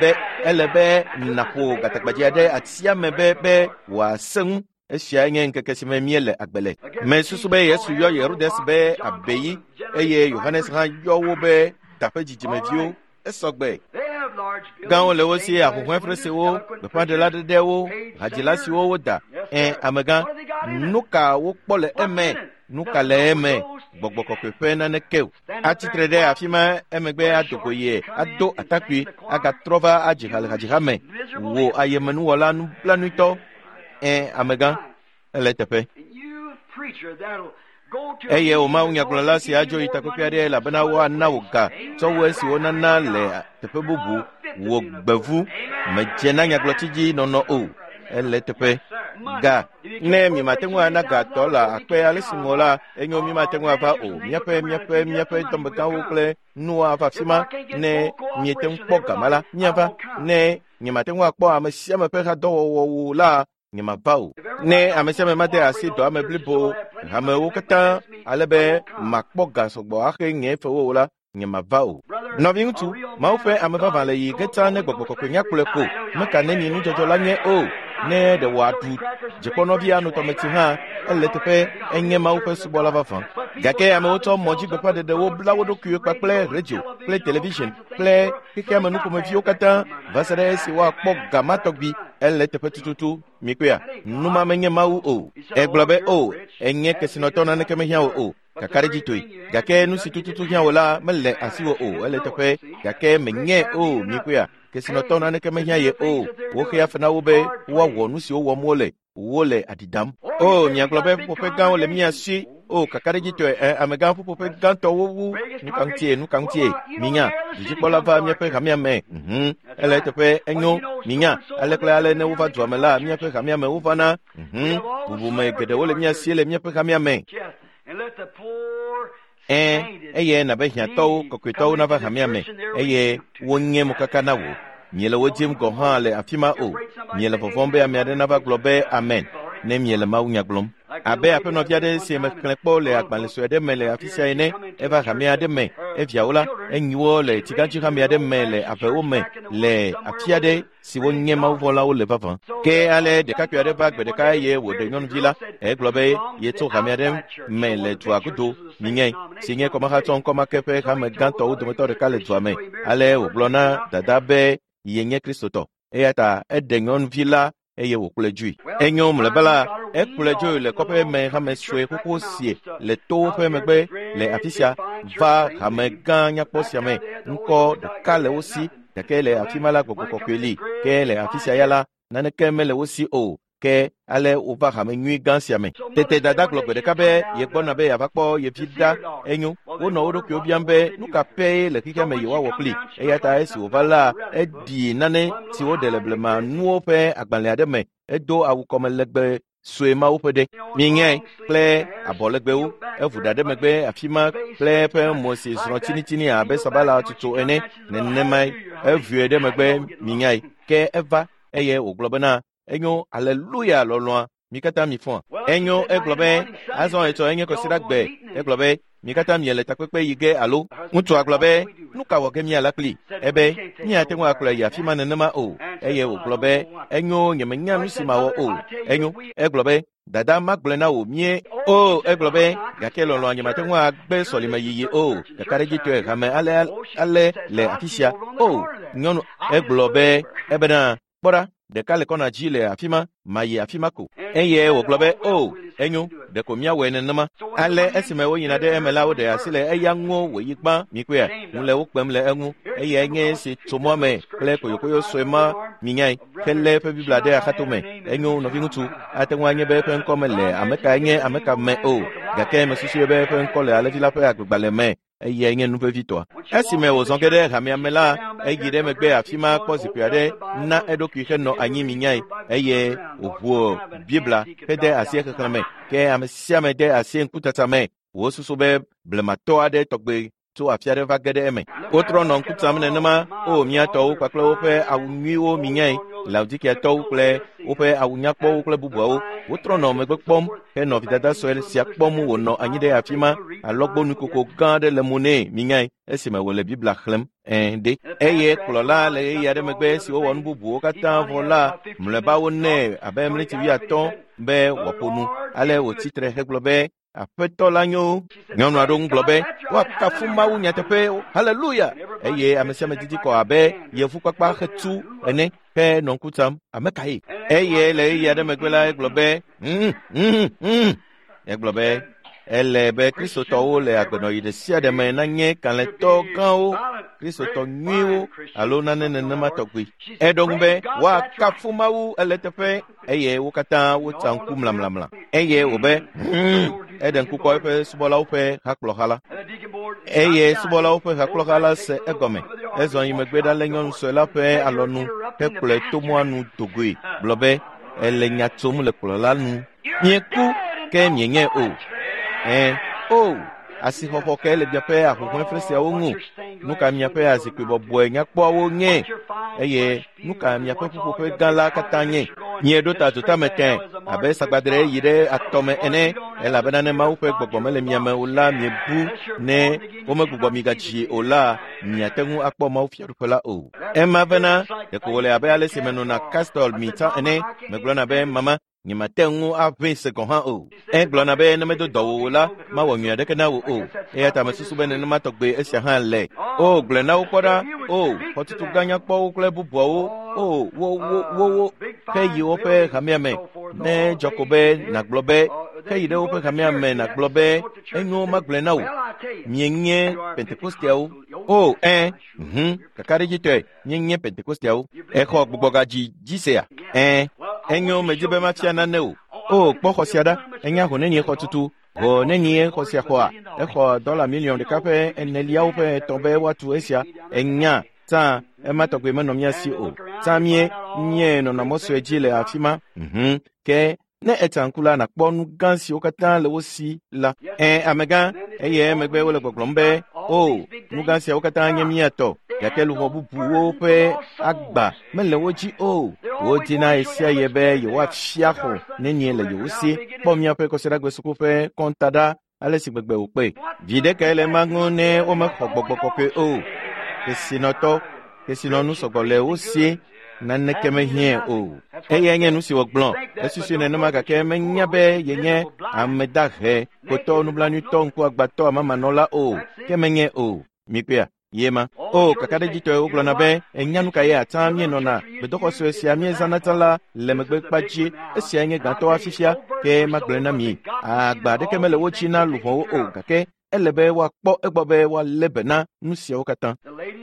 be nàƒo gatagbadze aɖe atia me be wòasẽ ŋu. Esia nye ŋkeke si me míele agbe le. Mesusu be Yesu yɔ Herodes be abeyi eye Yohanes hã yɔ wo be daƒe dzidzimeviwo. Esɔgbe. Gãwo le wo si, ahuhɔ̃efresewo, gbeƒãɖela ɖeɖewo, hadzila siwo woda. Amegã, nu ka wokpɔ le eme? Nu ka le eme? Gbɔgbɔ kɔkɔe ƒe naneke o. Atsitre ɖe afi ma emegbe ado go ye, ado atakpui, agatrɔ va adzi ha le hadziha me. Wò ayemenuwɔla nublanuitɔ. Amegã, ele teƒe. Eye wò mawunyagblɔla si adzo yi takpekpe aɖe elabena woana wò ga tsɔ wu esi wonana le teƒe bubu. Wò gbevu medze na nyagblɔtsi dzi nɔnɔ o. Ele teƒe. Ga. Ne miemate ŋu ana ga dɔla akpe ale si ŋɔ la, enyo miemate ŋu ava o. Míaƒe dɔmegãwo kple nuwo ava afi ma. Ne miete ŋu kpɔ gama la, míava. Ne nyemate ŋu akpɔ ame sia ame ƒe hadɔwɔwɔwo la, nyemava o. Ne ame sia ame made asi dɔ ame blibo hamewo katã ale be makpɔ ga sɔgbɔ axe nye fewo o la, nyemava o. Nɔviŋutsu, Mawu ƒe ame vavã le yi ge tsã ne gbɔgbɔ kɔkɔe nyakplɔe ko. Meka neni nudzɔdzɔ la nye o. Ne ɖe wòaɖu dzikpɔnɔvi ano tɔmetsi hã, ele teƒe enye Mawu ƒe subɔla vavã. Gake amewo tsɔ mɔdzigbeƒãɖeɖewo bla wo ɖokuiwo kpakple redio kple television kple xexeame nuƒomeviwo katã va se ɖe esi woakpɔ ga ma tɔgbi. Ele teƒe tututu. Mikpɔea, nu ma menye Mawu o. Egblɔ be o, enye kesinɔtɔ naneke mehiã wò o. Kakaɖedzitɔe. Gake nu si tututu hiã wò la mele asiwò o. Ele teƒe. Gake menye o. Mikpɔea, kesinɔtɔ naneke mehiã ye o. Woxea fe na wo be woawɔ nu siwo wɔm wole. Wole aɖi dam. O, miagblɔ be ƒuƒoƒe gãwo le mía si. O, kakaɖedzitɔe, amegã ƒuƒoƒe gãtɔwo wu. Nu ka ŋutie? Minya, dudzikpɔla va míaƒe hamea me. Ele teƒe enyo. Minya, ale kple ale ne wova dua me la, míaƒe hamea me wovana. Bubume geɖewo le mía si le míaƒe hamea me. Eye nabe hiãtɔwo, kɔkɔetɔwo nava hamea me eye wonye mokaka na wò. Miele wo dzim gɔ̃ hã le afi ma o. Miele vɔvɔ̃m be ame aɖe nava gblɔ be amen ne miele mawunya gblɔm. Abe aƒenɔvi aɖe si mexlẽ kpɔ le agbalẽ sue aɖe me le afi sia ene, eva hame aɖe me, eviawo la, enyiwo le tsigãdzi hame aɖe me le avewo me le afi aɖe si wonye mawuvɔlawo le vavã. Ke ale ɖekakpui aɖe va gbe ɖeka eye wòɖe nyɔnuvi la. Egblɔ be yetso hame aɖe me le dua godo, minyae, si nye kɔmahatsɔ ŋkɔmake ƒe hame gãtɔwo dometɔ ɖeka le dua me. Ale wògblɔ na dada be yenye Kristotɔ. Eya ta eɖe nyɔnuvi la eye wòkplɔe dzoe. Enyo mlɔeba la, ekplɔe dzoe le kɔƒe me hame sue xoxo sie le towo ƒe megbe le afi sia va hame gã nyakpɔ sia me. Ŋkɔ ɖeka le wo si, gake le afi ma la gbɔgbɔ kɔkɔe li. Ke le afi sia ya la, naneke mele wo si o. Ke ale wova hame nyui gã sia me. Tete dada gblɔ gbe ɖeka be yegbɔna be yeava kpɔ ye vi ɖa. Enyo, wonɔ wo ɖokuiwo biam be nu ka pɛ le xexea me yewoawɔ kpli. Eya ta esi wòva la, eɖi nane si woɖe le blema nuwo ƒe agbalẽ aɖe me. Edo awu kɔme legbe sue mawo ƒe ɖe. Mienyae, kple abɔ legbewo. Evu ɖa ɖe megbe afi ma kple eƒe mo si zrɔ̃ tsinitsini abe sabala tutu ene. Nenemae evue ɖe megbe, mienyae. Ke eva eye wògblɔ bena enyo, aleluya lɔlɔ̃a, mi katã mi fɔa. Enyo, egblɔ be azɔ etsɔ enye kɔsiɖagbe. Egblɔ be mi katã miele takpekpe yi ge alo. Ŋutsua gblɔ be nu ka wɔ ge míala kpli? Ebe míate ŋu akplɔe yi afi ma nenema o. Eye wògblɔ be enyo, nyemenya nu si mawɔ o. Enyo, egblɔ be Dada magblɔe na wò mie. O, egblɔ be, gake lɔlɔ̃a nyemate ŋu agbe sɔlime yiyi o. Kakaɖedzitɔe hame ale ale le afi sia. O, nyɔnu, egblɔ be, ebena, kpɔ ɖa, ɖeka le kɔna dzi le afi ma, mayi afi ma ko. Eye wògblɔ be, o, enyo, ɖeko míawɔe nenema. Ale esime woyina ɖe eme la, woɖe asi le eya ŋu wòyi gbã. Mikpɔea, ŋu le wo kpem le eŋu. Eyae nye esi tso mɔa me kple koyokoyo sue ma minyae helé eƒe Biblia ɖe axatome. Enyo, nɔviŋutsu, ate ŋu anye be eƒe ŋkɔ mele ame kae nye ame ka me o, gake mesusui be eƒe ŋkɔ le alẽvi la ƒe agbegbalẽ me. Eyae nye nu vevitɔa. Esime wòzɔ ge ɖe hamea me la, eyi ɖe megbe afi ma kpɔ zikpui aɖe na eɖokui henɔ anyi minyae eye wòʋu Biblia hede asi exexlẽ me. Ke ame sia ame de asi ŋkutata me. Wosusu be blematɔ aɖe tɔgbe tso afi aɖe va ge ɖe eme. Wotrɔ nɔ ŋku tam nenema, o mía tɔwo kpakple woƒe awu nyuiwo minyae, Laodikiatɔwo kple woƒe awu nyakpɔwo kple bubuawo. Wotrɔ nɔ megbe kpɔm henɔ vidada sue sia kpɔm wònɔ anyi ɖe afi ma, alɔgbɔnukoko gã aɖe le mo nɛ minyae esime wòle Biblia xlẽm. Ɛ̃ ɖe. Eye kplɔla le ɣeyiɣi aɖe megbe esi wowɔ nu bubuwo katã vɔ la, mlɔeba wonɛ abe ɣleti wuiatɔ̃ be wòaƒo nu. Ale wòtsi tre hegblɔ be, Aƒetɔ la nyo. Nyɔnu aɖewo ŋu gblɔ be, woakafu Mawu nyateƒe, haleluya! Eye ame sia ame didi kɔ abe yevukpakpa xetu ene henɔ ŋku tam. Ame kae? Eye le ɣeyiɣi aɖe megbe la, egblɔ be, Egblɔ be, ele be Kristotɔwo le agbenɔɣi ɖe sia ɖe me nanye kalẽtɔ gãwo, Kristotɔ nyuiwo alo nane nenema tɔgbi. Eɖo ŋu be, woakafu Mawu ele eteƒe, eye wo katã wotsa ŋku mlamlamla. Eye wòbe, eɖe ŋku kpɔ eƒe subɔlawo ƒe hakplɔha la. Eye subɔlawo ƒe hakplɔha la se egɔme. Ezɔ yi megbe ɖa lé nyɔnu sue la ƒe alɔnu hekplɔe to mɔa nu dogoe, gblɔ be, ele nya tsom le kplɔla nu. Mieku, ke mienyae o. Ẽ, o, asixɔxɔ kae le miaƒe ahuhɔ̃efre siawo ŋu? Nu ka miaƒe azikpui bɔbɔe nyakpɔawo nye? Eye nu ka miaƒe ƒuƒoƒe gã la katã nye? Mieɖo ta dzotame tẽ abe sagbadre yi ɖe atɔme ene, elabena ne Mawu ƒe gbɔgbɔ mele mia me o la, miebu. Ne womegbugbɔ mi gadzi o la, miate ŋu akpɔ Mawu fiaɖuƒe la o. Ema vena, ɖeko wòle abe ale si menɔna Castor mi tsã ene. Megblɔna be, mama, nyemate ŋu aʋẽ se gɔ̃ hã o. Egblɔna be ne medo dɔ wò o la, mawɔ nyui aɖeke na wò o. Eya ta mesusu be nenema tɔgbe esia hã le. O, gblɔe na wo kpɔ ɖa. O, xɔtutu gã nyakpɔwo kple bubuawo. O, wo, wo, wo, wo, heyi woƒe hamea me. Ne dzɔ ko be nàgblɔ be, heyi ɖe woƒe hamea me nàgblɔ be, enyo magblɔe na wò. Mienye Pentekosteawo. O, ẽ, kakaɖedzitɔe, míenye Pentekosteawo. Exɔ gbugbɔgadzi dzi sea? Ẽ, enyo medi be mafia nane o. O, kpɔ xɔ sia ɖa. Enya ho nenie xɔtutu. Ho nenie xɔ sia xɔa? Exɔ $1.4 miliɔn be woatu esia. Enya, tsã, ema tɔgbe menɔ mía si o. Tsã mie, mie nɔnɔ mɔ sue dzi le afi ma. Ke ne etsa ŋku la, nàkpɔ nu gã siwo katã le wo si la. Ẽ, amegã, eye emegbe wole gbɔgblɔm be, o, nu gã siawo katã nye mía tɔ, gake luʋɔ bubuwo ƒe agba mele wo dzi o. Wodina ɣesiaɣi be yewoafia xɔ nenie le yewo si. Kpɔ míaƒe kɔsiɖagbe suku ƒe kɔnta ɖa, ale si gbegbe wòkpɔe. Viɖe kae le ema ŋu ne womexɔ gbɔgbɔ kɔkɔe o? Kesinɔtɔ, kesinɔnu sɔgbɔ le wo si, naneke mehiãe o. Eyae nye nu si wògblɔ. Esusui nenema gake menya be yenye ame dahe, kotɔ, nublanuitɔ, ŋkuagbãtɔ, amamanɔla o. Ke menye o. Mikpɔea? Ye ma. O, kakaɖedzitɔe wogblɔna be, enya nu ka ye atsã míenɔna. Gbedoxɔ sue sia míezãna tsã la le megbe kpa dzi. Esiae nye gãtɔa fifia, ke magblɔe na mi. Agba aɖeke mele wo dzi na luʋɔwo o, gake ele be woakpɔ egbɔ be woalé be na nu siawo katã.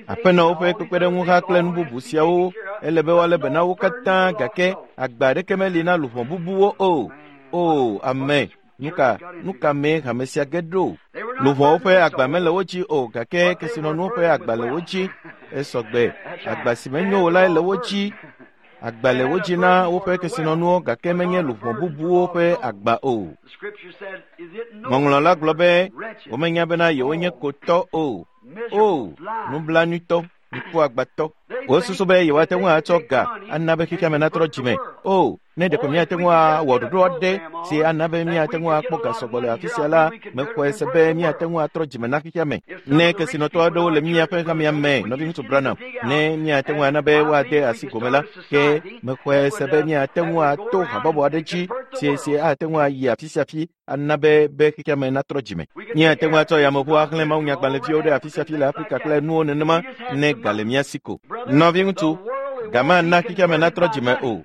Aƒenɔwo ƒe kpekpeɖeŋuha kple nu bubu siawo, ele be woalé be na wo katã, gake agba aɖeke meli na luʋɔ bubuwo o. O, ame, nu ka mee hame sia ge ɖo? Luʋɔwo ƒe agba mele wo dzi o, gake kesinɔnuwo ƒe agba le wo dzi. Esɔgbe, agba si menyo o lae le wo dzi. Agba le wo dzi na woƒe kesinɔnuwo, gake menye luʋɔ bubuwo ƒe agba o. Ŋɔŋlɔ la gblɔ be womenya bena yewonye kotɔ o. O, nublanuitɔ, ŋkuagbãtɔ. Wosusu be yewoate ŋu atsɔ ga ana be xexea me natrɔ dzime. O, ne ɖeko míate ŋu awɔ ɖoɖo aɖe si ana be míate ŋu akpɔ ga sɔgbɔ le afi sia la, mexɔe se be míate ŋu atrɔ dzime na xexea me. Ne kesinɔtɔ aɖewo le míaƒe hamea me, nɔviŋutsu Branham, ne míate ŋu ana be woade asi gome la, ke mexɔe se be míate ŋu ato habɔbɔ aɖe dzi si ate ŋu ayi afi sia afi ana be xexea me natrɔ dzime. Míate ŋu atsɔ yameʋu axlẽ mawunyagbalẽviwo ɖe afi sia afi le Afrika kple nuwo nenema ne ga le mía si ko. Nɔviŋutsu, ga mana xexea me natrɔ dzime o.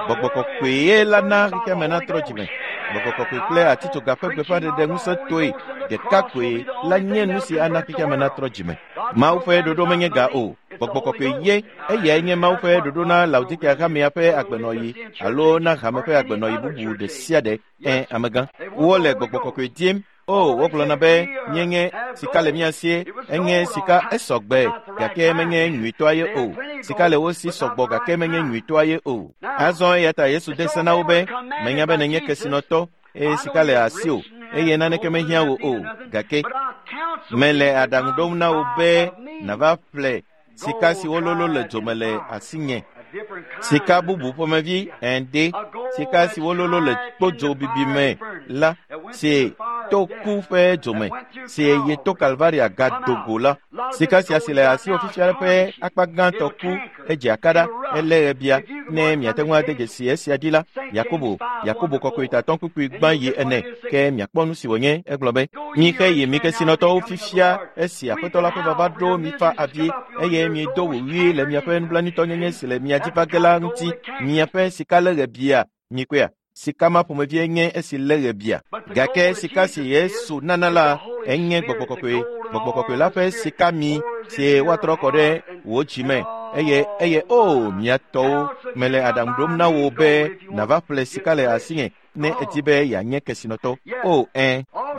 Gbɔgbɔ kɔkɔe ye la na xexea me natrɔ dzime. Gbɔgbɔ kɔkɔe kple atitsoga ƒe gbeƒãɖeɖe ŋusẽtɔe ɖeka koe la nye nu si ana xexea me natrɔ dzime. Mawu ƒe ɖoɖo menye ga o. Gbɔgbɔ kɔkɔe ye, eyae nye Mawu ƒe ɖoɖo na Laodikea hamea ƒe agbenɔɣi alo na hame ƒe agbenɔɣi bubu ɖe sia ɖe. Amegã, wole gbɔgbɔ kɔkɔe dim. O, wogblɔna be míenye sika le mía sie, enye sika esɔgbe, gake menye nyuitɔa ye o. Sika le wo si sɔgbɔ gake menye nyuitɔa ye o. Azɔ eya ta Yesu de se na wo be, menya be nenye kesinɔtɔ, eye sika le asiwò, eye naneke mehiã wò o, gake mele aɖaŋu ɖom na wò be nàva ƒle sika si wololo le dzome le asinye. Sika bubu ƒomevi ende, sika si wololo le kpodzo bibi me la, si to ku ƒe dzome, si yi to Kalvaria gadogo la. Sika sia si le asiwò fifia ƒe akpa gãtɔ ku, edze akaɖa, elé ɣebia. Ne miate ŋu ade dzesi esia dzi la, Yakobo, Yakobo kɔkɔe tatɔ kpukpui gbã yi ene, ke miakpɔ nu si wònye. Egblɔ be, mixe yi mi kesinɔtɔwo fifia, esi Aƒetɔ la ƒe vava ɖo mifa avi, eye miedo wòwui le miaƒe nublanuitɔnyenye si le mia dzi va ge la ŋuti. Miaƒe sika lé ɣebia, mikpɔea? Sika ma ƒomevie nye esi lé ɣebia. Gake sika si Yesu nana la, enye gbɔgbɔ kɔkɔe. Gbɔgbɔ kɔkɔe la ƒe sika mi si woatrɔ kɔ ɖe wò dzi me. Eye o mia tɔwo, mele aɖaŋu ɖom na wò be nàva ƒle sika le asinye ne èdi be yeanye kesinɔtɔ. O,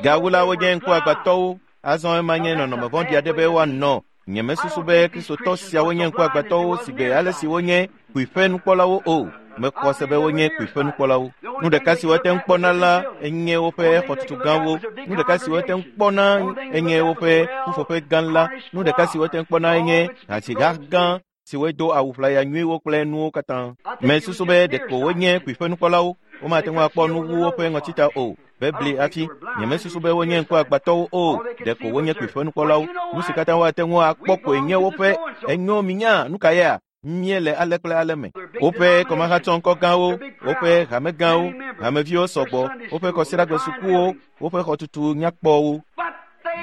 Gawu la wonye ŋkuagbãtɔwo. Azɔ ema nye nɔnɔme vɔ̃ɖi aɖe be woanɔ. Nyemesusu be Kristotɔ siawo nye ŋkuagbãtɔwo sigbe ale si wonye kpuiƒe nukpɔlawo o. Mexɔ se be wonye kpuiƒe nukpɔlawo. Nu ɖeka si woate ŋu kpɔna la enye woƒe xɔtutu gãwo. Nu ɖeka si woate ŋu kpɔna enye woƒe ƒuƒoƒe gã la. Nu ɖeka si woate ŋu kpɔna enye hadziha gã si wodo awu ʋlaya nyuiwo kple nuwo katã. Mesusu be ɖeko wonye kpuiƒe nukpɔlawo. Womate ŋu akpɔ nu wu woƒe ŋɔtita o. Bebli hafi. Nyemesusu be wonye ŋkuagbãtɔwo o. Ɖeko wonye kpuiƒe nukpɔlawo. Nu si katã woate ŋu akpɔ koe nye woƒe enyo minya nu ka yea? Míele ale kple ale me. Woƒe kɔmahatsɔŋkɔ gãwo, woƒe hame gãwo, hameviwo sɔgbɔ, woƒe kɔsiɖagbe sukuwo, woƒe xɔtutu nyakpɔwo.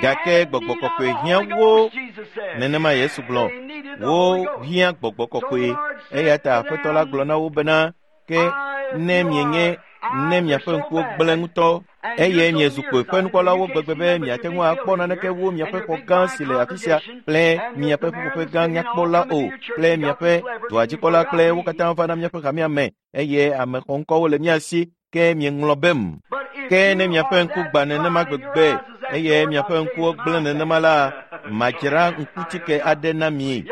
Gake gbɔgbɔ kɔkɔe hiã wo. Nenema Yesu gblɔ, wo hiã gbɔgbɔ kɔkɔe. Eya ta Aƒetɔ la gblɔ na wo bena, ke ne mienye ne miaƒe ŋkuwo gblẽ ŋutɔ, eye miezu kpuiƒe nukpɔlawo gbegbe be miate ŋu akpɔ naneke wu miaƒe xɔ gã si le afi sia kple miaƒe ƒuƒoƒe gã nyakpɔ la o, kple miaƒe dɔadzikpɔla kple wo katã va na miaƒe hamea me, eye ame xɔŋkɔwo le mia si, ke mieŋlɔ bem. Ke ne miaƒe ŋku gbã nenema gbegbe, eye miaƒe ŋkuwo gblẽ nenema la, madzra ŋkutike aɖe na mi.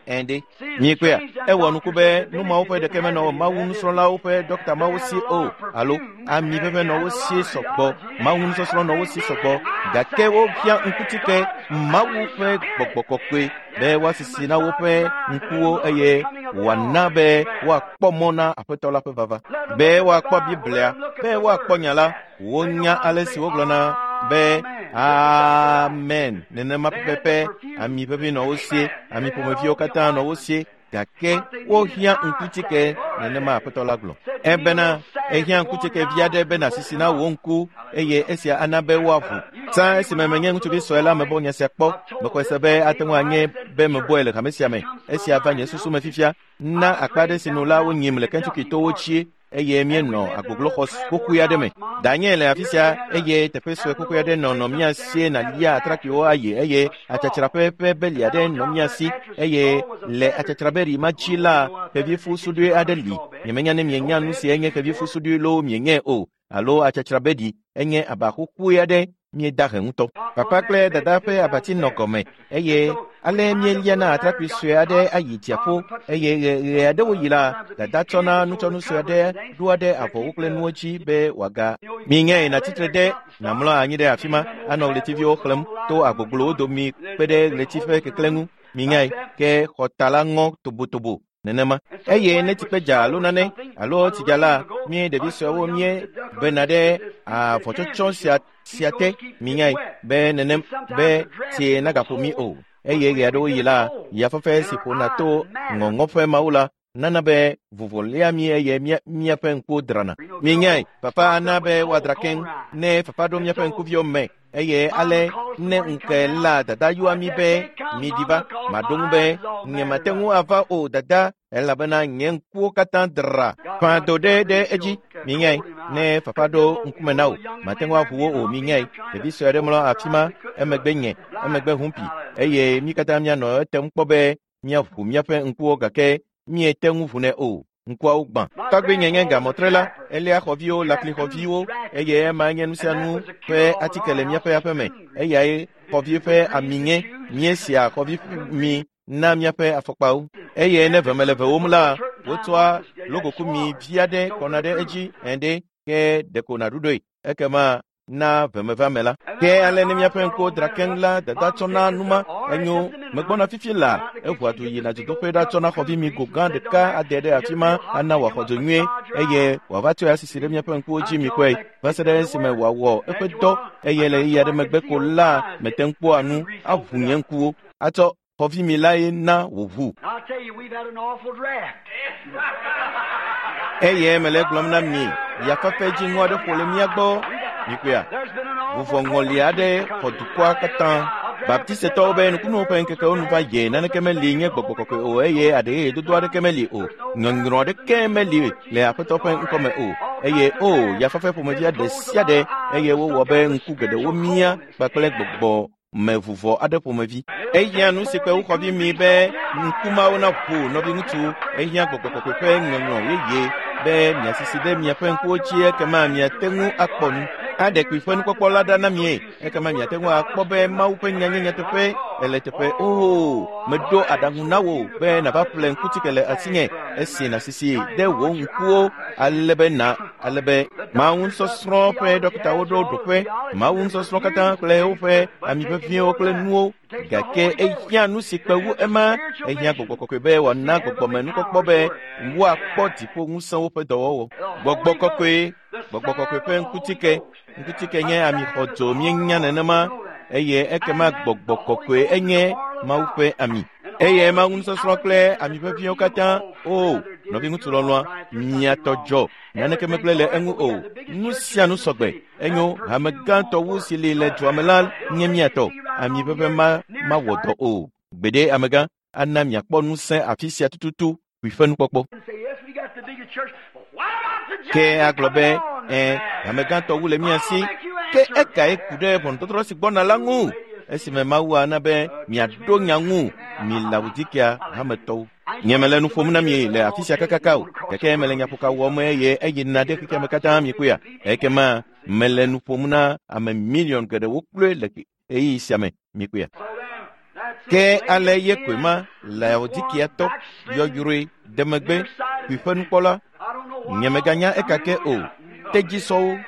Ende. Mikpɔea, ewɔ nuku be nu mawo ƒe ɖeke menɔ Mawu nusrɔ̃lawo ƒe dɔkta mawo si o, alo ami ʋeʋẽ nɔ wo si sɔgbɔ, Mawu nusɔsrɔ̃ nɔ wo si sɔgbɔ, gake wohiã ŋkutike Mawu ƒe gbɔgbɔ kɔkɔe be woasisi na woƒe ŋkuwo eye wòana be woakpɔ mɔ na Aƒetɔ la ƒe vava, be woakpɔ Biblia, be woakpɔ nya la. Wonya ale si wogblɔna be amen nenema pɛpɛpɛ. Ami ʋeʋĩ nɔ wo sie, ami ƒomeviwo katã nɔ wo sie, gake wohiã ŋkutike nenema Aƒetɔ la gblɔ. Ebena ehiã ŋkutike vi aɖe be nàsisi na wò ŋku, eye esia ana be woaʋu. Tsã esime menye ŋutsuvi sue la mebɔ nya sia kpɔ. Mexɔe se be ate ŋu anye be mebɔe le hame sia me. Esia va nye susu me fifia. Na akpa aɖe si nu la wonyim le Kentucky towo dzi, eye míenɔ agbogloxɔ xoxoe aɖe me. Danye le afi sia, eye teƒe sue xoxoe aɖe nɔ mía sie nàlia atrakpuiwo ayi, eye atsatsraƒe ƒe beli aɖe nɔ mía si, eye le atsatsrabeli ma dzi la, xevifu suɖui aɖe li. Nyemenya ne mienya nu si enye xevifu suɖui loo mienyae o, alo atsatsrabeli enye aba xoxoe aɖe míeda he ŋutɔ. Papa kple dada ƒe abati nɔ gɔme, eye ale míeliana atrakpui sue aɖe ayi dziaƒo, eye ɣe aɖewo yi la, dada tsɔna nutsɔnu sue aɖe ɖoa ɖe avɔwo kple nuwo dzi be wòaga. Miŋe nàtsitre ɖe nàmlɔ anyi ɖe afi ma, anɔ ɣletiviwo xlẽm to agbogblowo domi kpe ɖe ɣleti ƒe keklẽ ŋu. Minyae ke xɔta la ŋɔ tobotobo nenema. Eye ne tsikpe dza alo nane alo tsi dza la, mí ɖevi suewo mí bena ɖe avɔtsɔtsɔ sia te minyae be nenem be tsie nagaƒo mí o. Eye ɣe aɖewo yi la, yafafa si ƒona to ŋɔŋɔƒe mawo la nana be vovo lia mí eye míaƒe ŋkuwo drana. Minyae fafa ana be woadra keŋ ne fafa ɖo míaƒe ŋkuviwo me eye ale ne ŋke la dada yɔa mí be miɖi va maɖo ŋu be nyemate ŋu ava o dada elabena nye ŋkuwo katã dra ƒã do ɖe ɖe edzi. Minyae ne fafa ɖo ŋkume na wò mate ŋu aʋu wo o. Minyae ɖevi sue aɖe mlɔ afi ma emegbe nye emegbe humpi eye mí katã míanɔ etem kpɔ be míaʋu míaƒe ŋkuwo gake míete ŋu ʋunɛ o. Ŋkuawo gbã. Tɔgbi nye nye gamɔtrela, elia xɔviwo, laklixɔviwo eye ema nye nu sia nu ƒe atike le míaƒe aƒeme. Eyae xɔvi ƒe ami nye. Míesia xɔvi mi na míaƒe afɔkpawo. Eye ne veme le vewom la, wotsɔa logokumi vi aɖe kɔna ɖe edzi ene ke ɖeko nàɖuɖɔe. Ekema na vemevame la. Ke ale ne míaƒe ŋkuwo dra keŋ la, dada tsɔna numa enyo megbɔna fifi la eʋua du yina dzodoƒe ɖatsɔna xɔvi mi go gã ɖeka ade ɖe afi ma ana wòaxɔ dzo nyuie eye wòava tsɔe asisi ɖe míaƒe ŋkuwo dzi mi kɔe va se ɖe esime wòawɔ eƒe dɔ eye le ɣeyiɣi aɖe megbe ko la mete ŋu kpɔa nu aʋu nye ŋkuwo atsɔ xɔvi mi lae na wòʋu. Eye mele gblɔm na mi yafafa dziŋɔ aɖe ƒo le mía gbɔ. Mikpɔea, vuvɔŋɔli aɖe xɔ dukɔa katã. Baptistetɔwo be nukunuwo ƒe ŋkekewo nu va yi naneke meli nye gbɔgbɔ kɔkɔe o eye aɖeyeyedodo aɖeke meli o. Nyɔnyrɔ aɖeke meli le Aƒetɔ ƒe ŋkɔme o. Eye o yafafa ƒomevi aɖe sia ɖe eye wowɔ be ŋku geɖewo mía kpakple gbɔgbɔ me vuvɔ aɖe ƒomevi. Ehiã nu si kpe woxɔvi mi be ŋkumawo naʋu nɔviŋutsu. Ehiã gbɔgbɔ kɔkɔe ƒe nyɔnyrɔ yeye be miasisi ɖe miaƒe ŋkuwo dzi ekema miate ŋu akpɔ nu. Aɖe kpui ƒe nukpɔkpɔ la ɖa na mie ekema miate ŋu akpɔ be Mawu ƒe nya nye nyateƒe ele teƒe. Oo, meɖo aɖaŋu na wò be nàva ƒle ŋkutike le asinye esi nàsisi ɖe wò ŋkuwo ale be na ale be Mawu nusɔsrɔ̃ ƒe ɖɔkitawo ɖo ɖoƒe Mawu nusɔsrɔ̃ katã kple woƒe ami ʋeʋĩwo kple nuwo gake ehiã nu si kpe wu ema. Ehiã gbɔgbɔ kɔkɔe be wòana gbɔgbɔme nukpɔkpɔ be woakpɔ dziƒo ŋusẽwo ƒe dɔwɔwɔ. Gbɔgbɔ kɔkɔe, gbɔgbɔ kɔkɔe ƒe ŋkutike. Ŋkutike nye ami xɔdzo míenya nenema eye ekema gbɔgbɔ kɔkɔe enye Mawu ƒe ami. Eye Mawu nusɔsrɔ̃ kple ami ʋeʋĩwo katã. O, nɔviŋutsu lɔlɔ̃a, mia tɔ dzɔ. Naneke megblẽ le eŋu o. Nu sia nu sɔgbe. Enyo hame gãtɔ wu si li le dua me la nye mia tɔ. Ami ʋeʋẽ ma mawɔ dɔ o. Gbeɖe amegã ana miakpɔ ŋusẽ afi sia tututu kpui ƒe nukpɔkpɔ. Ke agblɔ be hame gãtɔ wu le mía si. Ke ekae ku ɖe ʋɔnudɔdrɔ̃ si gbɔna la ŋu esime Mawu ana be miaɖo nya ŋu mi Laodikea hametɔwo. Nye mele nu ƒom na mi le afi sia kakaka o, gake mele nyaƒoka wɔm eye eyina ɖe xexea me katã mikpɔea. Ekema mele nu ƒom na ame miliɔn geɖewo kloe le ɣeyiɣi sia me mikpɔea. Ke ale ye koe ma Laodikeatɔ yɔyrɔe de megbe kpui ƒe nukpɔla. Nye meganya ekake o. Tedzisɔwo.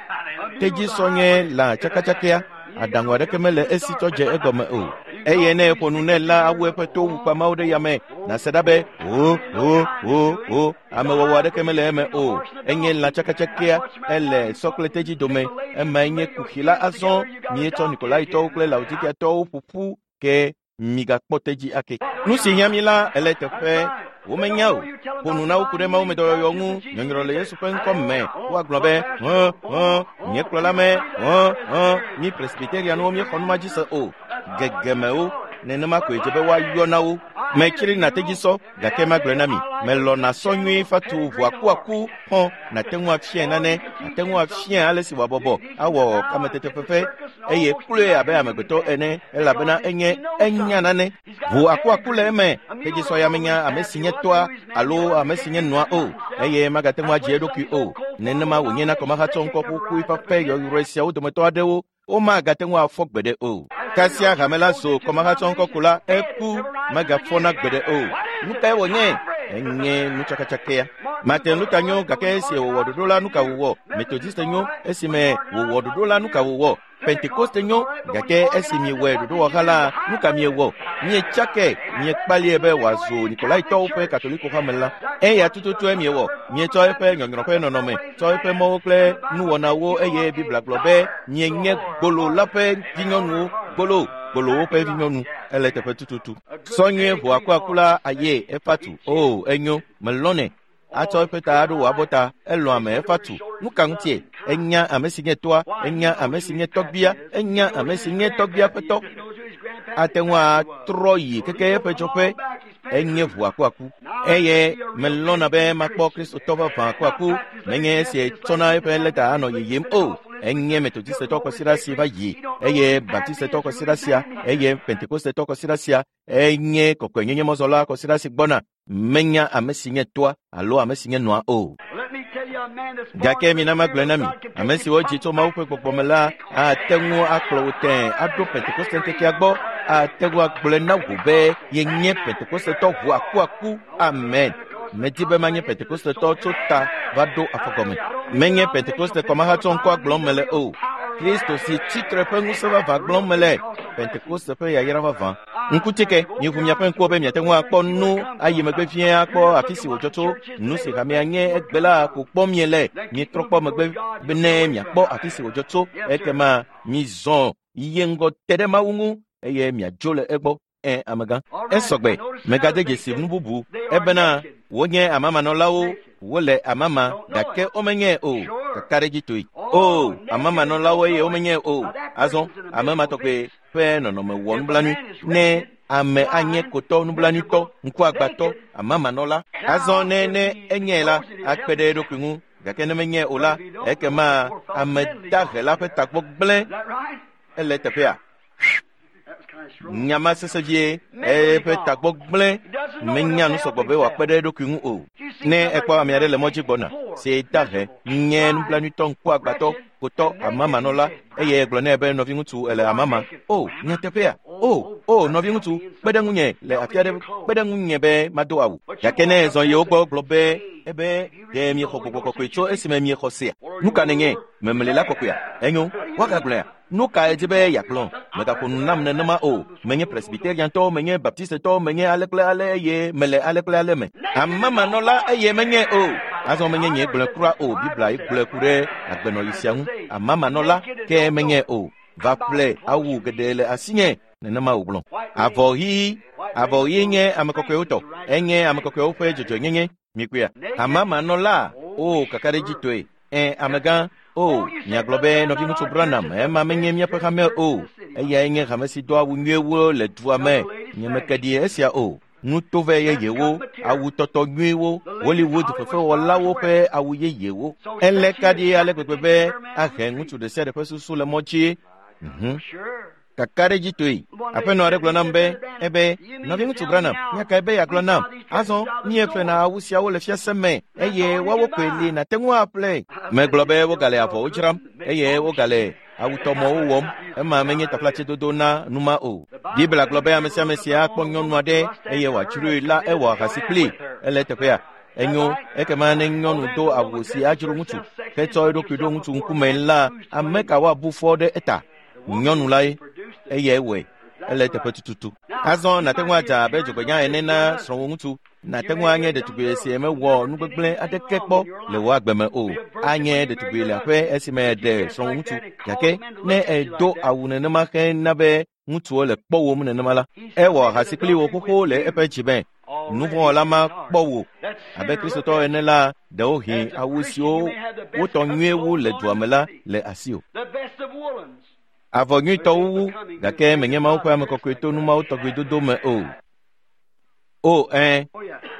Tedzisɔ nye lã tsakatsakea. Aɖaŋu aɖeke mele esi tsɔ dze egɔme o. Eye ne eƒo nu nɛ la awu eƒe to wukpamawo ɖe yame nàse ɖa be o o o o amewɔwɔ aɖeke mele eme o. Enye lã tsakatsakea ele sɔ kple tedzi dome. Emae nye kuxi la azɔ mietsɔ Nikolaitɔwo kple Laodikeatɔwo ƒo ƒu ke migakpɔ tedzi ake. Nu si hiã mi la ele teƒe womenya o. Ƒo nu na wo ku ɖe Mawu me dɔyɔyɔ ŋu nyɔnyrɔ le Yesu ƒe ŋkɔ me. Woagblɔ be hẽ hẽ nye kplɔla me hẽ hẽ mi presbyterianwo míexɔ nu ma dzi se o. Gegemewo nenema koe dze be woayɔ na wo. Metsri na tedzisɔ gake magblɔe na mi melɔna sɔ nyuie fatu ʋu akuaku xɔ nàte ŋu afiae nane nàte ŋu afiae ale si wòabɔbɔ awɔ kametetefefe eye kloe abe amegbetɔ ene elabena enye enya nane. Ʋu akuaku le eme tedzisɔ ya menya ame si nye tɔa alo ame si nye nɔa o eye magate ŋu adzi eɖokui o. Nenema wònye na kɔmahatsɔ ŋkɔ ƒuƒui ƒe yɔyrɔe siawo dometɔ aɖewo womagate ŋu afɔ gbeɖe o. Kasia hame la zo kɔmahatsɔ ŋkɔ ko la eku megafɔna gbeɖe o. Nu kae wònye? Enye nutsakatsakea. Martin Luther nyo gake esi wòwɔ ɖoɖo la nu ka wòwɔ? Methodiste nyo esime wòwɔ ɖoɖo la nu ka wòwɔ? Pentekoste nyo, gake esi miewɔe ɖoɖowɔha la, nu ka miewɔ? Mietsake, miekpalie be wòazu Nikolaitɔwo ƒe Katoliko hame la. Eya tututue miewɔ. Mietsɔ eƒe nyɔnyrɔ ƒe nɔnɔme, tsɔ eƒe mɔwo kple nuwɔnawo eye Biblia gblɔ be mienye gbolo la ƒe vinyɔnuwo, gbolo, gbolowo ƒe vinyɔnu. Ele teƒe tututu. Sɔ nyuie ʋu akuaku la aye efa tu. O, enyo, melɔnɛ. Atsɔ eƒe ta aɖo wò abɔta, elɔ̃ ame efa tu. Nu ka ŋutie? Enya ame si nye toa, enya ame si nye tɔgbia, enya ame si nye tɔgbia ƒe tɔ. Ate ŋu atrɔ yi keke eƒe dzɔƒe. Enye ʋu akuaku. Eye melɔ̃na be makpɔ Kristotɔ vavã akuaku. Menye esi tsɔna eƒe lɛta anɔ yiyim o. Enye Metodistetɔ kɔsiɖa si va yi, eye Baptistetɔ kɔsiɖa sia, eye Pentekostetɔ kɔsiɖa sia, enye kɔkɔenyenyemɔzɔla kɔsiɖa si gbɔna. Menya ame si nye toa alo ame si nye nɔa o. Gake mina magblɔe na mi, ame siwo dzi tso Mawu ƒe gbɔgbɔ me la ate ŋu akplɔ wò tẽe aɖo Pentekoste ŋkekea gbɔ, ate ŋu agblɔe na wò be yenye Pentekostetɔ ʋu akuaku. Amen. Medi be manye Pentekostetɔ tso ta va ɖo afɔgɔme. Menye Pentekoste kɔmahatsɔ ŋkɔa gblɔm mele o. Kristo si tsitre ƒe ŋusẽ vavã gblɔm mele. Pentekoste ƒe yayra vavã. Ŋkutike, miʋu miaƒe ŋkuwo be miate ŋu akpɔ nu ayi megbe vie akpɔ afi si wòdzɔ tso. Nu si hamea nye egbe la ko kpɔm miele. Mietrɔ kpɔ megbe be ne miakpɔ afi si wòdzɔ tso. Ekema mizɔ yi ŋgɔ te ɖe Mawu ŋu eye miadzo le egbɔ. Ẽ, amegã. Esɔgbe, megade dzesi nu bubu ebena wonye amamanɔlawo, wole amama gake womenye o. Kakaɖedzitoe. O, amamanɔlawo eye womenye o. Azɔ, ame ma tɔgbe ƒe nɔnɔme wɔ nublanui ne ame anye kotɔ nublanuitɔ, ŋkuagbãtɔ, amamanɔla. Azɔ ne ne enye la, akpe ɖe eɖokui ŋu. Gake ne menye o la, ekema ame dahe la ƒe tagbɔ gblẽ. Ele teƒea. Nyama sesẽ vie, eƒe tagbɔ gblẽ. Menya nu sɔgbɔ be wòakpe ɖe eɖokui ŋu o. Ne ekpɔ ame aɖe le mɔ dzi gbɔna, si dahe, nye nublanuitɔ, ŋkuagbãtɔ, kotɔ, amamanɔla, eye egblɔ nɛ be nɔviŋutsu ele amama. O, nyateƒea. O, o, nɔviŋutsu, kpe ɖe ŋunye le afi aɖe, kpe ɖe ŋunye be mado awu. Gake ne ezɔ yi wo gbɔ gblɔ be ebe ɖe miexɔ gbɔgbɔ kɔkɔe tso esime miexɔ sea? Nu ka nenye? Memlila kɔkɔea? Enyo, woagagblɔea? Nu ka edzi be yeagblɔ? Megaƒo nu nam nenema o. Menye Presbyteriantɔ, menye Baptistetɔ, menye ale kple ale eye mele ale kple ale me. Amamanɔla eye menye o. Azɔ menye nye gblɔe kura o. Biblia ye gblɔe ku ɖe agbenɔɣi sia ŋu. Amamanɔla ke menye o. Va ƒle awu geɖe le asinye. Nenema wògblɔ. Avɔ ɣi, avɔ ɣi nye ame kɔkɔewo tɔ. Enye ame kɔkɔewo ƒe dzɔdzɔenyenye. Mikpɔea? Amamanɔla, o kakaɖedzitɔe. Ẽ, amegã. O, miagblɔ be nɔviŋutsu Branham, ema menye míaƒe hame o. Eyae nye hame si do awu nyuiewo le dua me. Nyemeke ɖi esia o. Nutovɛ yeyewo, awu tɔtɔ nyuiwo, Hollywood fefewɔlawo ƒe awu yeyewo. Ele ka ɖi ale gbegbe be ahe ŋutsu ɖe sia ɖe ƒe susu le mɔ dzi. Kakaɖedzitoe. Aƒenɔ aɖe gblɔ nam be, ebe, nɔviŋutsu Branham, nya kae be yeagblɔ nam? Azɔ, míeƒlena awu siawo le fiase me eye woawo koe li nàte ŋu aƒle. Megblɔ be wogale avɔwo dzram eye wogale awutɔmɔwo wɔm. Ema menye taflatsedodo na nu ma o. Biblia gblɔ be ame sia ame si akpɔ nyɔnu aɖe eye wòadzroe la ewɔ ahasi kplii. Ele teƒea. Enyo, ekema ne nyɔnu do awu si adzro ŋutsu hetsɔ eɖokui ɖo ŋutsu ŋkume la, ame ka woabu fɔ ɖe eta? Nyɔnu lae, eyae wɔe. Ele teƒe tututu. Azɔ nàte ŋu adza abe dzogbenya ene na srɔ̃wò ŋutsu. Nàte ŋu anye ɖetugbi si mewɔ nu gbegblẽ aɖeke kpɔ le wò agbe me o. Anye ɖetugbi le aƒe esime èɖe srɔ̃wò ŋutsu. Gake ne èdo awu nenema hena be ŋutsuwo le kpɔwòm nenema la, ewɔ ahasi kpli wò xoxo le eƒe dzi me. Nuvɔ̃wɔla ma kpɔ wò. Abe Kristotɔ ene la, ɖewohĩ awu siwo wotɔ nyuie wu le dua me la le asiwò. Avɔ nyuitɔ wuwu, gake menye Mawu ƒe ame kɔkɔe to nu mawo tɔgbi dodo me o. O, ẽ,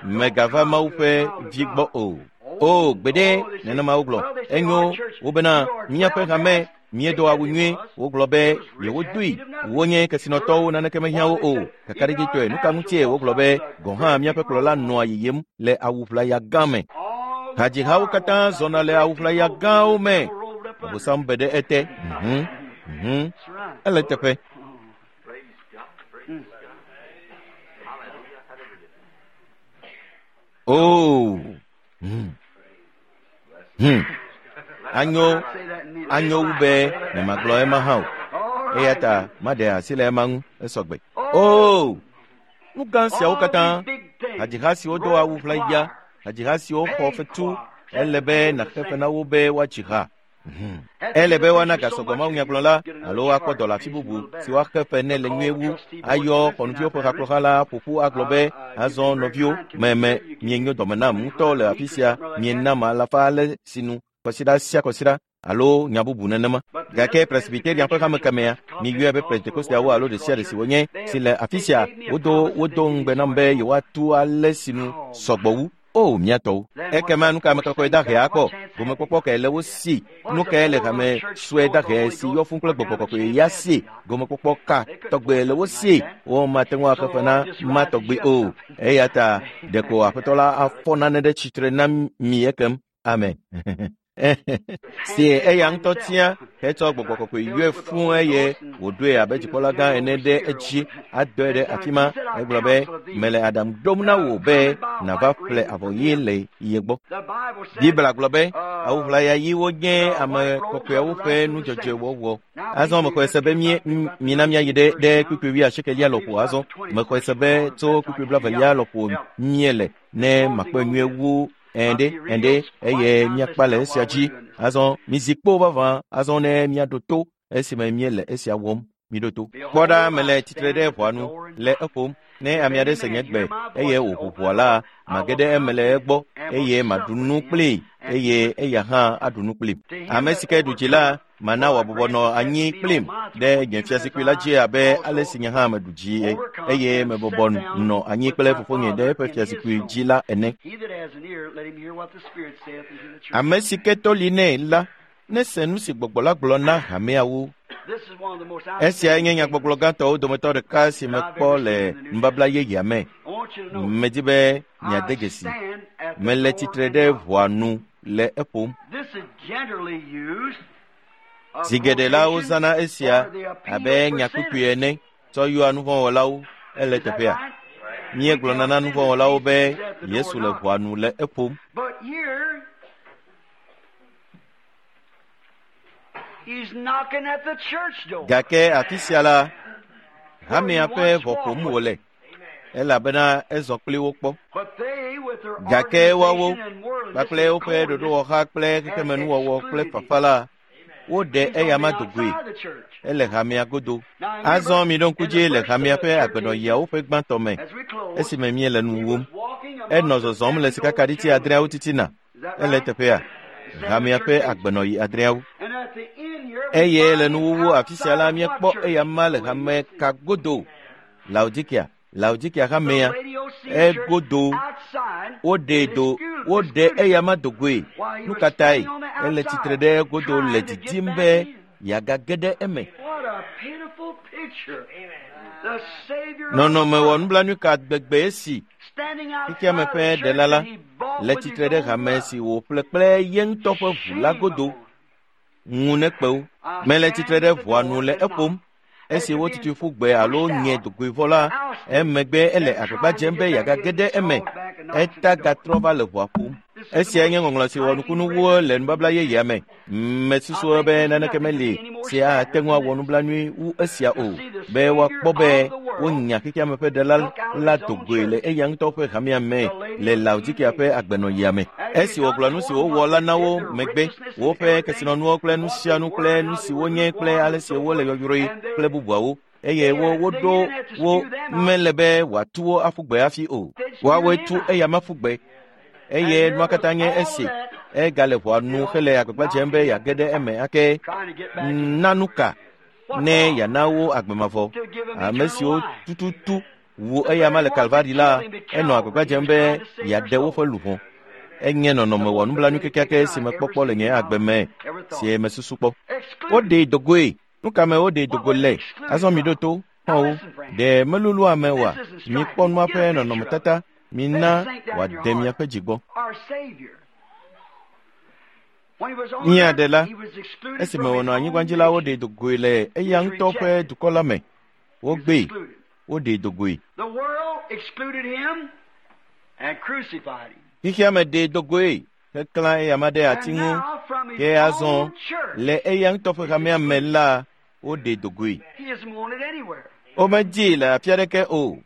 megava Mawu ƒe vi gbɔ o. O, gbeɖe, nenema wogblɔ. Enyo, wobena míaƒe hame míedo awu nyuie, wogblɔ be yewodoe. Wonye kesinɔtɔwo, naneke mehiã wo o. Kakaɖedzitɔe, nu ka ŋutie wogblɔ be gɔ̃ hã míaƒe kplɔla nɔa yiyim le awu ʋlaya gã me. Hadzihawo katã zɔna le awu ʋlaya gãwo me. Abosam be ɖe ete. Ele teƒe. Oh. Anyo, anyo wu be nyemagblɔ ema hã o. Eya ta maɖe asi le ema ŋu esɔgbe. Oo, nu gã siawo katã, hadziha siwo do awu ʋlaya, hadziha siwo xɔ fetu, ele be nàxe fe na wo be woatsi ha. Ele be woana gasɔgbɔ mawunyagblɔla alo akpɔ dɔ le afi bubu si woaxe fe nɛ le nyuie wu, ayɔ xɔnuviwo ƒe hakplɔha la ƒo ƒu agblɔ be, azɔ nɔviwo, meme mienyo dɔme nam ŋutɔ le afi sia, mienam alafa ale sinu kɔsiɖa sia kɔsiɖa alo nya bubu nenema. Gake Presbyterian ƒe hame kemea, miyɔe be Pentekosteawo alo ɖe sia ɖe si wonye si le afi sia, wodo ŋugbe nam be yewoatu ale sinu sɔgbɔ wu. O, mía tɔwo. Ekema nu ka ame kɔkɔe dahe akpɔ? Gomekpɔkpɔ kae le wo si? Nu kae le hame sue dahe si yɔ fũu kple gbɔgbɔ kɔkɔe ya si? Gomekpɔkpɔ ka tɔgbe le wo si? Womate ŋu axe fe na ma tɔgbe o. Eya ta ɖeko Aƒetɔ la afɔ nane ɖe tsitre na mi ekem. Amen. Si eya ŋutɔ tia hetsɔ gbɔgbɔ kɔkɔe yɔe fũu eye wòɖoe abe dzikpɔla gã ene ɖe edzi adɔe ɖe afi ma. Egblɔ be, mele aɖaŋu ɖom na wò be nàva ƒle avɔ ɣi le ye gbɔ. Biblia gblɔ be, awu ʋlaya ɣiwo nye ame kɔkɔeawo ƒe nudzɔdzɔewɔwɔ. Azɔ mexɔe se be mina míayi ɖe kpukpui 80 lɔƒo azɔ. Mexɔe se be tso kpukpui 20 lɔƒo míele ne makpɔe nyuie wu ɛnɖe eye míakpa le esia dzi. Azɔ mizi kpo vavã azɔ ne míaɖo to esime míele esia wɔm. Miɖo to. Kpɔ ɖa, mele tsitre ɖe ʋɔa nu le eƒom. Ne ame aɖe se nye gbe eye wòʋu ʋɔa la, mage ɖe eme le egbɔ eye maɖu nu kplii eye eya hã aɖu nu kplim. Ame si ke ɖu dzi la, mana wòabɔbɔ nɔ anyi kplim ɖe nye fiazikpui la dzi abe ale si nye hã meɖu dzi eye mebɔbɔ nɔ anyi kple fofonye ɖe eƒe fiazikpui dzi la ene. Ame si ke to li nɛ la, nese nu si gbɔgbɔ la gblɔ na hameawo. Esiae nye nyagbɔgblɔ gãtɔwo dometɔ ɖeka si mekpɔ le nubabla yeyea me. Medi be miade dzesi. Mele tsitre ɖe ʋɔa nu le eƒom. Zi geɖe la wozãna esia abe nyakpukpui ene tsɔ yɔa nuvɔ̃wɔlawo ele teƒea. Míegblɔna na nuvɔ̃wɔlawo be Yesu le ʋɔa nu le eƒom. Gake afi sia la, hamea ƒe ʋɔ ƒom wòle, elabena ezɔ kpli wo kpɔ. Gake woawo kpakple woƒe ɖoɖowɔha kple xexemenuwɔwɔ kple fafa la, woɖe eyama do goe. Ele hamea godo. Azɔ miɖo ŋku dzi le hamea ƒe agbenɔɣiawo ƒe gbãtɔ me, esime míele nu wum. Enɔ zɔzɔm le sikakaɖiti 6 titina. Ele teƒea, hamea ƒe agbenɔɣi 6. Eye le nuwuwu afi sia la, míekpɔ eyama le hame ka godo? Laodikia hamea egodo. Woɖe eyama do goe. Nu ka tae? Ele tsitre ɖe egodo le didim be yeagage ɖe eme. Nɔnɔme wɔ nublanui ka gbegbe esi xexeame ƒe ɖela la le tsitre ɖe hame si wòƒle kple ye ŋutɔ ƒe ʋu la godo. Ŋu nekpe wo. Mele tsitre ɖe ʋɔa nu le eƒom. Esi wotutui ƒu gbe alo nye dogoe vɔ la, emegbe ele agbagba dzem be yeagage ɖe eme. Eta gatrɔ va le ʋɔa ƒom. Esiae nye ŋɔŋlɔ si wɔ nukunu wu le nubabla yeyea me. Mesusu be naneke meli si ate ŋu awɔ nublanui wu esia o, be woakpɔ be wonya xexeame ƒe ɖela la do goe le eya ŋutɔ ƒe hamea me le Laodikia ƒe agbenɔɣia me. Esi wògblɔ nu si wowɔ la na wo megbe, woƒe kesinɔnuwo kple nu sia nu kple nu si wonye kple ale si wole yɔyrɔe kple bubuawo, eye woɖo wo mele be wòatu wo aƒu gbe hafi o. Woawoe tu eyama ƒu gbe. Eye nua katã nye esi egale ʋɔa nu hele agbagba dzem be yeage ɖe eme ake na nu ka ne yeana wo agbe mavɔ. Ame siwo tututu wu eyama le Kalvari la, enɔ agbagba dzem be yeaɖe woƒe luʋɔ. Enye nɔnɔme wɔ nublanui kekeake si mekpɔkpɔ le nye agbe me si mesusu kpɔ. Woɖee do goe. Nu ka me woɖee do go le? Azɔ miɖo to, xɔ̃wo. Ɖe melulu ame oa? Mikpɔ nua ƒe nɔnɔmetata. Mina wòade miaƒe dzi gbɔ. Mía ɖela, esime wònɔ anyigba dzi la, woɖee do goe le eya ŋutɔ ƒe dukɔ la me. Wogbee, woɖee do goe. Xexeame ɖee do goe heklã eyama ɖe ati ŋu. Ke azɔ le eya ŋutɔ ƒe hamea me la, Woɖe dogoe. Womedii le afi aɖeke o.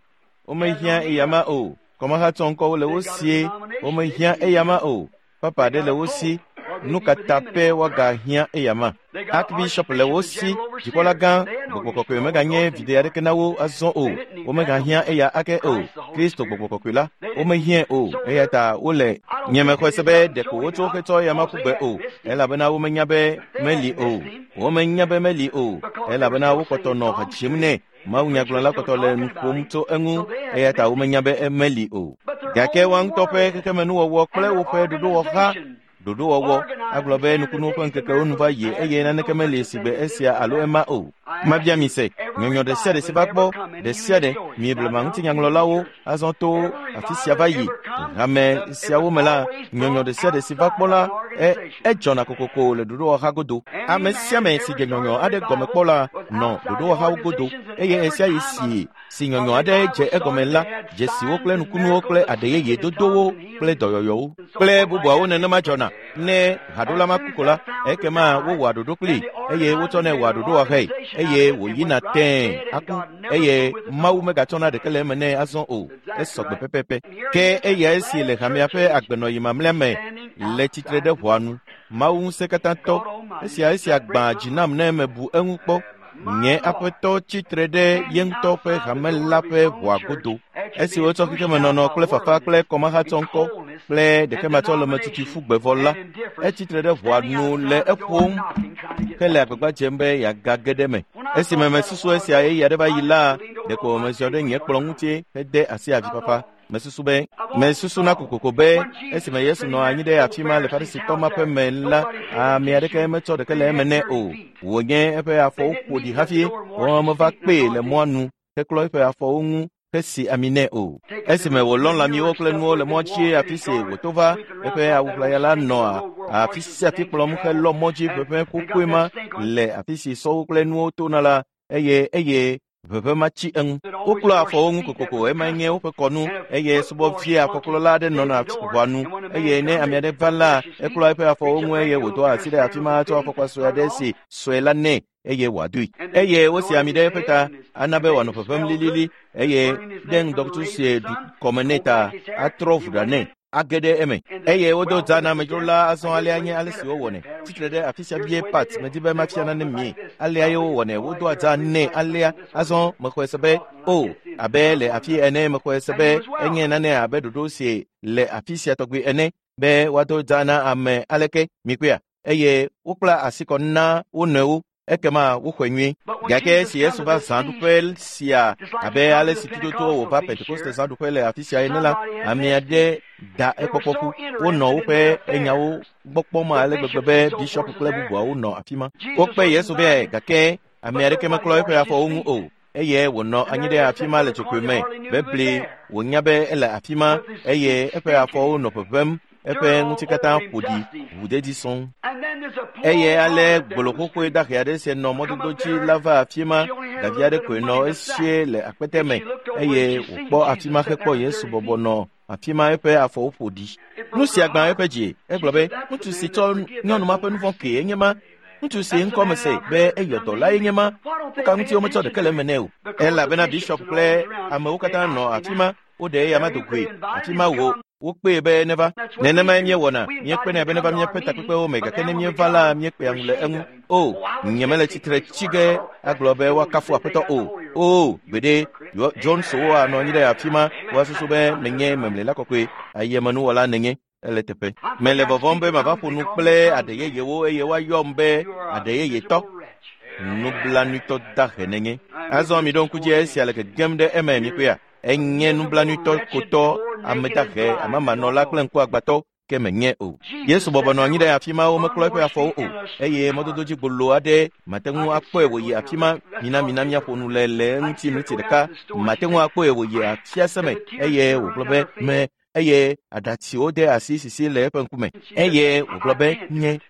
Womehiã eyama o. Kɔmahatsɔ ŋkɔwo le wo sie. Womehiã eyama o. Papa aɖe le wo si. Nu ka ta pɛ woagahiã eyama? Archbishop le wo si. Dzikpɔla gã, gbɔgbɔ kɔkɔe meganye viɖe aɖeke na wo azɔ o. Womegahiã eya ake o. Kristo gbɔgbɔ kɔkɔe la, womehiãe o. Eya ta wole nyemexɔe se be ɖeko wotso hetsɔ eyama ƒu gbe o, elabena womenya be meli o. Womenya be meli o, elabena wokpɔtɔ nɔ ha dzim nɛ. Mawunyagblɔla kpɔtɔ le nu ƒom tso eŋu, eya ta womenya be meli o. Gake woa ŋutɔ ƒe xexemenuwɔwɔ kple woƒe ɖoɖowɔha ɖoɖowɔwɔ agblɔ be nukunuwo ƒe ŋkekewo nu va yi eye naneke meli si gbe esia alo ema o. Mabia mi se, nyɔnyɔ ɖe sia ɖe si va kpɔ, ɖe sia ɖe, mi blema ŋutinyaŋlɔlawo azɔ to afi sia va yi hame siawo me la, nyɔnyɔ ɖe sia ɖe si va kpɔ la, edzɔna kokoko le ɖoɖowɔha godo. Ame sia ame si dze nyɔnyɔ aɖe gɔme kpɔ la nɔ ɖoɖowɔhawo godo eye esia yi si nyɔnyɔ aɖe dze egɔme la, dzesiwo kple nukunuwo kple aɖe yeye dodowo kple dɔyɔyɔwo kple bubuawo nenema dzɔna. Ne haɖola ma ku ko la, ekema wowɔa ɖoɖo kplii eye wotsɔnɛ wɔa ɖoɖowɔhae eye wòyina tẽe aku eye Mawu megatsɔna ɖeke le eme nɛ azɔ o. Esɔgbe pɛpɛpɛ. Ke eya esi le hamea ƒe agbenɔyi mamlɛa me le tsitre ɖe ʋɔa nu. Mawu ŋusẽkatãtɔ, esia gbã dzi nam ne mebu eŋu kpɔ. Nye aƒetɔ tsitre ɖe ye ŋutɔ ƒe hame la ƒe ʋɔa godo. Esi wotsɔ xexemenɔnɔ kple fafa kple kɔmahatsɔ ŋkɔ kple ɖekematsɔlemetutu ƒu gbe vɔ la, etsitre ɖe ʋɔa nu le eƒom hele agbagba dzem be yeagage ɖe eme. Esime mesusu esia ɣeyiɣi aɖe va yi la, ɖeko meziɔ ɖe nye kplɔ̃ ŋuti hede asi avifafa. Mesusu be mesusu na kokoko be esime Yesu nɔ anyi ɖe afi ma le Farisitɔ ma ƒe me la, ame aɖeke metsɔ ɖeke le eme nɛ o. Wònye eƒe afɔwo ƒo ɖi hafi womeva kpee le mɔa nu heklɔ eƒe afɔwo ŋu hesi ami nɛ o. Esime wòlɔ lãmiwo kple nuwo le mɔ dzi afi si wòto va, eƒe awu ʋlaya la nɔa afi sia afi kplɔm helɔ mɔ dzi ʋeʋẽ ƒoƒoe ma le afi si sɔwo kple nuwo tona la, eye ʋeʋẽ ma tsi eŋu. Woklɔa afɔwo ŋu kokoko, emae nye woƒe kɔnu, eye subɔvia afɔklɔla aɖe nɔna ʋɔa nu, eye ne ame aɖe va la, eklɔa eƒe afɔwo ŋu eye wòdoa asi ɖe afi ma tsɔ afɔkpa sue aɖe si sue la nɛ eye wòadoe. Eye wosi ami ɖe eƒe ta ana be wòanɔ ʋeʋẽm lilili eye ɖe ŋdɔkutsu si ɖu kɔme nɛ ta atrɔ ʋu ɖa nɛ age ɖe eme. Eye wodo dza na amedzrola azɔ alea nye ale si wowɔnɛ. Tsitre ɖe afi sia vie Pat, medi be mafia nane mie. Alea ye wowɔnɛ, wodoa dza nɛ alea. Azɔ mexɔe se be, o, abe le afi ene mexɔe se be enye nane abe ɖoɖo si le afi sia tɔgbi ene be woado dza na ame aleke mikpɔea eye wokpla asi kɔ na wo nɔewo ekema woxɔe nyuie. Gake esi Yesu va zãɖuƒe sia abe ale si tututu wòva Pentekoste zãɖuƒe le afi sia ene la, ame aɖe da ekpɔkpɔ ƒu. Wonɔ woƒe enyawo gbɔ kpɔm ale gbegbe be bishɔp kple bubuawo nɔ afi ma. Wokpe Yesu vɛ gake ame aɖeke meklɔ eƒe afɔwo ŋu o. Eye wònɔ anyi ɖe afi ma le tsokpoe me bebli wònya be ele afi ma eye eƒe afɔwo nɔ ʋeʋẽm, eƒe ŋuti katã ƒo ɖi ʋuɖeɖi sɔŋ. Eye ale gboloxoxoe dahe aɖe si nɔ mɔdodo dzi la va afi ma, davi aɖe koe nɔ esie le akpete me eye wòkpɔ afi ma hekpɔ Yesu bɔbɔ nɔ afi ma eƒe afɔwo ƒo ɖi. Nu sia gbã eƒe dzi. Egblɔ be, ŋutsu si tsɔ nyɔnu ma ƒe nu vɔ̃ kee enye ma. Ŋutsu si ŋkɔ me se be eyɔ dɔ lae nye ma. Nu ka ŋuti wometsɔ ɖeke le eme nɛ o? Elabena bishɔp kple amewo katã nɔ afi ma, woɖe eya ma do goe. Afi ma wo wokpee be neva. Nenemae míewɔna, míekpenɛ be neva míaƒe takpekpewo me, gake ne míeva la, míekpea ŋu le eŋu. O, nyemele tsitre tsi ge agblɔ be woakafu aƒetɔ o. O, gbeɖe, Johnsowo anɔ anyi ɖe afi ma, woasusu be menye memlela kɔkɔe, ayemenuwɔla nenye. Ele teƒe. Mele vɔvɔ̃m be mava ƒo nu kple aɖe yeyewo eye woayɔm be aɖe yeyetɔ. Nublanuitɔ dahe nenye. Azɔ miɖo ŋku dzi esia le gegem ɖe eme mikpɔea. Enye nublanuitɔ kotɔ, ame dahe, amamanɔla kple ŋkuagbãtɔ ke menye o. Yesu bɔbɔ nɔ anyi ɖe afi ma womeklɔ eƒe afɔwo o eye mɔdodo dzi gbolo aɖe mate ŋu akpɔe wòyi afi ma. Mina míaƒo nu le eŋuti miniti ɖeka. Mate ŋu akpɔe wòyi afiase me eye wògblɔ be me eye aɖatsiwo de asi sisi le eƒe ŋkume eye wògblɔ be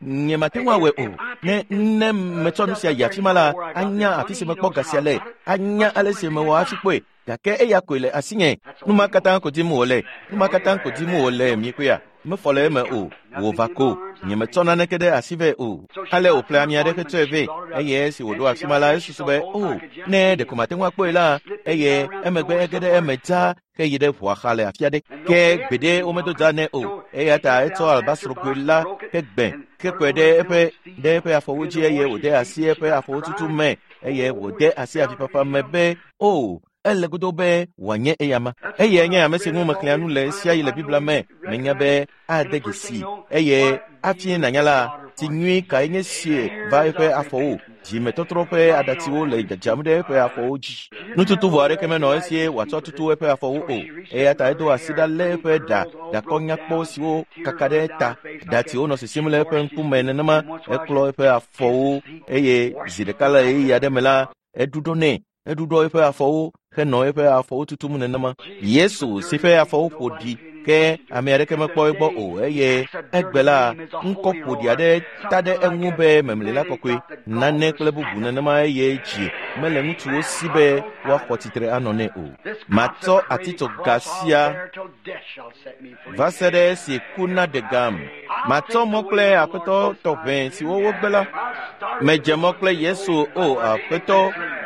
nye mate ŋu awɔe o. Ne metsɔ nu sia yi afi ma la, anya afi si mekpɔ ga sia le, anya ale si mewɔ hafi kpɔe. Gake eya koe le asinye. Nu ma katã ko dim wòle. Nu ma katã ko dim wòle mikpɔea. mefɔ le eme o wò va ko nyemetsɔ naneke ɖe asi vɛ o ale wòƒle ami aɖe hetsɔe vɛ eye esi wòɖo afi ma la esusu be o ne ɖeko mate ŋu akpɔe la eye emegbe ege ɖe eme dzaa heyi ɖe ʋua xa le afi aɖe ke gbeɖe womedo dza nɛ o eya ta etsɔ albasrogoe la hegbe kekɔe ɖe eƒe ɖe eƒe afɔwo dzi eye wòde asi eƒe afɔwo tutu me eye wòde asi avifafa me be o ele godo be wòanye eyama eyae nye ame si ŋu mexlẽa nu le sia yi le Biblia me menya be ade dzesi eye hafi nànya la tsi nyui kae nye sie va eƒe afɔwo dzimetɔtrɔ ƒe aɖatsiwo le dzadzam ɖe eƒe afɔwo dzi nututu vɔ aɖeke menɔ esie wòatsɔ tutu eƒe afɔwo o eya ta edo asi ɖa lé eƒe ɖa ɖakɔ nyakpɔ siwo kaka ɖe ta ɖatiwo nɔ sisim le eƒe ŋkume nenema eklɔ eƒe afɔwo eye zi ɖeka le ɣeyiɣi aɖe me la eɖuɖɔ nɛ eɖuɖɔ eƒe afɔwo henɔ eƒe afɔwo tutum nenema Yesu si ƒe afɔwo ƒo ɖi ke ame aɖeke mekpɔ egbɔ o eye egbe la ŋkɔ ƒoɖi aɖe ta ɖe eŋu be memlela kɔkɔe nane kple bubu nenema eye dzi mele ŋutsuwo si be woaxɔ tsitre anɔ nɛ o matsɔ atitsoga sia va se ɖe esi ku naɖe gam matsɔ mɔ kple aƒetɔ tɔʋẽ siwo wogbe la medze mɔ kple Yesu o aƒetɔ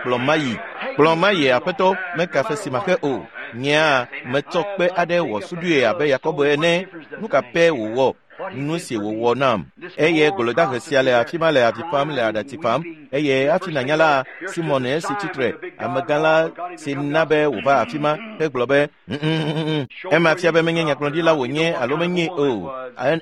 kplɔ mayi kplɔ mayi aƒetɔ meka fe si maxe o nyea metsɔ kpe aɖe wɔ suɖui abe Yakobo ene nu ka pɛ wòwɔ nu si wòwɔ nam eye golodahe sia le afi ma le avi fam le aɖatsi fam eye hafi nànya la Simɔn esi tsitre amegã la si na be wòva afi ma hegblɔ be ema fia be menye nyagblɔɖila wònye alo menye o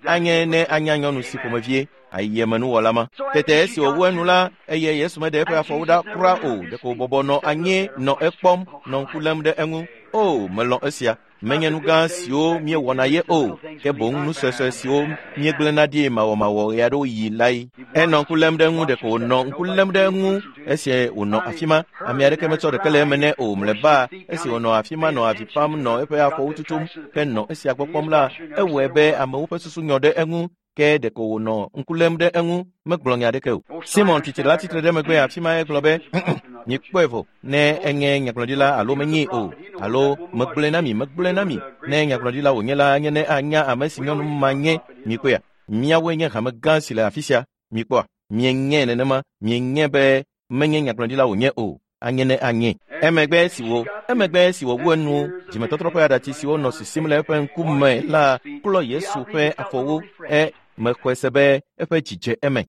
anye ne anya nyɔnu si ƒomevie ayemenuwɔla ma tete esi wòwu enu la eye Yesu meɖe eƒe afɔwo ɖa kura o ɖeko wòbɔbɔ nɔ anyi nɔ ekpɔm nɔ ŋku lém ɖe eŋu o melɔ̃ esia menye nu gã siwo míewɔna ye o ke boŋ nu suesue siwo míegblẽna ɖi mawɔmawɔ ɣe aɖewo yi lae enɔ ŋku lém ɖe eŋu ɖeko wònɔ ŋku lém ɖe eŋu esi wònɔ afi ma ame aɖeke metsɔ ɖeke le eme nɛ o mlɔeba esi wònɔ afi ma nɔ avi fam nɔ eƒe afɔwo tutum henɔ esia gbɔ kpɔm la ewɔe be amewo ƒe susu nyɔ ɖe eŋu ke ɖeko wònɔ ŋku lém ɖe eŋu megblɔ nya aɖeke o Simɔn tsitre la tsitre ɖe megbe afi ma egblɔ be mikpɔe vɔ ne enye nyagblɔɖila alo menyee o alo megblɔe na mi megblɔe na mi ne nyagblɔɖila wònye la nye ne anya ame si nyɔnu ma nye mikpɔea miawoe nye hame gã si le afi sia mikpɔa mienye nenema mienye be menye nyagblɔɖila wònye o anye ne anye emegbe esi wo emegbe esi wòwu enu dzimetɔtrɔ ƒe aɖatsi siwo nɔ sisim le eƒe ŋkume la klɔ Yesu ƒe afɔwo e mexɔe se be eƒe dzi dze eme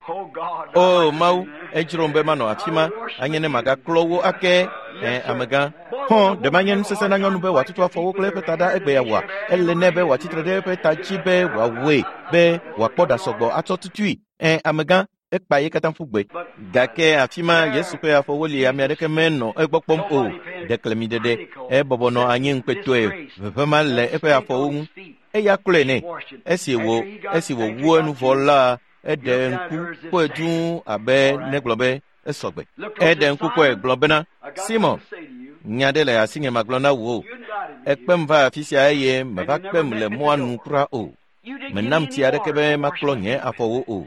o Mawu edzrom be manɔ afi ma anye ne magaklɔ wo ake ɛ amegã hɔn ɖe manye nusese na nyɔnu be wòatutu afɔwo kple eƒe ta ɖa egbe ya wɔa ele nɛ be wòatsitre ɖe eƒe ta dzi be wòawɔe be wòakpɔ ɖa sɔgbɔ atsɔ tutui ɛ amegã ekpa ye katã ƒu gbe gake afi ma Yesu ƒe afɔwo li ame aɖeke menɔ egbɔ kpɔm o ɖeklemiɖeɖe ebɔbɔ nɔ anyi ŋukpetɔe ʋeʋẽ ma le eƒe afɔwo ŋu eya klɔe nɛ esi wò esi wòwu enu vɔ la eɖe ŋku kpɔe dũu abe negblɔ be esɔgbe eɖe ŋku kpɔe gblɔ bena Simɔn nya ɖe le asinye magblɔ na wò ekpem va afi sia eye meva kpem le mɔa nu kura o menam tsi aɖeke be maklɔ nye afɔwo o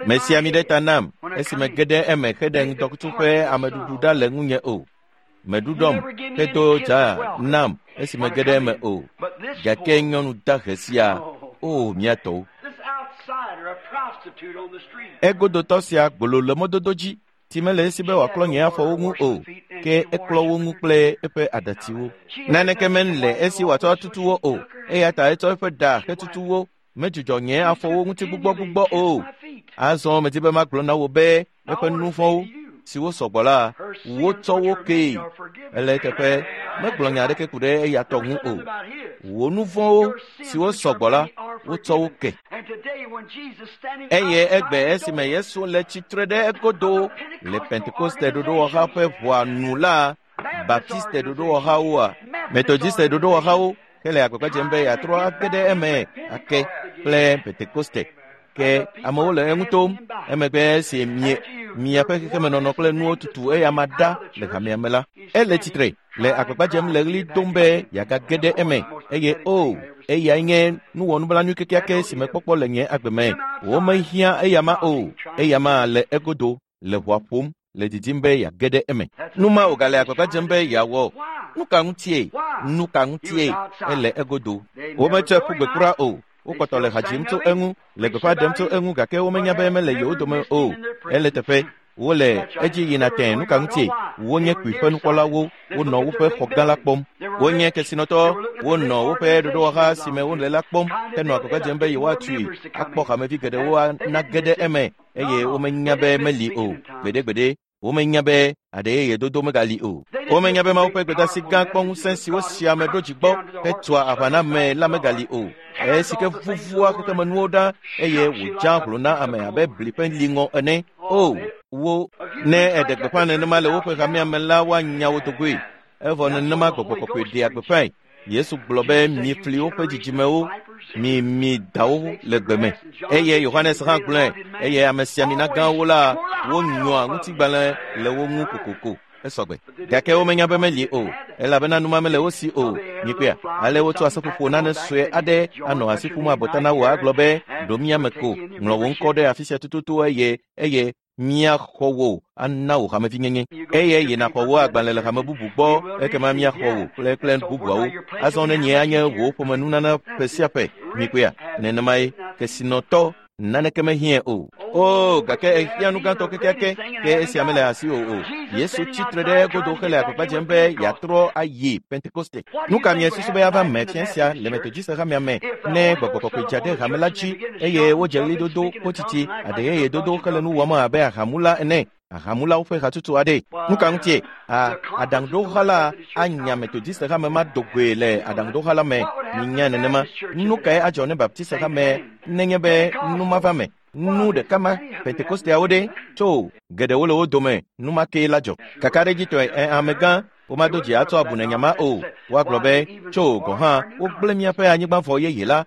mesi ami ɖe ta nam esi mege ɖe eme heɖe ŋdɔkutsu ƒe ameɖuɖu ɖa le ŋunye o meɖuɖɔm hedo dza nam esi mege ɖe eme o gake nyɔnu dahe sia o mía tɔwo egodotɔ sia gbolo le mɔdodo dzi si mele esi be wòaklɔ nye afɔwo ŋu o ke eklɔ wo ŋu kple eƒe aɖatsiwo naneke mele esi wòatsɔ atutu wo o eya ta etsɔ eƒe ɖa hetutu wo medzudzɔ nye afɔwo ŋuti gbugbɔgbugbɔ o azɔ medi be magblɔ na wò be eƒe nu vɔ̃wo siwo sɔgbɔ la wotsɔ wo kee ele eteƒe megblɔ nya aɖeke ku ɖe eya tɔ ŋu o wò nu vɔ̃wo siwo sɔgbɔ la wotsɔ wo ke eye egbe esime Yesu le tsitre ɖe egodo le Pentekoste ɖoɖowɔha ƒe ʋɔa nu la Baptiste ɖoɖowɔhawoa Methodiste ɖoɖowɔhawo hele agbagba dzem be yeatrɔ age ɖe eme ake kple Pentekoste ke amewo le eŋu tom emegbe esi mie miaƒe xexemenɔnɔ kple nuwo tutu eya ma ɖa le hamea me la ele tsitre le agbagba dzem le ɣli dom be yeagage ɖe eme eye o eyae nye nuwɔnublanui kekeake si mekpɔkpɔ le nye agbe me womehiã eya ma o eya ma le egodo le ʋɔa ƒom le didim be yeage ɖe eme nu ma wògale agbagba dzem be yeawɔ nu ka ŋutie nu ka ŋutie ele egodo wometsɔe ƒu gbe kura o. Wokpɔtɔ le ha dzim tso eŋu, le gbeƒã ɖem tso eŋu gake womenya be mele yewo dome o. Ele teƒe. Wole edzi yina tẽ nu ka ŋutie? Wonye kpuiƒe nukpɔlawo, wonɔ woƒe xɔ gã la kpɔm. Wonye kesinɔtɔ, wonɔ woƒe ɖoɖowɔha si me wole la kpɔm henɔ agbagba dzem be yewoatui akpɔ hamevi geɖewo nage ɖe eme eye womenya be meli o. Gbeɖegbeɖe, womenya be aɖe yeye dodo megali o. Womenya be Mawu ƒe gbedeasi gã kpɔ ŋusẽ si wosi ame ɖo dzi gbɔ hetua aʋa na ame la megali o. Esi ke vuvua xexemenuwo ɖa eye wòdza hlo na ame abe bli ƒe liŋɔ ene. O, wo ne eɖe gbeƒã nenema le woƒe hamea me la, woanya wo dogoe. Evɔ nenema gbɔgbɔ kɔkɔe ɖea gbeƒãe. Yesu gblɔ be mi fli woƒe dzidzimewo, mi mi dawo le gbe me. Eye Yohanes hã gblɔe eye amesiamina gãwo la wonyɔa ŋutigbalẽ le wo ŋu kokoko. Esɔgbe. Gake womenya be meli o, elabena numa mele wo si o. Mikpɔea, ale wotsɔ aseƒoƒo nane sue aɖe anɔ asi ƒum abɔta na wò agblɔ be ɖo mía me ko, ŋlɔ wò ŋkɔ ɖe afi sia tututu eye eye míaxɔ wò ana wò hamevinyenye eye yina xɔ wò agbalẽ le hame bubu gbɔ ekema míaxɔ wò kple kple bubuawo. Azɔ ne nye anye wò ƒomenunana ƒe sia ƒe. Mikpɔea, nenemae kesinɔtɔ naneke mehiãe o. O, gake ehiã nu gãtɔ kekeake ke esia mele asi o o. Yesu tsitre ɖe egodo hele agbagba dzem be yeatrɔ ayi Pentekoste. Nu ka miesusu be ava me fia sia le Metodiste hamea me ne gbɔgbɔ kɔkɔe dza ɖe hame la dzi eye wodze ɣlidodo, kotiti, aɖe yeye dodo hele nu wɔm abe ahamula ene? Ahamulawo ƒe hatsotso aɖe. Nu ka ŋutie? A aɖaŋuɖoha la anya Metodiste hame ma do goe le aɖaŋuɖoha la me. Minya nenema. Nu kae adzɔ ne Baptiste hame nenye be nu ma va me? Nu ɖeka ma Pentekosteawo ɖe tso geɖewo le wo dome nu ma kee la dzɔ. Kakaɖedzitɔe ɛ amegã womado dzi atsɔ abu ne nya ma o. Woagblɔ be tso gɔ̃ hã wogblẽ míaƒe anyigba vɔ yeye la.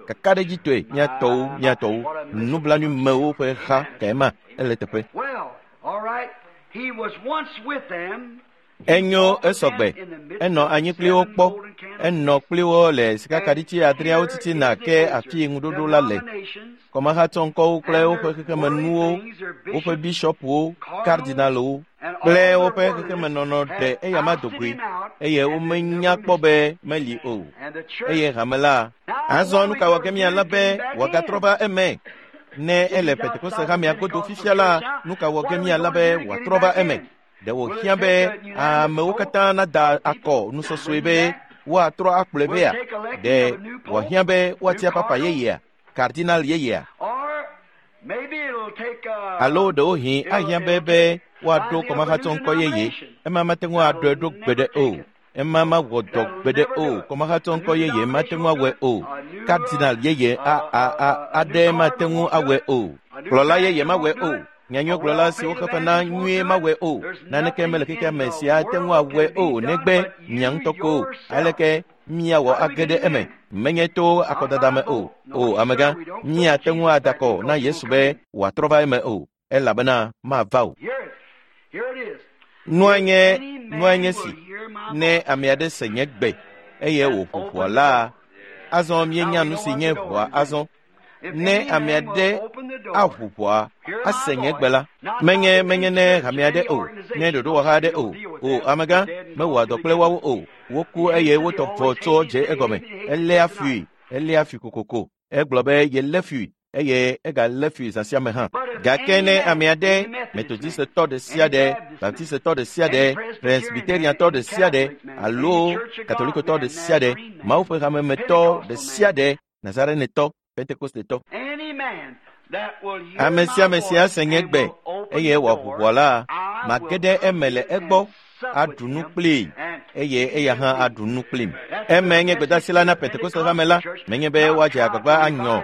Kakaɖedzitɔe míatɔwo míatɔwo nublanuimewo ƒe ha kae ma ele teƒe. Well, all right. He was once with them. Enyo esɔgbe. Enɔ anyi kpli wo kpɔ. Enɔ kpli wo le sikakaɖitsi adreawo titina ke afi ŋuɖoɖo la le. Kɔmahatsɔŋkɔwo kple woƒe xexemenuwo, woƒe bishɔpuwo, kardinalwo kple woƒe xexemenɔnɔ ɖe eyama dogoe eye womenya kpɔ be meli o. Eye hame la azɔ nu ka wɔ ge míalé be wòagatrɔ va eme? Ne ele Pentekoste hamea godo fifia la, nu ka wɔ ge míalé be wòatrɔ va eme? Ɖe wòhiã be amewo katã nada akɔ nusɔsɔe be woatrɔ akplɔe vea? Ɖe wòhiã be woatia papa yeyea, kardinal yeyea? Or maybe it'll take Alo ɖewohĩ ahiã be be woaɖo kɔmahatsɔŋkɔ yeye. Ema mate ŋu aɖɔe ɖo gbeɖe o. Ema mawɔ dɔ gbeɖe o. Kɔmahatsɔŋkɔ yeye mate ŋu awɔe o. Kardinal yeye a a a aɖe mate ŋu awɔe o. Kplɔla yeye mawɔe o. Nyanyuigblɔla siwo xefe na nyuie mawɔe o. Naneke mele xexea me sia ate ŋu awɔe o negbe mia ŋutɔ ko. Aleke míawɔ age ɖe eme? Menye to akɔdada me o. O amegã, míate ŋu ada akɔ na Yesu be wòatrɔ va eme o, elabena mava o. Hear it. Here it is. Nua nye nua nye si ne ame aɖe se nye gbe eye wòƒo ʋɔa la, azɔ míenya nu si nye ʋɔa azɔ. Ne ame aɖe aʋu ʋɔa ase nye gbe la, menye menye ne hame aɖe o, ne ɖoɖowɔha aɖe o. O amegã, mewɔa dɔ kple woawo o. Woku eye wotɔ vɔ tso dze egɔme. Eléa fui, eléa fui kokoko. Egblɔ be yelé fui eye egalé fui zã sia me hã. Gake ne ame aɖe, Metodistetɔ ɖe sia ɖe, Baptistetɔ ɖe sia ɖe, Presbyteriantɔ ɖe sia ɖe, alo Katolikotɔ ɖe sia ɖe, Mawu ƒe hamemetɔ ɖe sia ɖe, Nazarenetɔ, Pentekostetɔ. Any man that will hear Ame my sia ame si voice ase nye and gbe will open eye the wòaʋu door, ʋɔa la, I mage will ɖe come eme le in egbɔ, and sup aɖu with nu him, kplii and eye he eya with hã me. aɖu nu kplim. Eme nye gbedeasi la na Pentekoste hame la, menye be woadze agbagba anyɔ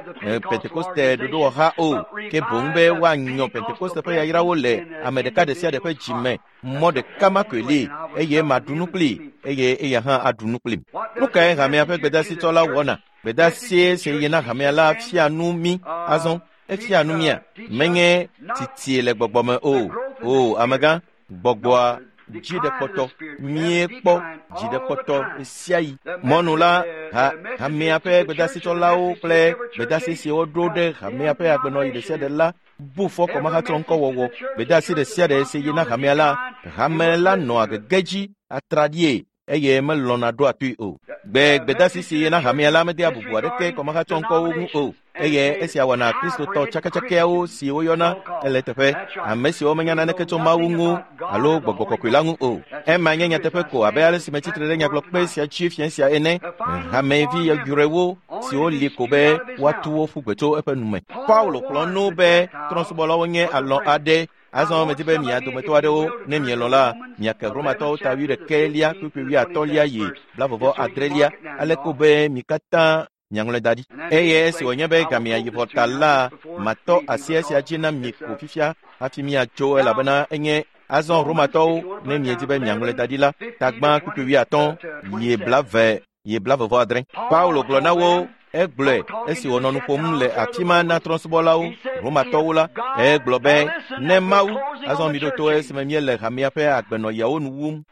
Pentekoste ɖoɖowɔha o, ke boŋ be woanyɔ Pentekoste ƒe yayrawo le ame ɖeka ɖe sia ɖe ƒe dzi me. Mɔ ɖeka ma koe li eye maɖu nu kplii eye eya hã aɖu nu kplim. Nu kae hamea ƒe gbedeasitsɔla wɔna? Gbedeasie si yi na hamea la fia nu mí azɔ. Efia nu mía. Menye titie le gbɔgbɔ me o. O amegã, gbɔgbɔa dzi ɖe kpɔtɔ. Míekpɔ dzi ɖe kpɔtɔ ɣe sia ɣi. Mɔnu la, ha hamea ƒe gbedeasitsɔlawo kple gbedeasi si woɖo ɖe hamea ƒe agbenɔɣi ɖe sia ɖe la bu fɔ kɔmahatsɔŋkɔwɔwɔ. Gbedeasi ɖe sia ɖe si yi na hamea la, hame la nɔa gege dzi atraɖie. eye melɔ̃na ɖoa toe o. Gbe gbedasi si yina hamea la medea bubu aɖeke kɔmahatsɔŋkɔwo ŋu o eye esia wɔna kristotɔ tsakatsakɛawo si woyɔna ele teƒe ame siwo menya naneke tso Mawu ŋu alo gbɔgbɔ kɔkɔe la ŋu o. Ema nye nyateƒe ko abe ale si metsitre ɖe nyagblɔkpe sia dzi fia sia ene. Hamevi yɔyrɔewo siwo li ko be woatu wo ƒu gbe tso eƒe nume. Paulo kplɔ nu be trɔ̃subɔlawo nye alɔ aɖe. Azɔ medi be mia dometɔ aɖewo ne mielɔ̃ la miake Romatɔwo ta 21 kpukpui 80 yi 78 ale ko be mi katã miaŋlɔe da ɖi. Eye esi wònye be gamea yi vɔ ta la, matɔ asi esia dzi na mi ko fifia hafi miatso elabena enye azɔ Romatɔwo ne miedi be miaŋlɔe da ɖi la tagbã kpukpui 80 yi 20 yi 28. Paulo gblɔ na wo egblɔe esi wònɔ nu ƒom le afi ma na trɔ̃subɔlawo Romatɔwo la, egblɔ be ne Mawu azɔ mi ɖo to esime míele hamea ƒe agbenɔyawo nu wum.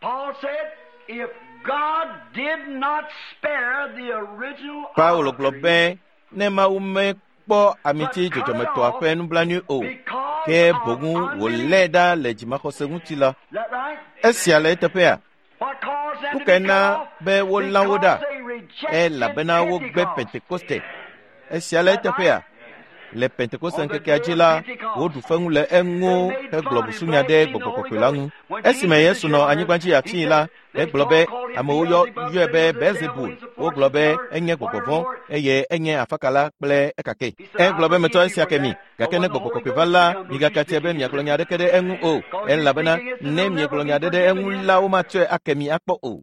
Paulo gblɔ be ne Mawu mekpɔ amiti dzɔdzɔmetɔa ƒe nublanui o, ke boŋ wòlé ɖa le dzimaxɔse ŋuti la, esia le eteƒea? Nu kae na be wolã wo ɖa? Elabena wogbe Pentekoste. Esia le eteƒea? Le Pentekoste ŋkekea dzi la, woɖu feŋu le eŋu hegblɔ busunya ɖe gbɔgbɔ kɔkɔe la ŋu. Esime Yesu nɔ anyigba dzi afii la, egblɔ be amewo yɔe be Beelzebul. Wogblɔ be enye gbɔgbɔ vɔ̃ eye enye afakala kple ekake. Egblɔ be metsɔ esia ke mi, gake ne gbɔgbɔ kɔkɔe va la, migakatia be miagblɔ nya aɖeke ɖe eŋu o, elabena ne miegblɔ nya aɖe ɖe eŋu la, womatsɔe ake mi akpɔ o.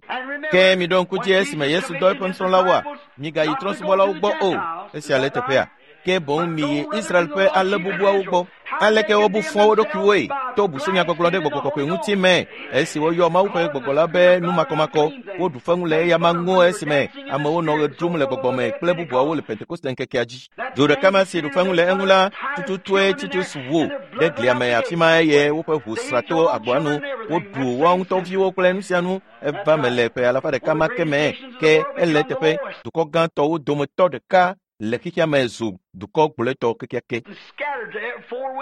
Ke miɖo ŋku dzi esime Yesu dɔ eƒe nusrɔ̃lawoa, migayi trɔ̃subɔlawo gbɔ o. Esia le teƒea. Ke boŋ miyi Israel ƒe alẽ bubuawo gbɔ. Aleke wobu fɔ wo ɖokuiwoe to busunyagbɔgblɔ ɖe gbɔgbɔ kɔkɔe ŋuti me esi woyɔ Mawu ƒe gbɔgbɔ la be numakɔmakɔ. Woɖu feŋu le eyama ŋu esime amewo nɔ ɣe ɖum le gbɔgbɔ me kple bubuawo le Pentekoste ŋkekea dzi. Du ɖeka ma si ɖu feŋu le eŋu la tututue Titus wu ɖe glia me afi ma eye woƒe ʋu sra to agboa nu. Woɖu woawo ŋutɔ viwo kple nu sia nu. Eva me le ƒe alafa ɖeka ma ke me ke ele teƒe dukɔ gãtɔwo dometɔ ɖeka le xexea me zu dukɔ gblɔetɔ kekeake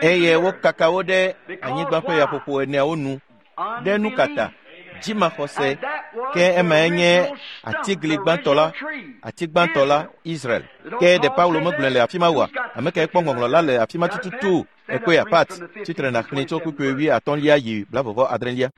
eye wokaka wo ɖe anyigba ƒe yaƒoƒo eneawo nu ɖe nu kata dzimaxɔse ke emae nye atigli gbãtɔ la ati gbãtɔ la Israel. Ke ɖe Paulo megblɔe le afi ma oa? Ame kae kpɔ ŋɔŋlɔ la le afi ma tututu? Ekpɔe apat tsitre nàxlẽe tso kpukpui 80 yi 88.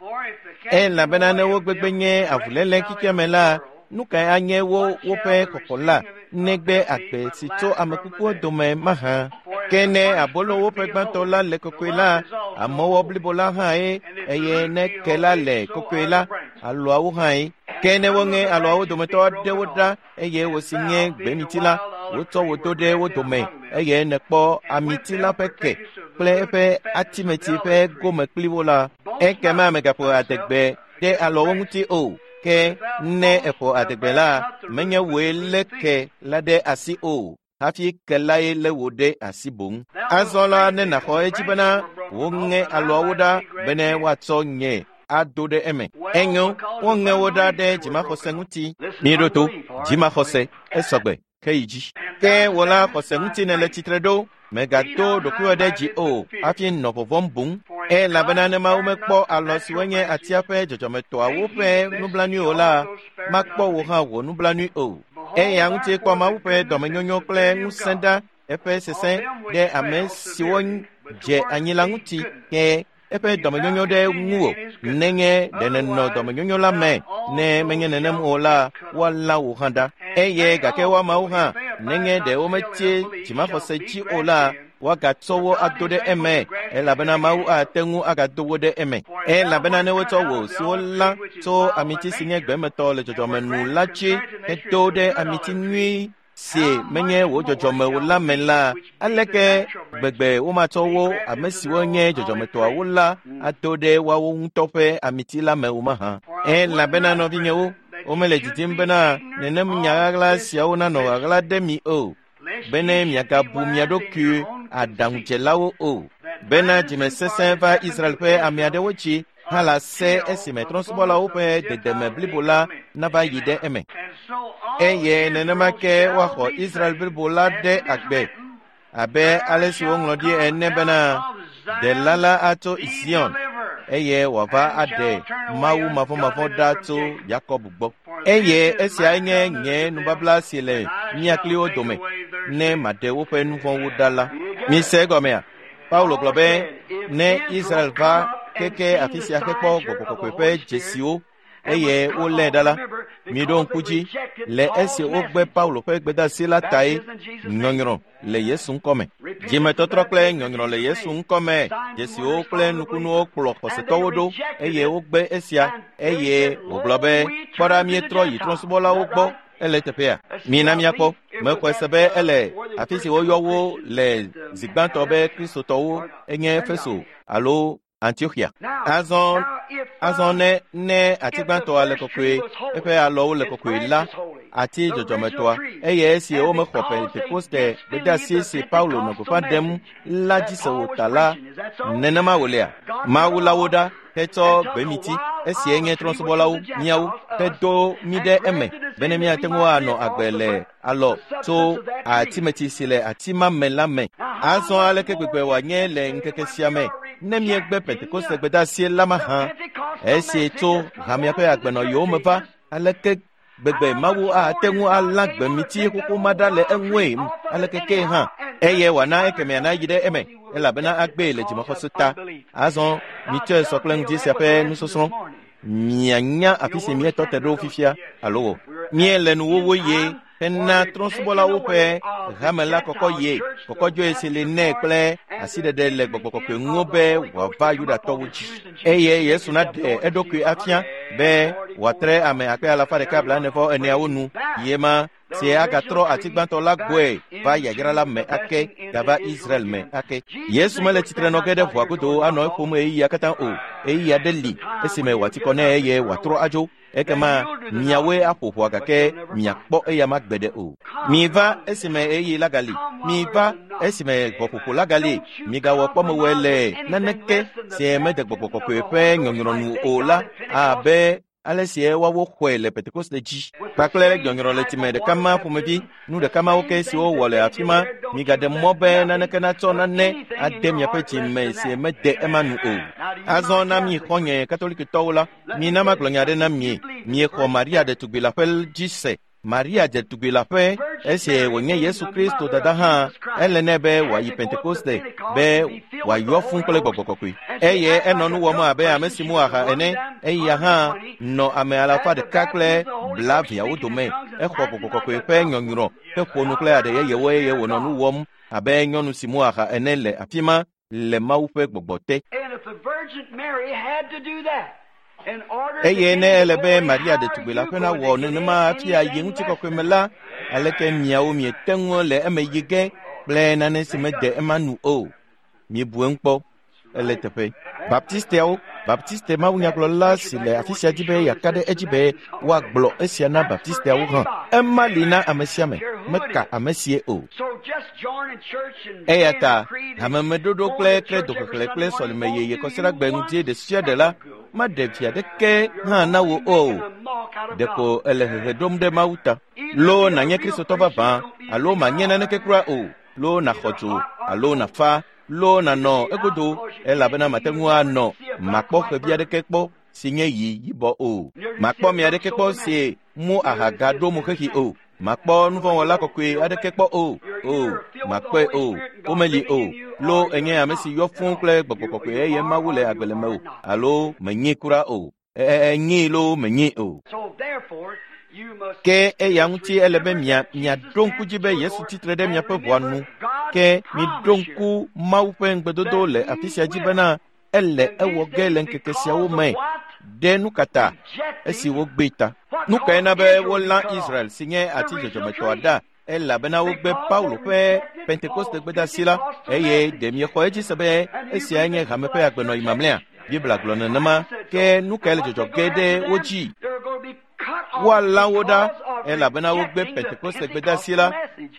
Elabena ne wogbegbe nye avuléle xexea me la, nu kae anye wo woƒe xɔxɔ la negbe agbe si tso ame kukuwo dome mahã? Ke ne abolo woƒe gbãtɔ la le kɔkɔe la, amɔwɔ blibo la hãe, eye ne ke la le kɔkɔe la, alɔawo hãe. Ke ne woŋe alɔawo dometɔ aɖewo ɖa eye wosi nye gbemiti la, wotsɔ wo do ɖe wo dome eye nèkpɔ amiti la ƒe ke kple eƒe atimeti ƒe gome kpli wo la, ekema mègaƒo adegbe ɖe alɔwo ŋuti o. Ke ne eƒo adegbe la, menye wòe lé ke la ɖe asi o, hafi ke lae lé wò ɖe asi boŋ. Azɔ la ne nàxɔ edzi bena woŋe alɔawo ɖa bene woatsɔ nye ado ɖe eme. Enyo, woŋe wo ɖa ɖe dzimaxɔse ŋuti. Miɖo to, dzimaxɔse esɔgbe ke yi dzi. Ke wò la xɔse ŋuti nèle tsitre ɖo, mègado ɖokuiwò ɖe dzi o hafi nɔ vɔvɔ̃m boŋ. Elabena ne Mawu mekpɔ alɔ siwo nye atia ƒe dzɔdzɔmetɔawo ƒe nublanui o la, makpɔ wò hã wò nublanui o. Eya ŋuti kpɔ Mawu ƒe dɔmenyonyo kple ŋusẽ ɖa eƒe sesẽ ɖe ame siwo dze anyi la ŋuti ke eƒe dɔmenyonyo ɖe ŋuwò nenye ɖe nènɔ dɔmenyonyo la me. Ne menye nenem o la, woalã wò hã ɖa. Eye gake woamawo hã nenye ɖe wometsi dzimaxɔse dzi o la, woagatsɔ wo ado ɖe eme elabena Mawu ate ŋu agado wo ɖe eme. Elabena ne wotsɔ wò si wolã tso amiti si nye gbemetɔ le dzɔdzɔme nu la dzi hedo ɖe amiti nyui si menye wò dzɔdzɔme o la me la, aleke gbegbe womatsɔ wo ame siwo nye dzɔdzɔmetɔawo la ado ɖe woawo ŋutɔ ƒe amiti la me o mahã? Elabena nɔvinyewo, womele didim bena nenem nya ɣaɣla siawo nanɔ ɣaɣla ɖe mi o, bene miagabu mia ɖokui aɖaŋudzelawo o, bena dzimesesẽ va Israel ƒe ame aɖewo dzi hã la se esime trɔ̃subɔlawo ƒe dedeme blibo la nava yi ɖe eme. Eye nenema ke woaxɔ Israel blibo la ɖe agbe abe ale si woŋlɔ ɖi ene bena Ɖela la atso Zion. eye wòava aɖe Mawu mavɔmavɔ ɖa tso Yakob gbɔ. Eye esiae nye nye nubabla si le mía kpli wo dome, ne maɖe woƒe nu vɔ̃wo ɖa la. Mise egɔmea? Paulo gblɔ be ne Israel va keke afi sia hekpɔ Gbɔgbɔ Kɔkɔe ƒe dzesiwo eye wolé ɖa la, miɖo ŋku dzi le esi wogbe Paulo ƒe gbedeasi la tae nyɔnyrɔ le Yesu ŋkɔme. Dzimetɔtrɔ kple nyɔnyrɔ le Yesu ŋkɔme, dzesiwo kple nukunuwo kplɔ xɔsetɔwo ɖo eye wogbe esia eye wògblɔ be kpɔ ɖa míetrɔ yi trɔ̃subɔlawo gbɔ ele teƒea. Mina míakpɔ. Mexɔe se be ele afi si woyɔ wo le zi gbãtɔ be Kristotɔwo enye Efeso alo Antiochia. Azɔ ne ati gbãtɔa le kɔkɔe, eƒe alɔwo le kɔkɔe la, ati dzɔdzɔmetɔa, eye esi womexɔ Pentekoste gbedeasi si Paulo nɔ gbeƒã ɖem la dzi se o ta la, nenema wòlea? Mawu la wo ɖa hetsɔ gbemiti, esie nye trɔ̃subɔlawo, míawo, hedo mí ɖe eme bene míate ŋu anɔ agbe le alɔ tso atimeti si le ati ma me la me. Azɔ aleke gbegbe wòanye le ŋkeke sia me ne míegbe Pentekoste gbedeasi la mahã, esi tso hamea ƒe agbenɔɣiwo me va, aleke gbegbe Mawu ate ŋu alã gbemiti xoxo ma ɖa le eŋue aleke ke hã, eye wòana ekemea nayi ɖe eme, elabena agbee le dzimaxɔse ta. Azɔ mitsɔe sɔ kple ŋdi sia ƒe nusɔsrɔ̃. Mianya afi si míetɔ te ɖo fifia alo o. Míele nuwɔwɔ ye hena trɔ̃subɔlawo ƒe hame la kɔkɔ ye, kɔkɔdzoe si li nɛ kple asiɖeɖe le Gbɔgbɔ Kɔkɔe ŋu be wòava Yudatɔwo dzi. Eye Yesu naɖe eɖokui afia be wòatre ame akpe alafa ɖeka blaene-vɔ-eneawo nu ye ma si agatrɔ ati gbãtɔ la gbɔe va yayra la me ake gava Israel me ake. Yesu mele tsitre nɔ ge ɖe ʋɔa godo anɔ eƒom ɣeyiɣia katã o. Ɣeyiɣi aɖe li esime wòati kɔ nɛ eye wòatrɔ adzo. Ekema miawoe aƒo ʋɔa gake miakpɔ eyama gbeɖe o. Miva esime ɣeyiɣi la gali. Miva esime ʋɔƒoƒo la gali. Migawɔ kpɔmewɔe le naneke si mede Gbɔgbɔ Kɔkɔe ƒe nyɔnyrɔ nu o la abe ale si woawo xɔe le Pentekoste dzi kpakple nyɔnyrɔ le time ɖeka ma ƒomevi, nu ɖeka mawo ke siwo wɔ le afi ma. Migaɖe mɔ be naneke natsɔ nane ade miaƒe dzi me si mede ema nu o. Azɔ na mi xɔ̃nye Katolikitɔwo la, mina magblɔ nya aɖe na mi. Miexɔ Maria ɖetugbi la ƒe dzi se. Maria ɖetugbi la ƒe, esi wònye Yesu Kristo dada hã, ele nɛ be wòayi Pentekoste be wòayɔ fũ kple Gbɔgbɔ Kɔkɔe. Eye enɔ nu wɔm abe ame si mu aha ene, eya hã nɔ ame alafa ɖeka kple blaeveawo dome. Exɔ Gbɔgbɔ Kɔkɔe ƒe nyɔnyrɔ heƒo nu kple aɖe yeyewo eye wònɔ nu wɔm abe nyɔnu si mu aha ene le afi ma le Mawu ƒe gbɔgbɔ te. Eye ne ele be Maria ɖetugbi la ƒe nawɔ nenema hafi ayi ŋutikɔkɔe me la, aleke miawo miete ŋu le eme yi ge kple nane si mede ema nu o? Miebu eŋu kpɔ. Ele teƒe. Baptisteawo, Baptiste mawunyagblɔla si le afi sia dzi be yeaka ɖe edzi be woagblɔ esia na Baptisteawo hã. Ema li na ame sia ame, meka ame sie o. Eya ta hamemeɖoɖo kple kredoxexlẽ kple sɔlime yeye kɔsiɖagbe ŋdi ɖe sia ɖe la maɖe vi aɖeke hã na wò o. Ɖeko ele hehe ɖom ɖe Mawu ta. Loo nànye Kristotɔ vavã alo manye naneke kura o. Loo nàxɔ dzo alo nàfa. Loo nànɔ egodo elabena mate ŋu anɔ makpɔ xevi aɖeke kpɔ si nye yi yibɔ o. Makpɔ mi aɖeke kpɔ si mu aha gaɖo mo xexi o. Makpɔ nuvɔ̃wɔla kɔkɔe aɖeke kpɔ o. O, makpɔe o. Womeli o. Loo enye ame si yɔ fũ kple Gbɔgbɔ Kɔkɔe eye Mawu le agbe le mewò alo menyi kura o. Enyii loo menyii o. Ke eya ŋuti ele be miaɖo ŋku dzi be Yesu tsitre ɖe miaƒe ʋɔa nu. Ke miɖo ŋku Mawu ƒe ŋugbedodo le afi sia dzi bena ele ewɔ ge le ŋkeke siawo me. Ɖe nu ka ta? Esi wogbee ta. Nu kae na be wolã Israel si nye ati dzɔdzɔmetɔa ɖa elabena wogbe Paulo ƒe Pentekoste gbedeasi la eye ɖe miexɔ edzi se be esiae nye hame ƒe agbenɔɣi mamlɛa? Biblia gblɔ nenema. Ke nu kae le dzɔdzɔ ge ɖe wo dzi? Woalã wo ɖa elabena wogbe Pentekoste gbedeasi la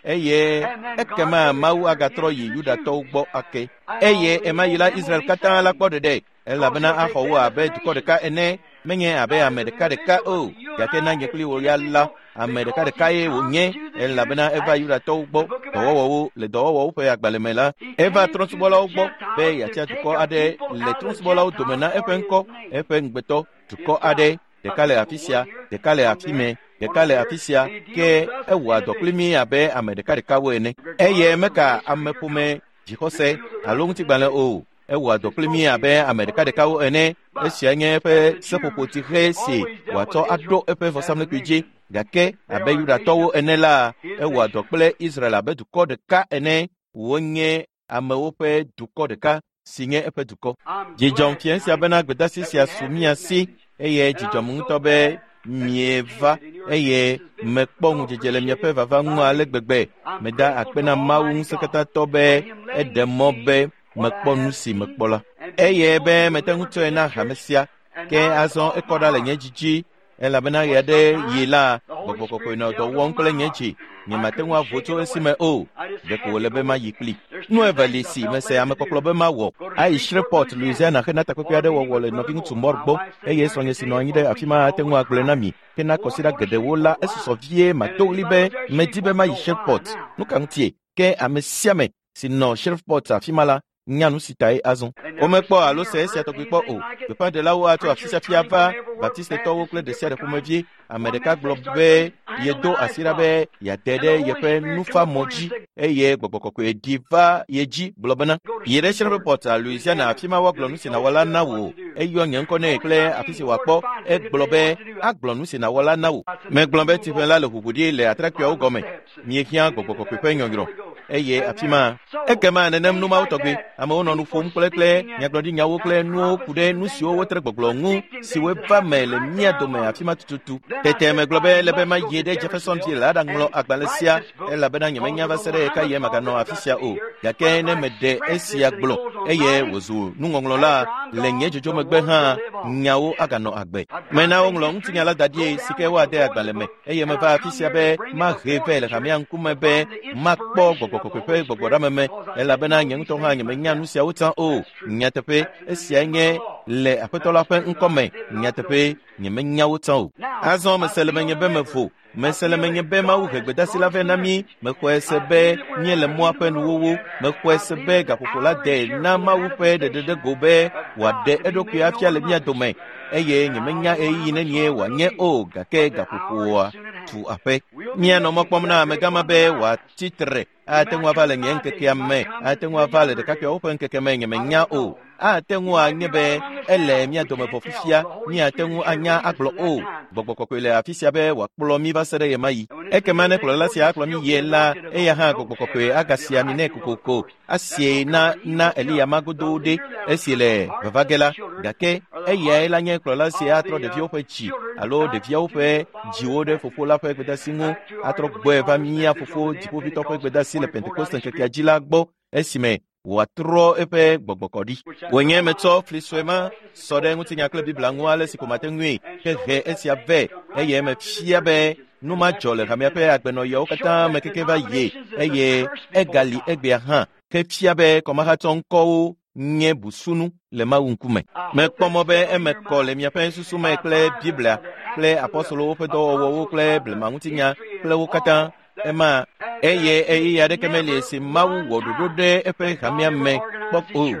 eye ekema Mawu agatrɔ yi Yudatɔwo gbɔ ake. Eye ema yi la Israel katã la kpɔ ɖeɖe elabena axɔ wo abe dukɔ ɖeka ene. Menye abe ame ɖekaɖeka o, gake na nye kpli wò ya la, ame ɖekaɖekae wònye elabena eva Yudatɔwo gbɔ dɔwɔwɔwo le dɔwɔwɔwo ƒe agbalẽ me la, eva trɔ̃subɔlawo gbɔ be yeatia dukɔ aɖe le trɔ̃subɔlawo dome na eƒe ŋkɔ, eƒe ŋugbetɔ, dukɔ aɖe, ɖeka le afi sia, ɖeka le afi mɛ, ɖeka le afi sia, ke ewɔa dɔ kpli mí abe ame ɖekaɖekawo ene. Eye meka ameƒome dzixɔse alo ŋutigbalẽ o. Ewɔa dɔ kpli mí abe ame ɖekaɖekawo ene. Esia nye eƒe seƒoƒotsihe si wòatsɔ aɖo eƒe vɔsamlekpui dzi. Gake abe Yudatɔwo ene la, ewɔa dɔ kple Israel abe dukɔ ɖeka ene. Wonye amewo ƒe dukɔ ɖeka si nye eƒe dukɔ. Dzidzɔm fia sia bena gbedasi sia su mía si eye dzidzɔm ŋutɔ be mieva eye mekpɔ ŋudzedze le miaƒe vava ŋu ale gbegbe. Meda akpe na Mawu ŋusẽkatãtɔ be eɖe mɔ be mekpɔ nu si mekpɔ la. Eye be mete ŋu tsɔe na hame sia. Ke azɔ ekɔ ɖa le nye dzi dzi elabena ɣe aɖe yi la, gbɔgbɔ kɔkɔe nɔ dɔ wɔm kple nye dzi. Nyemate ŋu avo tso esime o. Ɖeko wòle be mayi kpli. Nu eve li si mese amekpɔkplɔ be mawɔ. Ayi Shreveport, Louisiana hena takpekpe aɖe wɔwɔ le nɔviŋutsu Moore gbɔ eye srɔ̃nye si nɔ anyi ɖe afi ma ate ŋu agblɔe na mi. Hena kɔsiɖa geɖewo la, esusɔ vie mato ɣli be medi be mayi Shreveport. Nu ka ŋutie? Ke ame sia ame si nɔ Shreveport afi ma la nya nu si tae azɔ. Womekpɔ alo se esia tɔgbi kpɔ o. Gbeƒãɖelawo atso afi sia fi ava, Baptistetɔwo kple ɖe sia ɖe ƒomevie. Ame ɖeka gblɔ be yedo asi ɖa be yeate ɖe yeƒe nufamɔ dzi eye gbɔgbɔ kɔkɔe ɖi va ye dzi gblɔ bena, yi ɖe Shreveport, Louisiana, afi ma woagblɔ nu si nàwɔ la na wò. Eyɔ nye ŋkɔ nɛ kple afi si wòakpɔ. Egblɔ be agblɔ nu si nàwɔ la na wò. Megblɔ be tsiʋe la le ʋuʋu ɖi le atrakpuiawo gɔme. Miehiã gbɔgbɔ kɔkɔe ƒe nyɔnyrɔ eye afi ma ekema nenem nu mawo tɔgbi amewo nɔ nu ƒom kple kple nyagblɔɖinyawo kple nuwo ku ɖe nu siwo wotre gbɔgblɔ ŋu siwo va me le mía dome afi ma tututu. Tete megblɔ be ele be mayi ɖe Jeffersonville aɖaŋlɔ agbalẽ sia elabena nyemenya va se ɖe ɣekaɣie maganɔ afi sia o. Gake ne meɖe esia gblɔ eye wòzu nuŋɔŋlɔ la le nye dzodzo megbe hã, nyawo aganɔ agbe. Mena woŋlɔ ŋutinya la da ɖi si ke woade agbalẽ me eye meva afi sia be mahe vɛ le hamea ŋkume be makpɔ gbɔgbɔ kɔkɔe ƒe gbɔgbɔɖeameme elabena nye ŋutɔ hã nyemenya nu siawo tsã o. Nyateƒe, esiae nye le Aƒetɔ la ƒe ŋkɔme. Nyateƒe, nyemenya wo tsã o. Azɔ mese le menye be mevo. Mese le menye be Mawu he gbedasi la vɛ na mí. Mexɔe se be míele mɔa ƒe nuwuwu. Mexɔe se be gaƒoƒo la de na Mawu ƒe ɖeɖeɖego be wòaɖe eɖokui afia le mía dome eye nyemenya ɣeyiɣi nenie wòanye o gake gaƒoƒoa tu aƒe. Míanɔ mɔ kpɔm na amegã ma be wòatsi tre. Ate ŋu ava le nye ŋkekea me, ate ŋu ava le ɖekakpuiawo ƒe ŋkeke me, nyemenya o. Ate ŋu anye be ele mía dome vɔ fifia, míate ŋu anya agblɔ o. Gbɔgbɔ kɔkɔe le afi sia be wòakplɔ mí va se ɖe ɣemaɣi. Ekema ne kplɔla sia akplɔ mí yie la, eya hã gbɔgbɔ kɔkɔe agasia ami nɛ kokoko. Asie na na Eliya ma godoo ɖe esi le vava ge la. Gake eyae la nye kplɔla si atrɔ ɖeviwo ƒe dzi alo ɖeviawo ƒe dziwo ɖe fofo la ƒe gbedasi ŋu, atrɔ gbɔe va mía fofo dziƒoʋĩtɔ ƒe gbedasi le Pentekoste ŋkekea dzi la gbɔ esime wòatrɔ eƒe gbɔgbɔ kɔ ɖi. Wònye metsɔ fli sue ma sɔ ɖe ŋutinya kple Biblia ŋu ale si ko mate ŋui hehe esia vɛ eye mefia be nu ma dzɔ le hamea ƒe agbenɔɣiawo katã me keke va yi eye egali egbea hã hefia be kɔmahatsɔ ŋkɔwo nye busunu le Mawu ŋkume. Mekpɔ mɔ be eme kɔ le miaƒe susu me kple Biblia kple apɔstolowo ƒe dɔwɔwɔwo kple blemaŋutinya kple wo katã ema eye ɣeyiɣi aɖeke meli si Mawu wɔ ɖoɖo ɖe eƒe hamea me kpɔ o.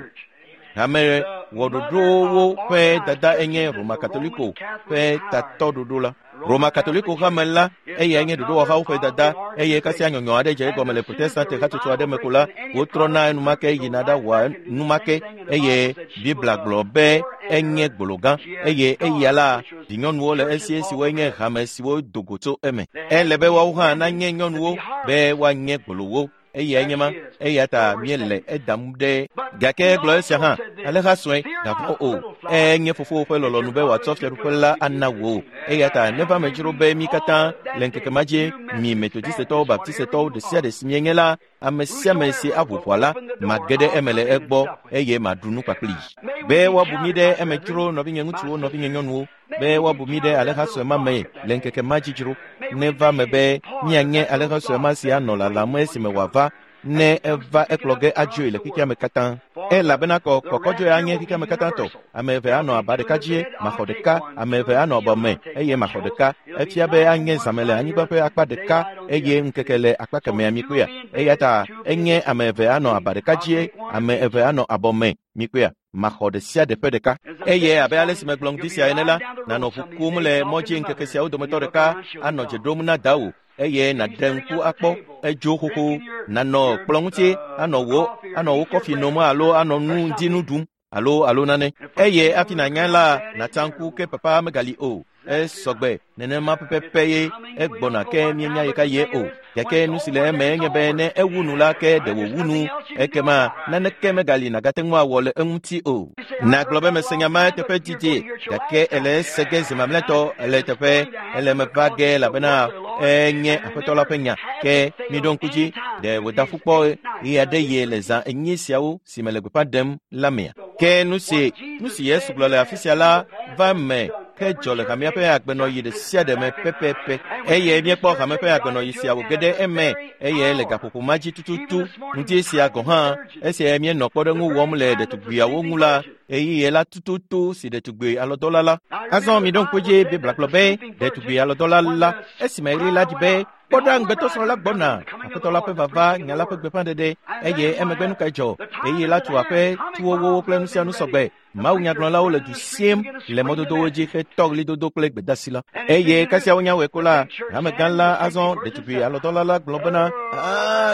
Hame wɔɖoɖowo ƒe dada enye Roma Katoliko ƒe tatɔɖoɖo la. Roma Katoliko hame la eyae nye ɖoɖowɔhawo ƒe dada eye kasia nyɔnyɔ aɖe dze egɔme le Protestante hatsotso aɖe me ko la, wotrɔna enumake yina ɖawɔa numake eye Biblia gblɔ be enye gbolo gã eye eya la vinyɔnuwo le esi siwoe nye hame siwo do go tso eme. Ele be woawo hã nanye nyɔnuwo be woanye gbolowo. Eyae nye ma, eya ta míele edam ɖe. Gake egblɔ esia hã, aleha sue, gavɔ̃ o. Enye fofowò ƒe lɔlɔ̃nu be wòatsɔ fiaɖuƒe la ana wò. Eya ta neva me dzro be mí katã le ŋkeke ma dzi, mi Metodistetɔwo, Baptistetɔwo, ɖe sia ɖe si mienye la, ame sia ame si aʋu ʋɔa la, mage ɖe eme le egbɔ eye maɖu nu kpakplii. Be woabu mí ɖe eme dzro, nɔvinye ŋutsuwo, nɔvinye nyɔnuwo, be woabu mí ɖe aleha sue ma me le ŋkeke ma dzi dzro. Neva me be míanye aleha sue ma si anɔ lalam esime wòava. Ne eva ekplɔ ge adzoe le xexea me katã. Elabena kɔkɔdzoe anye xexea me katã tɔ. Ame eve anɔ aba ɖeka dzie, maxɔ ɖeka, ame eve anɔ abɔ me eye maxɔ ɖeka. Efia be anye zãme le anyigba ƒe akpa ɖeka eye ŋkeke le akpa kemɛa mikpɔea. Eya ta enye ame eve anɔ aba ɖeka dzie, ame eve anɔ abɔ me mikpɔea. Maxɔ ɖe sia ɖe ƒe ɖeka. Eye abe ale si megblɔ ŋdi sia ene la, nanɔ ʋu kum le mɔ dzi ŋkeke siawo dometɔ ɖeka anɔ dze ɖom na dawò eye nàɖe ŋku akpɔ edzo xoxo, nanɔ kplɔ ŋuti anɔ wò kɔfi nom alo anɔ nu ŋdi nu ɖum alo nane. Eye hafi nànya la, nàtsa ŋku ke papa megali o. Esɔgbe nenema pɛpɛpɛ ye egbɔna ke míenya yi ka ye o. Gake nu si le eme nye be ne ewu nu la ke ɖe wòwu nu, ekema naneke megali nàgate ŋu awɔ le eŋuti o. Nàgblɔ be mese nya ma teƒe didi, gake ele ese ge zi mamlɛtɔ ele teƒe ele me va ge elabena enye Aƒetɔ la ƒe nya. Ke miɖo ŋku dzi, ɖe wòda ƒu kpɔ ɣe aɖe ye le zã enyi siawo si me le gbeƒã ɖem la mea? Ke nu si Yesu gblɔ le afi sia la va me ke dzɔ le hamea ƒe agbenɔɣi ɖe sia ɖe me pɛpɛpɛ. Eye míekpɔ hame ƒe agbenɔɣi sia wòge ɖe eme eye le gaƒoƒo ma dzi tututu ŋdi sia gɔ̃ hã esia míenɔ kpɔɖeŋu wɔm le ɖetugbiawo ŋu la ɣeyiɣi la tututu si ɖetugbi alɔdɔla la. Azɔ miɖo ŋku dzi Biblia gblɔ be ɖetugbi alɔdɔla la esime ɣli la dzi be kpɔ ɖa ŋugbetɔsrɔ̃ la gbɔna, Aƒetɔ la ƒe vava, nya la ƒe gbeƒãɖeɖe. Eye emegbe nu kae dzɔ? Ɣeyiɣi la tu aƒe, tuwowo kple nu sia nu sɔgbe. Mawu nyagblɔlawo le du siem le mɔdodowo dzi hetɔ ɣlidodo kple gbedasi la. Eye kasia wonya wɔe ko la, hamegã la azɔ ɖetugbi alɔdɔla la gblɔ bena,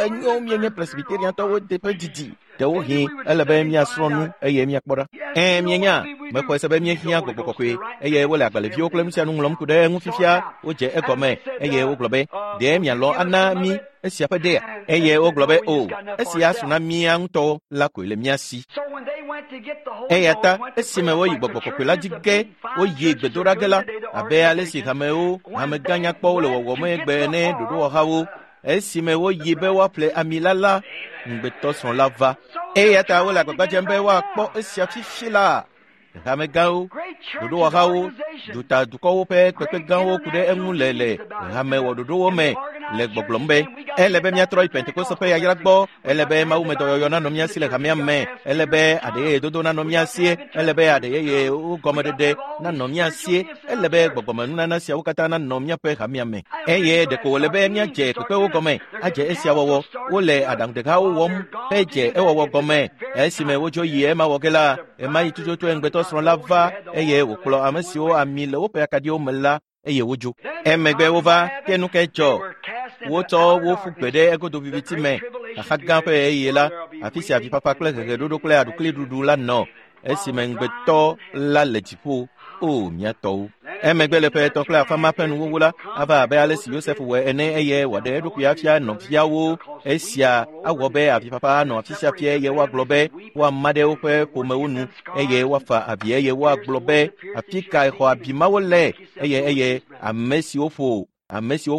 enyo míenye Presbyteriantɔwo teƒe didi. Ɖewohĩ ele be míasrɔ̃ nu eye míakpɔ ɖa. Mienya, mexɔe se be míehiã gbɔgbɔ kɔkɔe eye wole agbalẽviwo kple nu sia nu ŋlɔm ku ɖe eŋu fifia. Wodze egɔme eye wogblɔ be, ɖe mialɔ̃ ana mí esia ƒe ɖea? Eye wogblɔ be, o, esia su na mía ŋutɔwo la koe le mía si. Eya ta esime woyi gbɔgbɔ kɔkɔe la dzi ge, woyi gbedoɖa ge la, abe ale si hamewo, hamegã nyakpɔwo le wɔwɔm egbe ene ɖoɖowɔhawo, esime woyi be woaƒle ami la, ŋugbetɔsrɔ̃ la va. Eya ta wole agbagba dzem be woakpɔ esia fifi la. Hamegãwo, ɖoɖowɔhawo, dutadukɔwo ƒe kpekpegãwo ku ɖe eŋu le hamewɔɖoɖowo me le gbɔgblɔm be ele be míatrɔ yi Pentekoste ƒe yayra gbɔ, ele be mawumedɔyɔyɔ nanɔ mía si le hamea me, ele be aɖeyeyedodo nanɔ mía si, ele be aɖeyeyewo gɔmeɖeɖe nanɔ mía si, ele be gbɔgbɔmenunana siawo katã nanɔ míaƒe hamea me. Eye ɖeko wòle be míadze kpekpewo gɔme adze esia wɔwɔ. Wole aɖaŋuɖehawo wɔm hedze ewɔwɔ gɔme. Esime wodzo yi ema wɔ ge la, ema yi tututu ŋugbetɔsrɔ̃ la va eye wòkplɔ ame siwo ami le woƒe akaɖiwo me la eye wodzo. Emegbe wova ke nu ke dzɔ. Wotsɔ wo ƒu gbe ɖe egodo viviti me. Xaxa gã ƒe ɣeyiɣi la, afi sia avifafa kple heheɖoɖo kple aɖukliɖuɖu la nɔ esime ŋugbetɔ la le dziƒo. O mía tɔwo. Emegbe le ƒe etɔ̃ kple afã ma ƒe nuwuwu la, ava abe ale si Yosef wɔe ene eye wòaɖe eɖokui afia nɔviawo. Esia awɔ be avifafa anɔ afi sia fia eye woagblɔ be woama ɖe woƒe ƒomewo nu eye woafa avi eye woagblɔ be afi kae xɔ abi mawo le eye ame siwo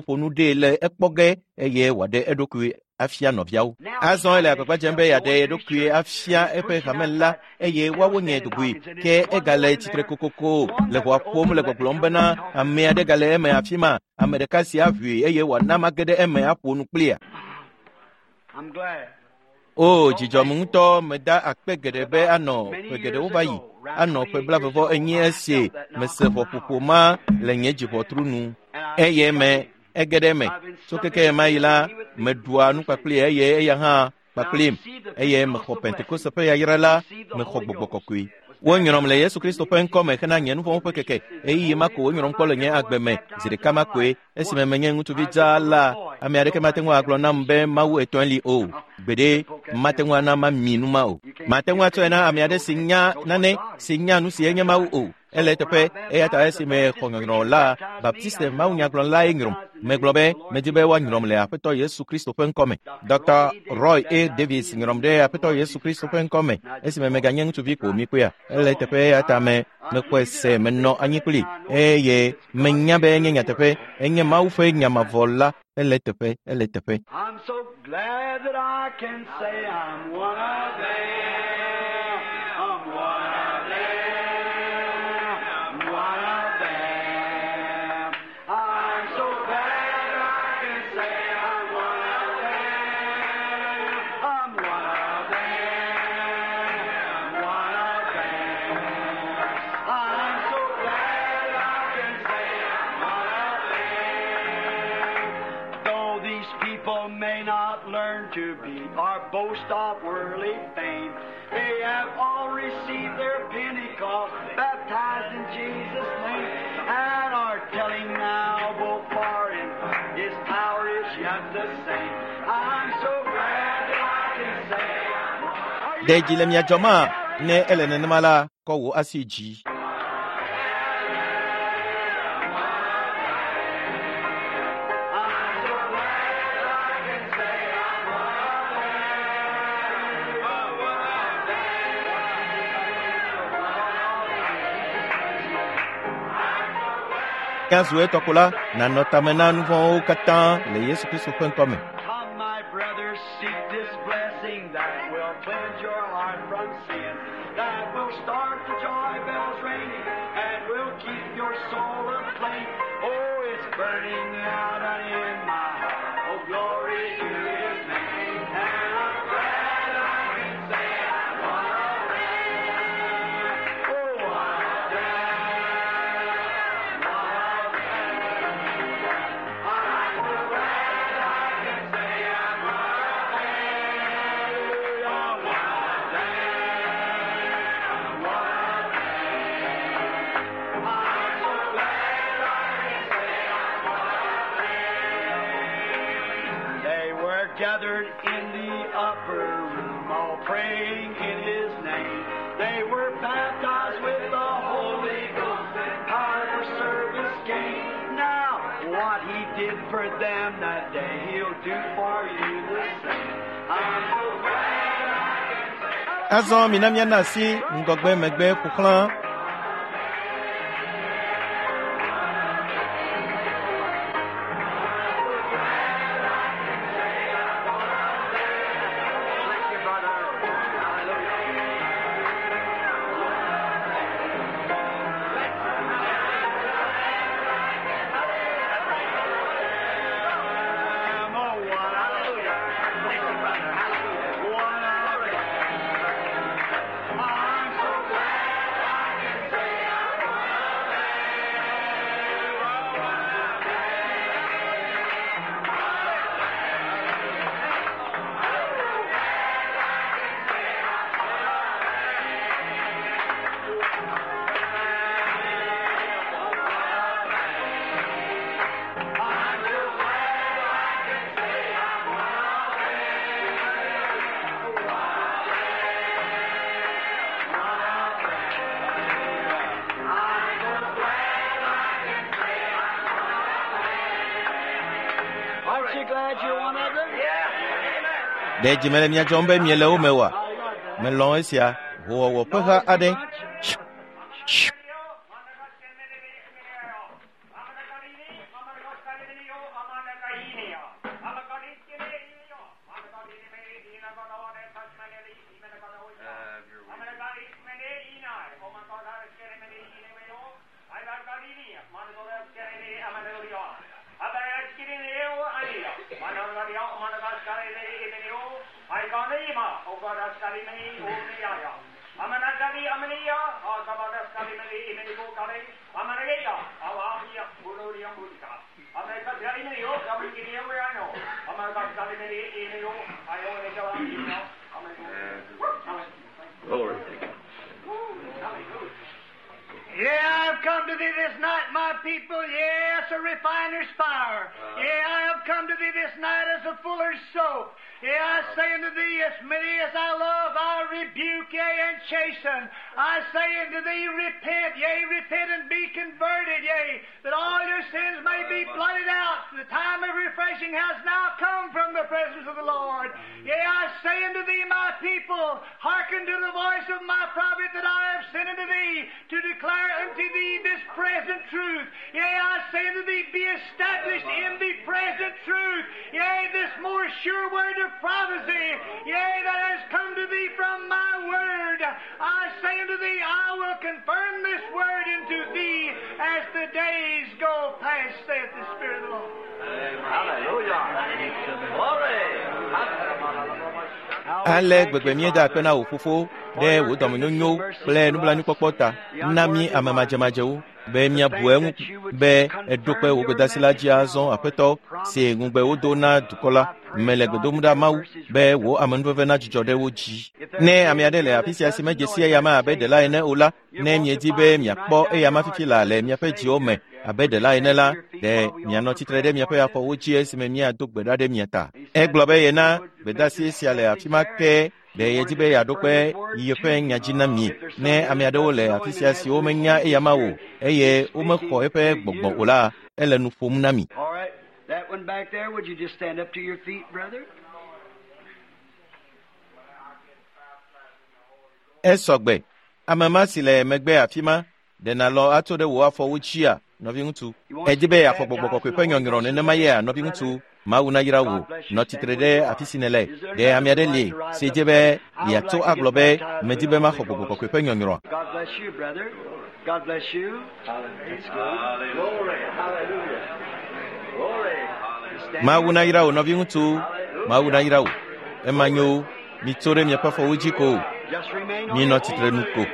ƒo nu ɖee le ekpɔ ge eye wòaɖe eɖokui afia nɔviawo. Azɔ ele agbagba dzem be yeaɖe eɖokui afia eƒe hame la eye woawo nye dugui. Ke egale tsitre kokoko le ʋɔa ƒom le gbɔgblɔm bena ame aɖe gale eme afi ma, ame ɖeka si aʋui eye wòana mage ɖe eme aƒo nu kplia. O, dzidzɔm ŋutɔ, meda akpe geɖe be anɔ ƒe geɖewo va yi, anɔ ƒe 42 esi mese ʋɔƒoƒo ma le nye dziʋɔtru nu. Eye me ege ɖe eme. Tso keke ma yi la, meɖua nu kpakpli eye eya hã kpakplim eye mexɔ Pentekoste ƒe yayra la, mexɔ gbɔgbɔ kɔkɔe. Wonyrɔm le Yesu Kristo ƒe ŋkɔ me hena nye nuvɔ̃wo ƒe keke. Ɣeyiɣi ma ko wonyrɔm kpɔ le nye agbe me. Zi ɖeka ma koe esime menye ŋutsuvi dzaa la, ame aɖeke mate ŋu agblɔ nam be Mawu etɔ̃e li o. Gbeɖe mate ŋu ana mami nu ma o. Mate ŋu atsɔe na ame aɖe si nya nane, si nya nu si enye Mawu o. Ele teƒe, eya ta esime xɔ nyɔnyrɔ la, Baptiste mawunyagblɔlae nyrɔm. Megblɔ be medi be woanyrɔm le Aƒetɔ Yesu Kristo ƒe ŋkɔ me. Dr. Roy A. Davis nyrɔm ɖe Aƒetɔ Yesu Kristo ƒe ŋkɔ me esime meganye ŋutsuvi ko mikpɔea. Ele teƒe eya ta me mexɔe se menɔ anyi kpli eye menya be enye nyateƒe, enye Mawu ƒe nya mavɔ la. Ele teƒe, ele teƒe. I'm so glad that I can say I'm one of them. I'm one of them. One of them. I'm so glad that I can say I'm one of them. to be or boast of worldly fame. They have all received their Pentecost, baptized in Jesus' name, and are telling now both far and wide, His power is yet the same. I'm so glad that I can say I'm one. Ɖe dzi le mia dzɔma ne ele nenema la kɔ wò asi dzi. I'm so glad I can say I'm one of them. I'm one of them. Míazu etɔko la nanɔ tame na nu vɔ̃wo katã le Yesu Kristu ƒe ŋkɔme. Come, my brothers, seek this blessing that will cleanse your heart from sin, that will start the joy bells ringing, and will keep your soul aflame. Oh, it's burning out and in my heart. Oh, glory to His name. And I'm glad I can say I'm one of them. Oh, one of them. One of them. I'm so glad I can say I'm one of them. One of them. One of them. I'm so glad I can say I'm one of them. They were gathered in the upper room, all praying in His name. They were baptized with the Holy Ghost and power for service gained. Now, what He did for them that day, He'll do for you the same. I'm so glad I can say. Azɔ mina míana asi ŋgɔgbe megbe ƒo xlã. Thank you, brother. Hallelujah. Oh, one, hallelujah. Thank you, brother. Hallelujah. One, hallelujah. I'm so glad I can say I'm one of them. One of Aren't you glad you're one of them? Yeah. Ɖe dzi mele mia dzɔm be miele wo me oa? Melɔ̃ esia howɔwɔ ƒe ha aɖe. Glory. Yeah, I've come to thee this night, my people. Yes, a refiner's fire. Yeah, I have come to thee this night as a fuller's soap. Yeah, I say unto thee, as many as I love, I rebuke, yea, and chasten. I say unto thee, repent, yea, repent and be converted, yea, that all your sins may be blotted out. The time of refreshing has now come from the presence of the Lord. Yea, I say unto thee, my people, hearken to the voice of my prophet that I have sent unto thee to declare unto thee this present truth. Yea, I say unto thee, be established in the present truth. Yea, this more sure word of prophecy, yea, that has come to thee from my word. I say unto thee, I will confirm this word unto thee as the days go past, saith the Spirit of the Lord. Hallelujah. Glory. Ale gbegbe míeda akpe na wò fofo ɖe wò dɔmenyonyo kple nublanuikpɔkpɔ ta. Na mí ame madzemadzewo. be míabu eŋu be eɖo kpe wò gbedeasi la dzi azɔ Aƒetɔ si ŋugbe wodo na dukɔ la. Mele gbe dom ɖa Mawu be wò amenuveve nadzudzɔ ɖe wo dzi. Ne ame aɖe le afi sia si medze si eyama abe ɖela ene o la, ne miedi be miakpɔ eyama fifi la le miaƒe dziwo me abe ɖela ene la, ɖe mianɔ tsitre ɖe miaƒe afɔwo dzi esime míado gbe ɖa ɖe mia ta. Egblɔ be yena gbedeasi sia le afi ma ke ɖe yedi be yeaɖo kpe yeƒe nya dzi na mi. Ne ame aɖewo le afi sia siwo menya eyama o eye womexɔ eƒe gbɔgbɔ o la, ele nu ƒom na mi. All right, that one back there, would you just stand up to your feet, brother? Esɔgbe. Ame ma si le megbe afi ma, ɖe nàlɔ atso ɖe wò afɔwo dzia, nɔviŋutsu? Edi be yeaxɔ gbɔgbɔ kɔkɔe ƒe nyɔnyrɔ nenema yea, nɔviŋutsu? Mawu nayra wò. Nɔ tsitre ɖe afi si nèle. Ɖe ame aɖe li si dze be yeatso agblɔ be medi be maxɔ gbɔgbɔ kɔkɔe ƒe nyɔnyrɔa? God bless you, brother. God bless you. That's good. Glory. Hallelujah. Glory. Stand Mawu nayra wò, nɔviŋutsu. Mawu nayra wò. Ema nyo. Mitso ɖe miaƒe afɔwo dzi ko. Just remain on Minɔ your tsitre nu ko. Glory.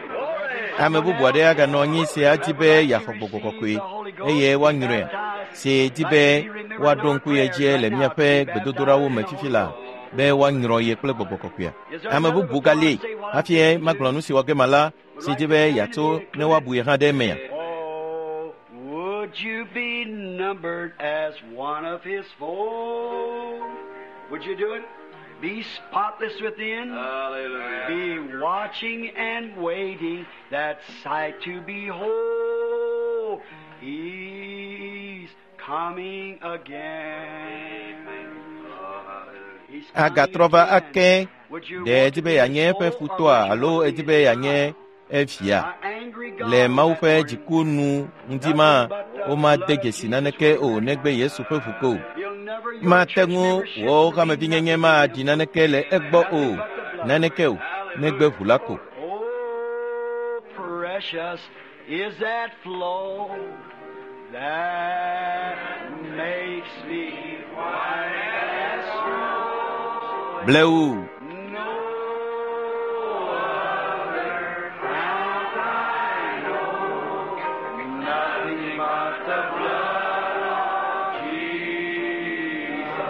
Ame bubu aɖe aganɔ anyi si adi be yeaxɔ gbɔgbɔ kɔkɔe eye woanyrɔe si di be woaɖo ŋku ye dzi le míaƒe gbedodoɖawo me fifi la be woanyrɔ ye kple gbɔgbɔ kɔkɔea. Ame bubu gali hafi magblɔ nu si wɔ ge ma la si di be yeatso ne woabu ye hã ɖe emea. Oh, would you be numbered as one of his fold? Would you do it? Be spotless within. Hallelujah. Be watching and waiting that sight to behold. He's coming again. He's coming Agatrɔ va again. ake Would you ɖe want edi to be be yeanye his eƒe foe or futɔa would you alo want to edi be be his yeanye evia? An angry God Le Mawu that ƒe morning. dziku nu ŋdi ma, womade dzesi naneke o negbe Yesu ƒe ʋu ko o. He'll never, your Mate church ŋu membership wò will mean hamevinyenye nothing to maɖi him. naneke le egbɔ o, naneke o, negbe ʋu la ko. Oh, precious is that flow that makes me white as snow. Blewu, No other fount I know, nothing but the blood of Jesus.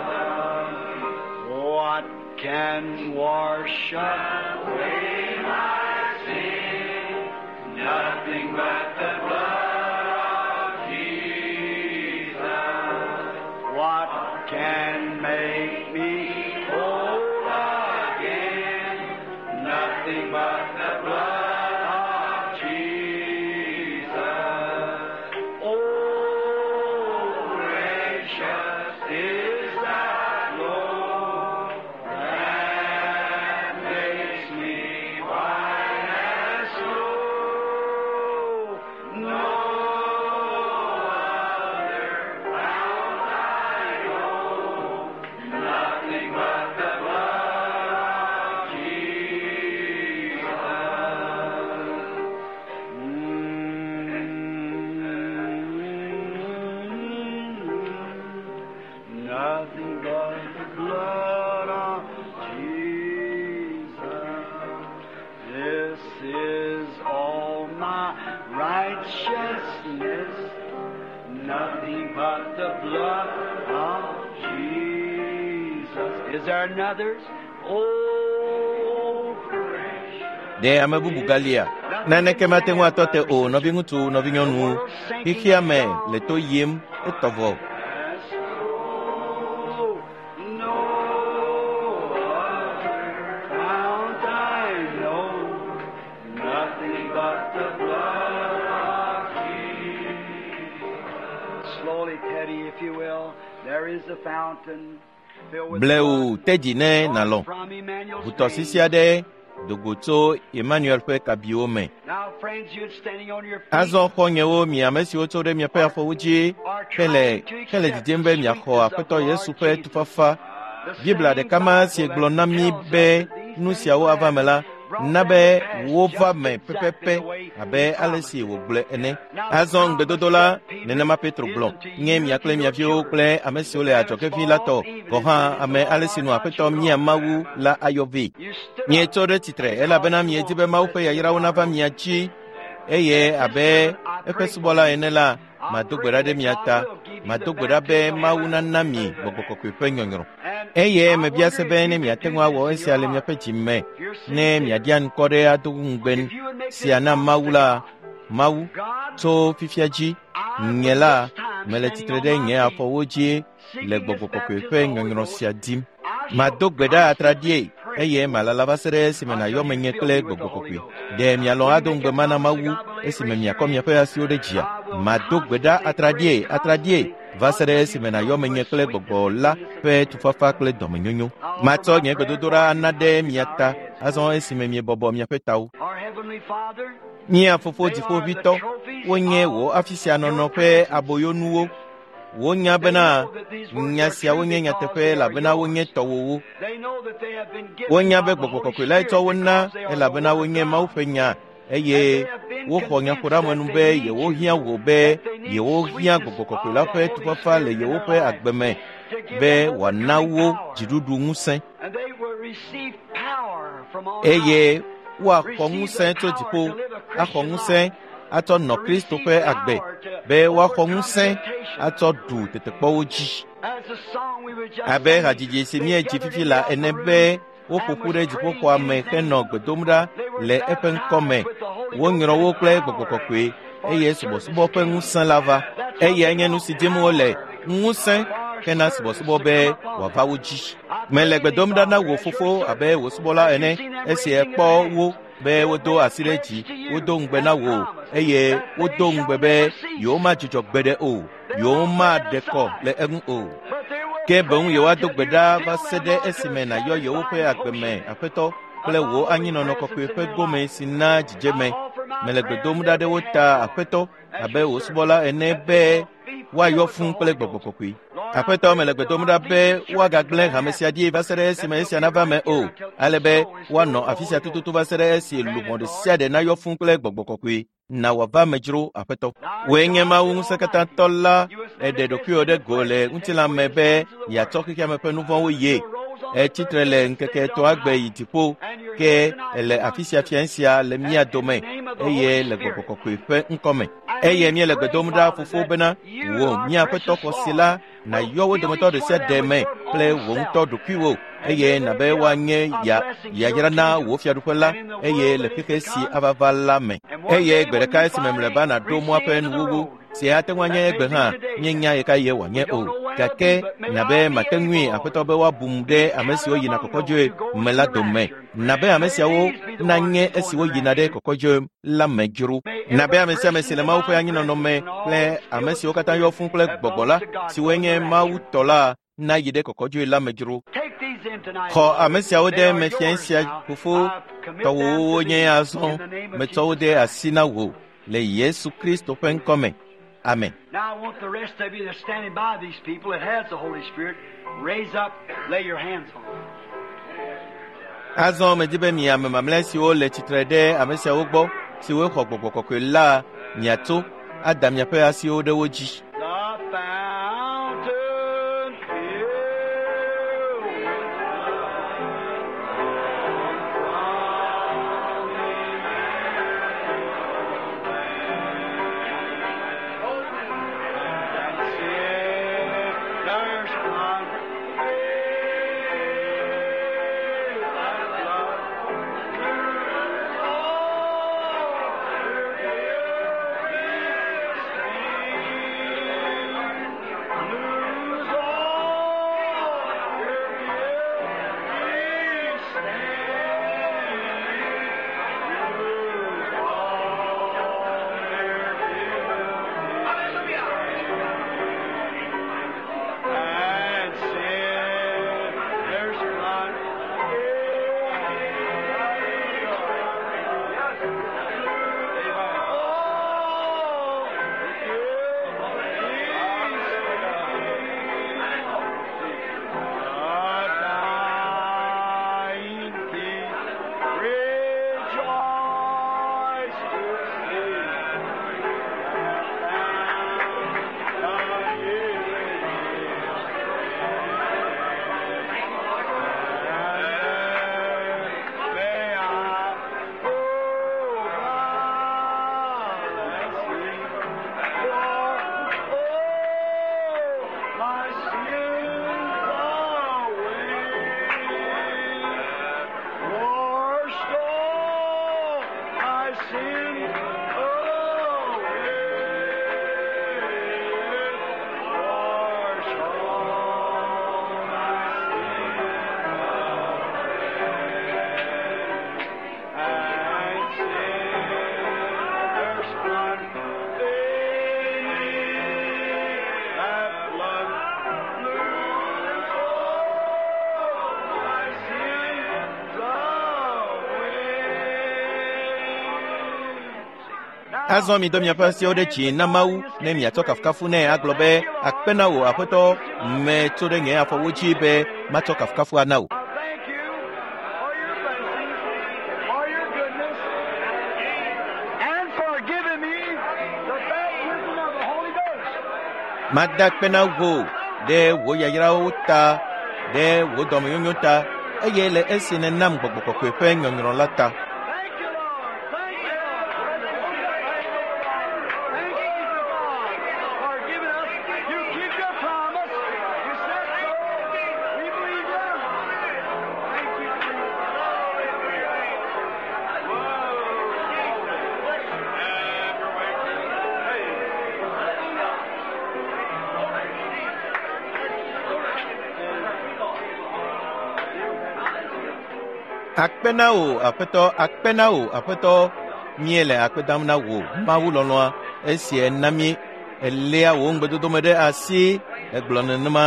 What can wash away my sin? Nothing but the blood of Jesus. What can make me whole again? Nothing but the blood of Jesus. Oh, precious is that flow that makes me white as snow. No other fount I know, nothing but the blood of Jesus. Nothing but the blood of Jesus. This is all my righteousness. Nothing but the blood of Jesus. Is there another? Oh, precious. ɖe ame bubu galia? Naneke mate ŋu atɔ te o, nɔviŋutsu, nɔvinyɔnuwo. Xexea me le to yim etɔ vɔ. No other fount I know, nothing but the blood of Jesus. Slowly, Teddy, if you will, there is a fountain filled with Blewu blood te dzi ne nàlɔ̃. from Emmanuel's Ʋutɔsisi veins. aɖe do go tso Emmanuel ƒe kabiwo me. Now, friends, you're standing on your feet. Azɔ xɔ̃nyewo, mi ame siwo tso ɖe miaƒe afɔwo dzi hele hele didim be miaxɔ Aƒetɔ Yesu ƒe tufafa. Biblia ɖeka ma si gblɔ na mí be nu siawo ava me la, na be wova me pɛpɛpɛ abe ale si wògblɔe ene. Azɔ ŋugbedodo la, nenema Petro gblɔ, nye mia kple mia viwo kple ame siwo le adzɔge ʋĩi la tɔ, gɔ̃ hã ame ale si nu Aƒetɔ mía Mawu la ayɔ vɛ. You stood up Mietso ɖe tsitre elabena miedi be Mawu ƒe yayrawo nava mia dzi. Eye abe eƒe subɔla ene la, mado gbe ɖa ɖe mia ta. Mado gbe ɖa be Mawu nana mi gbɔgbɔ kɔkɔe ƒe nyɔnyrɔ. Eye mebia se be ne miate ŋu awɔ esia le miaƒe dzi me, ne miaɖia ŋkɔ ɖe ado ŋugbe sia na Mawu la, Mawu, tso fifia dzi, nye la, mele tsitre ɖe nye afɔwo dzi le gbɔgbɔ kɔkɔe ƒe nyɔnyrɔ sia dim. Mado gbe ɖa atraɖie eye malala va se ɖe esime nàyɔ menye kple gbɔgbɔ kɔkɔe. Ɖe mialɔ̃ ado ŋugbe ma na Mawu esime miakɔ miaƒe asiwo ɖe dzia? Mado gbe ɖa atraɖie, atraɖie va se ɖe esime nàyɔ menye kple gbɔgbɔ la ƒe tufafa kple dɔmenyonyo. Matsɔ nye gbedodoɖa ana ɖe mia ta azɔ esime miebɔbɔ miaƒe tawo. Mía fofo dziƒoʋĩtɔ, wonye wò afi sia nɔnɔ ƒe aboyonuwo. Wonya bena nya siawo nye nyateƒe elabena wonye tɔwòwo. Wonya be gbɔgbɔ kɔkɔe lae tsɔ wo na elabena wonye Mawu ƒe nya eye woxɔ nyaƒoɖeamenu be yewohiã wò be yewohiã gbɔgbɔ kɔkɔe la ƒe tufafa le yewoƒe agbe me be wòana wo dziɖuɖu ŋusẽ eye woaxɔ ŋusẽ tso dziƒo axɔ ŋusẽ atsɔ nɔ Kristo ƒe agbe be woaxɔ ŋusẽ atsɔ ɖu tetekpɔwo dzi. Abe hadzidzi si míedzi fifi la ene be woƒo ƒu ɖe dziƒoxɔa me henɔ gbe dom ɖa le eƒe ŋkɔ me. Wonyrɔ wo kple gbɔgbɔ kɔkɔe eye subɔsubɔ ƒe ŋusẽ la va. Eyae nye nu si dim wole, ŋusẽ hena subɔsubɔ be wòava wo dzi. Mele gbe dom ɖa na wò fofo abe wò subɔla ene esi èkpɔ wo be wodo asi ɖe dzi, wodo ŋugbe na wò eye wodo ŋugbe be yewomadzudzɔ gbeɖe o, yewomaɖe kɔ le eŋu o. Ke boŋ yewoado gbe ɖa va se ɖe esime nàyɔ yewoƒe agbe me Aƒetɔ kple wò anyinɔnɔ kɔkɔe ƒe gome si na dzidzeme. Mele gbe dom ɖa ɖe wo ta Aƒetɔ abe wò subɔla ene be woayɔ fũu kple gbɔgbɔ kɔkɔe. Aƒetɔ mele gbe dom ɖa be woagagblẽ hame sia ɖi va se ɖe esime esia nava me o, ale be woanɔ afi sia tututu va se ɖe esi luʋɔ ɖe sia ɖe nayɔ fũu kple gbɔgbɔ kɔkɔe. Na wòava me dzro, Aƒetɔ. Wòe nye Mawu ŋusẽkatãtɔ la, èɖe ɖokuiwò ɖe go le ŋutilã me be yeatsɔ xexea me ƒe nu vɔ̃wo ye. Ètsi tre le ŋkeke etɔ̃a gbe yi dziƒo, ke èle afi sia fia sia le mía dome eye le gbɔgbɔ kɔkɔe ƒe ŋkɔ me. Eye míele gbe dom ɖa fofo bena wò mía Aƒetɔ xɔse la nàyɔ wo dometɔ ɖe sia ɖe me kple wò ŋutɔ ɖokuiwò eye nàbe woanye ya yayra na wò fiaɖuƒe la eye le xexe si ava va la me. Eye gbe ɖeka esime mlɔeba nàɖo mɔa ƒe nuwuwu si ate ŋu anye egbe hã míenya ɣekaɣie wòanye o. Gake nàbe mate ŋui Aƒetɔ be woabum ɖe ame siwo yina kɔkɔdzoe me la dome. Nàbe ame siawo nanye esiwo yina ɖe kɔkɔdzoe la me dzro. Nàbe ame sia ame si le Mawu ƒe anyinɔnɔ me kple ame siwo katã yɔ fũu kple gbɔgbɔ la, siwoe nye Mawu tɔ la, nayi ɖe kɔkɔdzoe la me dzro. Xɔ ame siawo ɖe eme fia sia fofo tɔwòwo wonye azɔ metsɔ wo de asi na wò le Yesu Kristo ƒe ŋkɔ me. Amen. Now I want the rest of you that's standing by these people that has the Holy Spirit, raise up, lay your hands on them. Azɔ medi be mi ame mamlɛ siwo le tsitre ɖe ame siawo gbɔ siwo xɔ gbɔgbɔ kɔkɔe la miatso ada miaƒe asiwo ɖe wo dzi. The fountain filled with sinners sin away. Wash all my sin away. And sinners blood they need that blood blew all my sins away. Azɔ mi dɔ miaƒe asiwo ɖe dzi na Mawu ne miatsɔ kafukafu nɛ agblɔ be akpe na wò aƒetɔ metso ɖe nye afɔwo dzi be matsɔ kafukafu ana wò. I thank you for your blessings, for your goodness, and for giving me the baptism of the Holy Ghost. Mada akpe na wò ɖe wò yayrawo ta, ɖe wò dɔmenyonyo ta, eye le esi nènam gbɔgbɔ kɔkɔe ƒe nyɔnyrɔ la ta. Thank you, Lord. Thank you, Lord. Thank you, God, for giving us. You keep your promise. You said so. We believe you. Thank you, Jesus. Akpe na wò aƒetɔ, akpe na wò aƒetɔ. Míele akpe dam na wò Mawu lɔlɔ̃a esi èna mí èléa wò ŋugbedodo me ɖe asi egblɔ nenema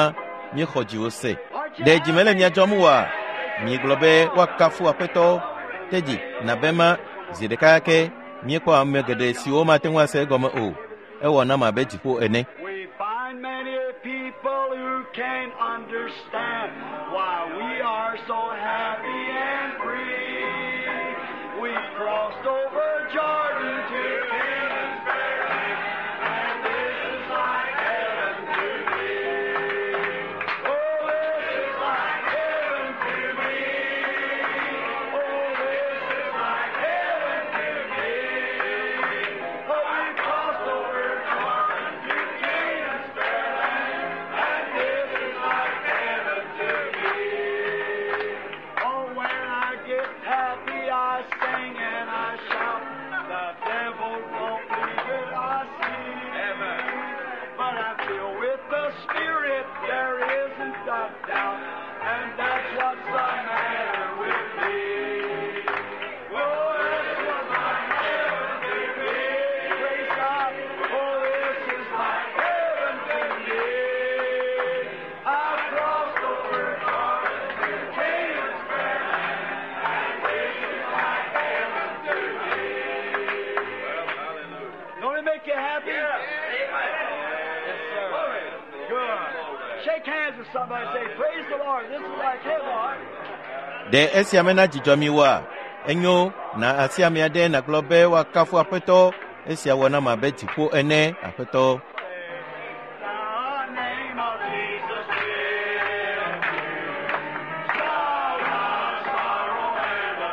míexɔ dziwò se. Ɖe dzi mele mia dzɔm oa? Miegblɔ be woakafu aƒetɔ. Tedzi nabe ma zi ɖeka ke míekpɔ ame geɖe siwo mate ŋu ase egɔme o. Ewɔ nam abe dziƒo ene. We find many people who can't understand why we are so happy and free. We crossed over Jordan to Canaan's fair land, and this is like heaven to me. Oh, this is like heaven to me. Oh, this is like heaven to me. Oh, we crossed over Jordan to Canaan's fair land, and this is like heaven to me. Oh, when I get happy, I sing and I shout. The devil won't believe it, I see. But I feel with the Spirit there isn't a doubt, and that's what's the matter with me. Oh, that's what's the matter with me. Praise God. Oh, this is like heaven to me. I crossed over Jordan to Canaan's fair land, and this is like heaven to me. Don't it make you happy? Yes, sir. Good. Shake hands with somebody and say, Praise the Lord. This is like heaven. Ɖe esia mena dzidzɔ mi oa? Enyo na asi ame aɖe nàgblɔ be woakafu aƒetɔ. Esia wɔ nam abe dziƒo ene, aƒetɔ. The name of Jesus will solve our sorrow and the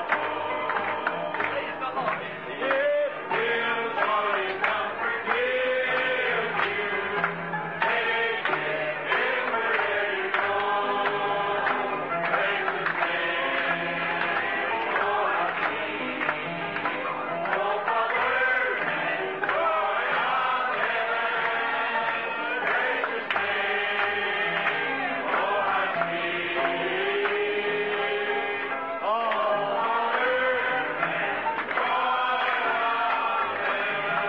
It will joy and comfort give you. Take it everywhere you go. Praise His name, oh, how sweet. Oh, Father, and joy of heaven. Precious name, oh, how sweet. Oh, earth and joy of heaven.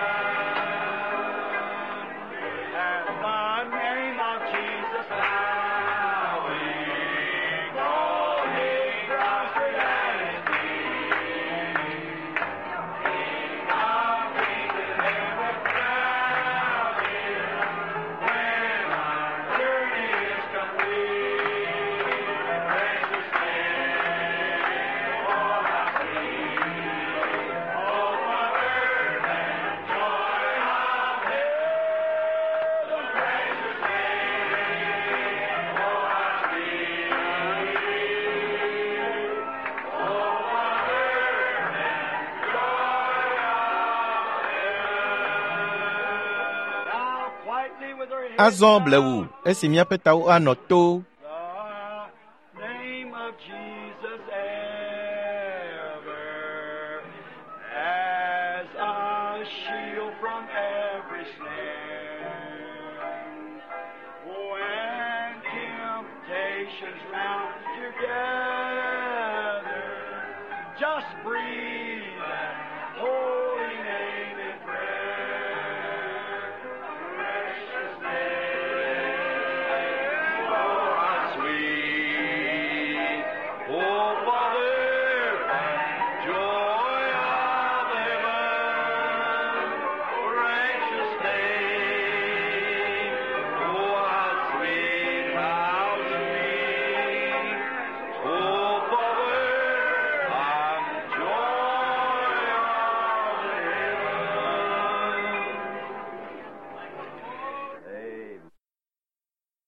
At the name of Jesus, bowing, falling prostrate at His feet. King of kings and ever crowned when our journey is complete, precious name, oh how sweet, oh earth and joy of heaven, precious name, oh how sweet, oh earth and joy of heaven. Now quietly with our heads Azɔ blewu esi míaƒe tawo anɔ to. The name of Jesus ever, oceans round together. Just breathe that Holy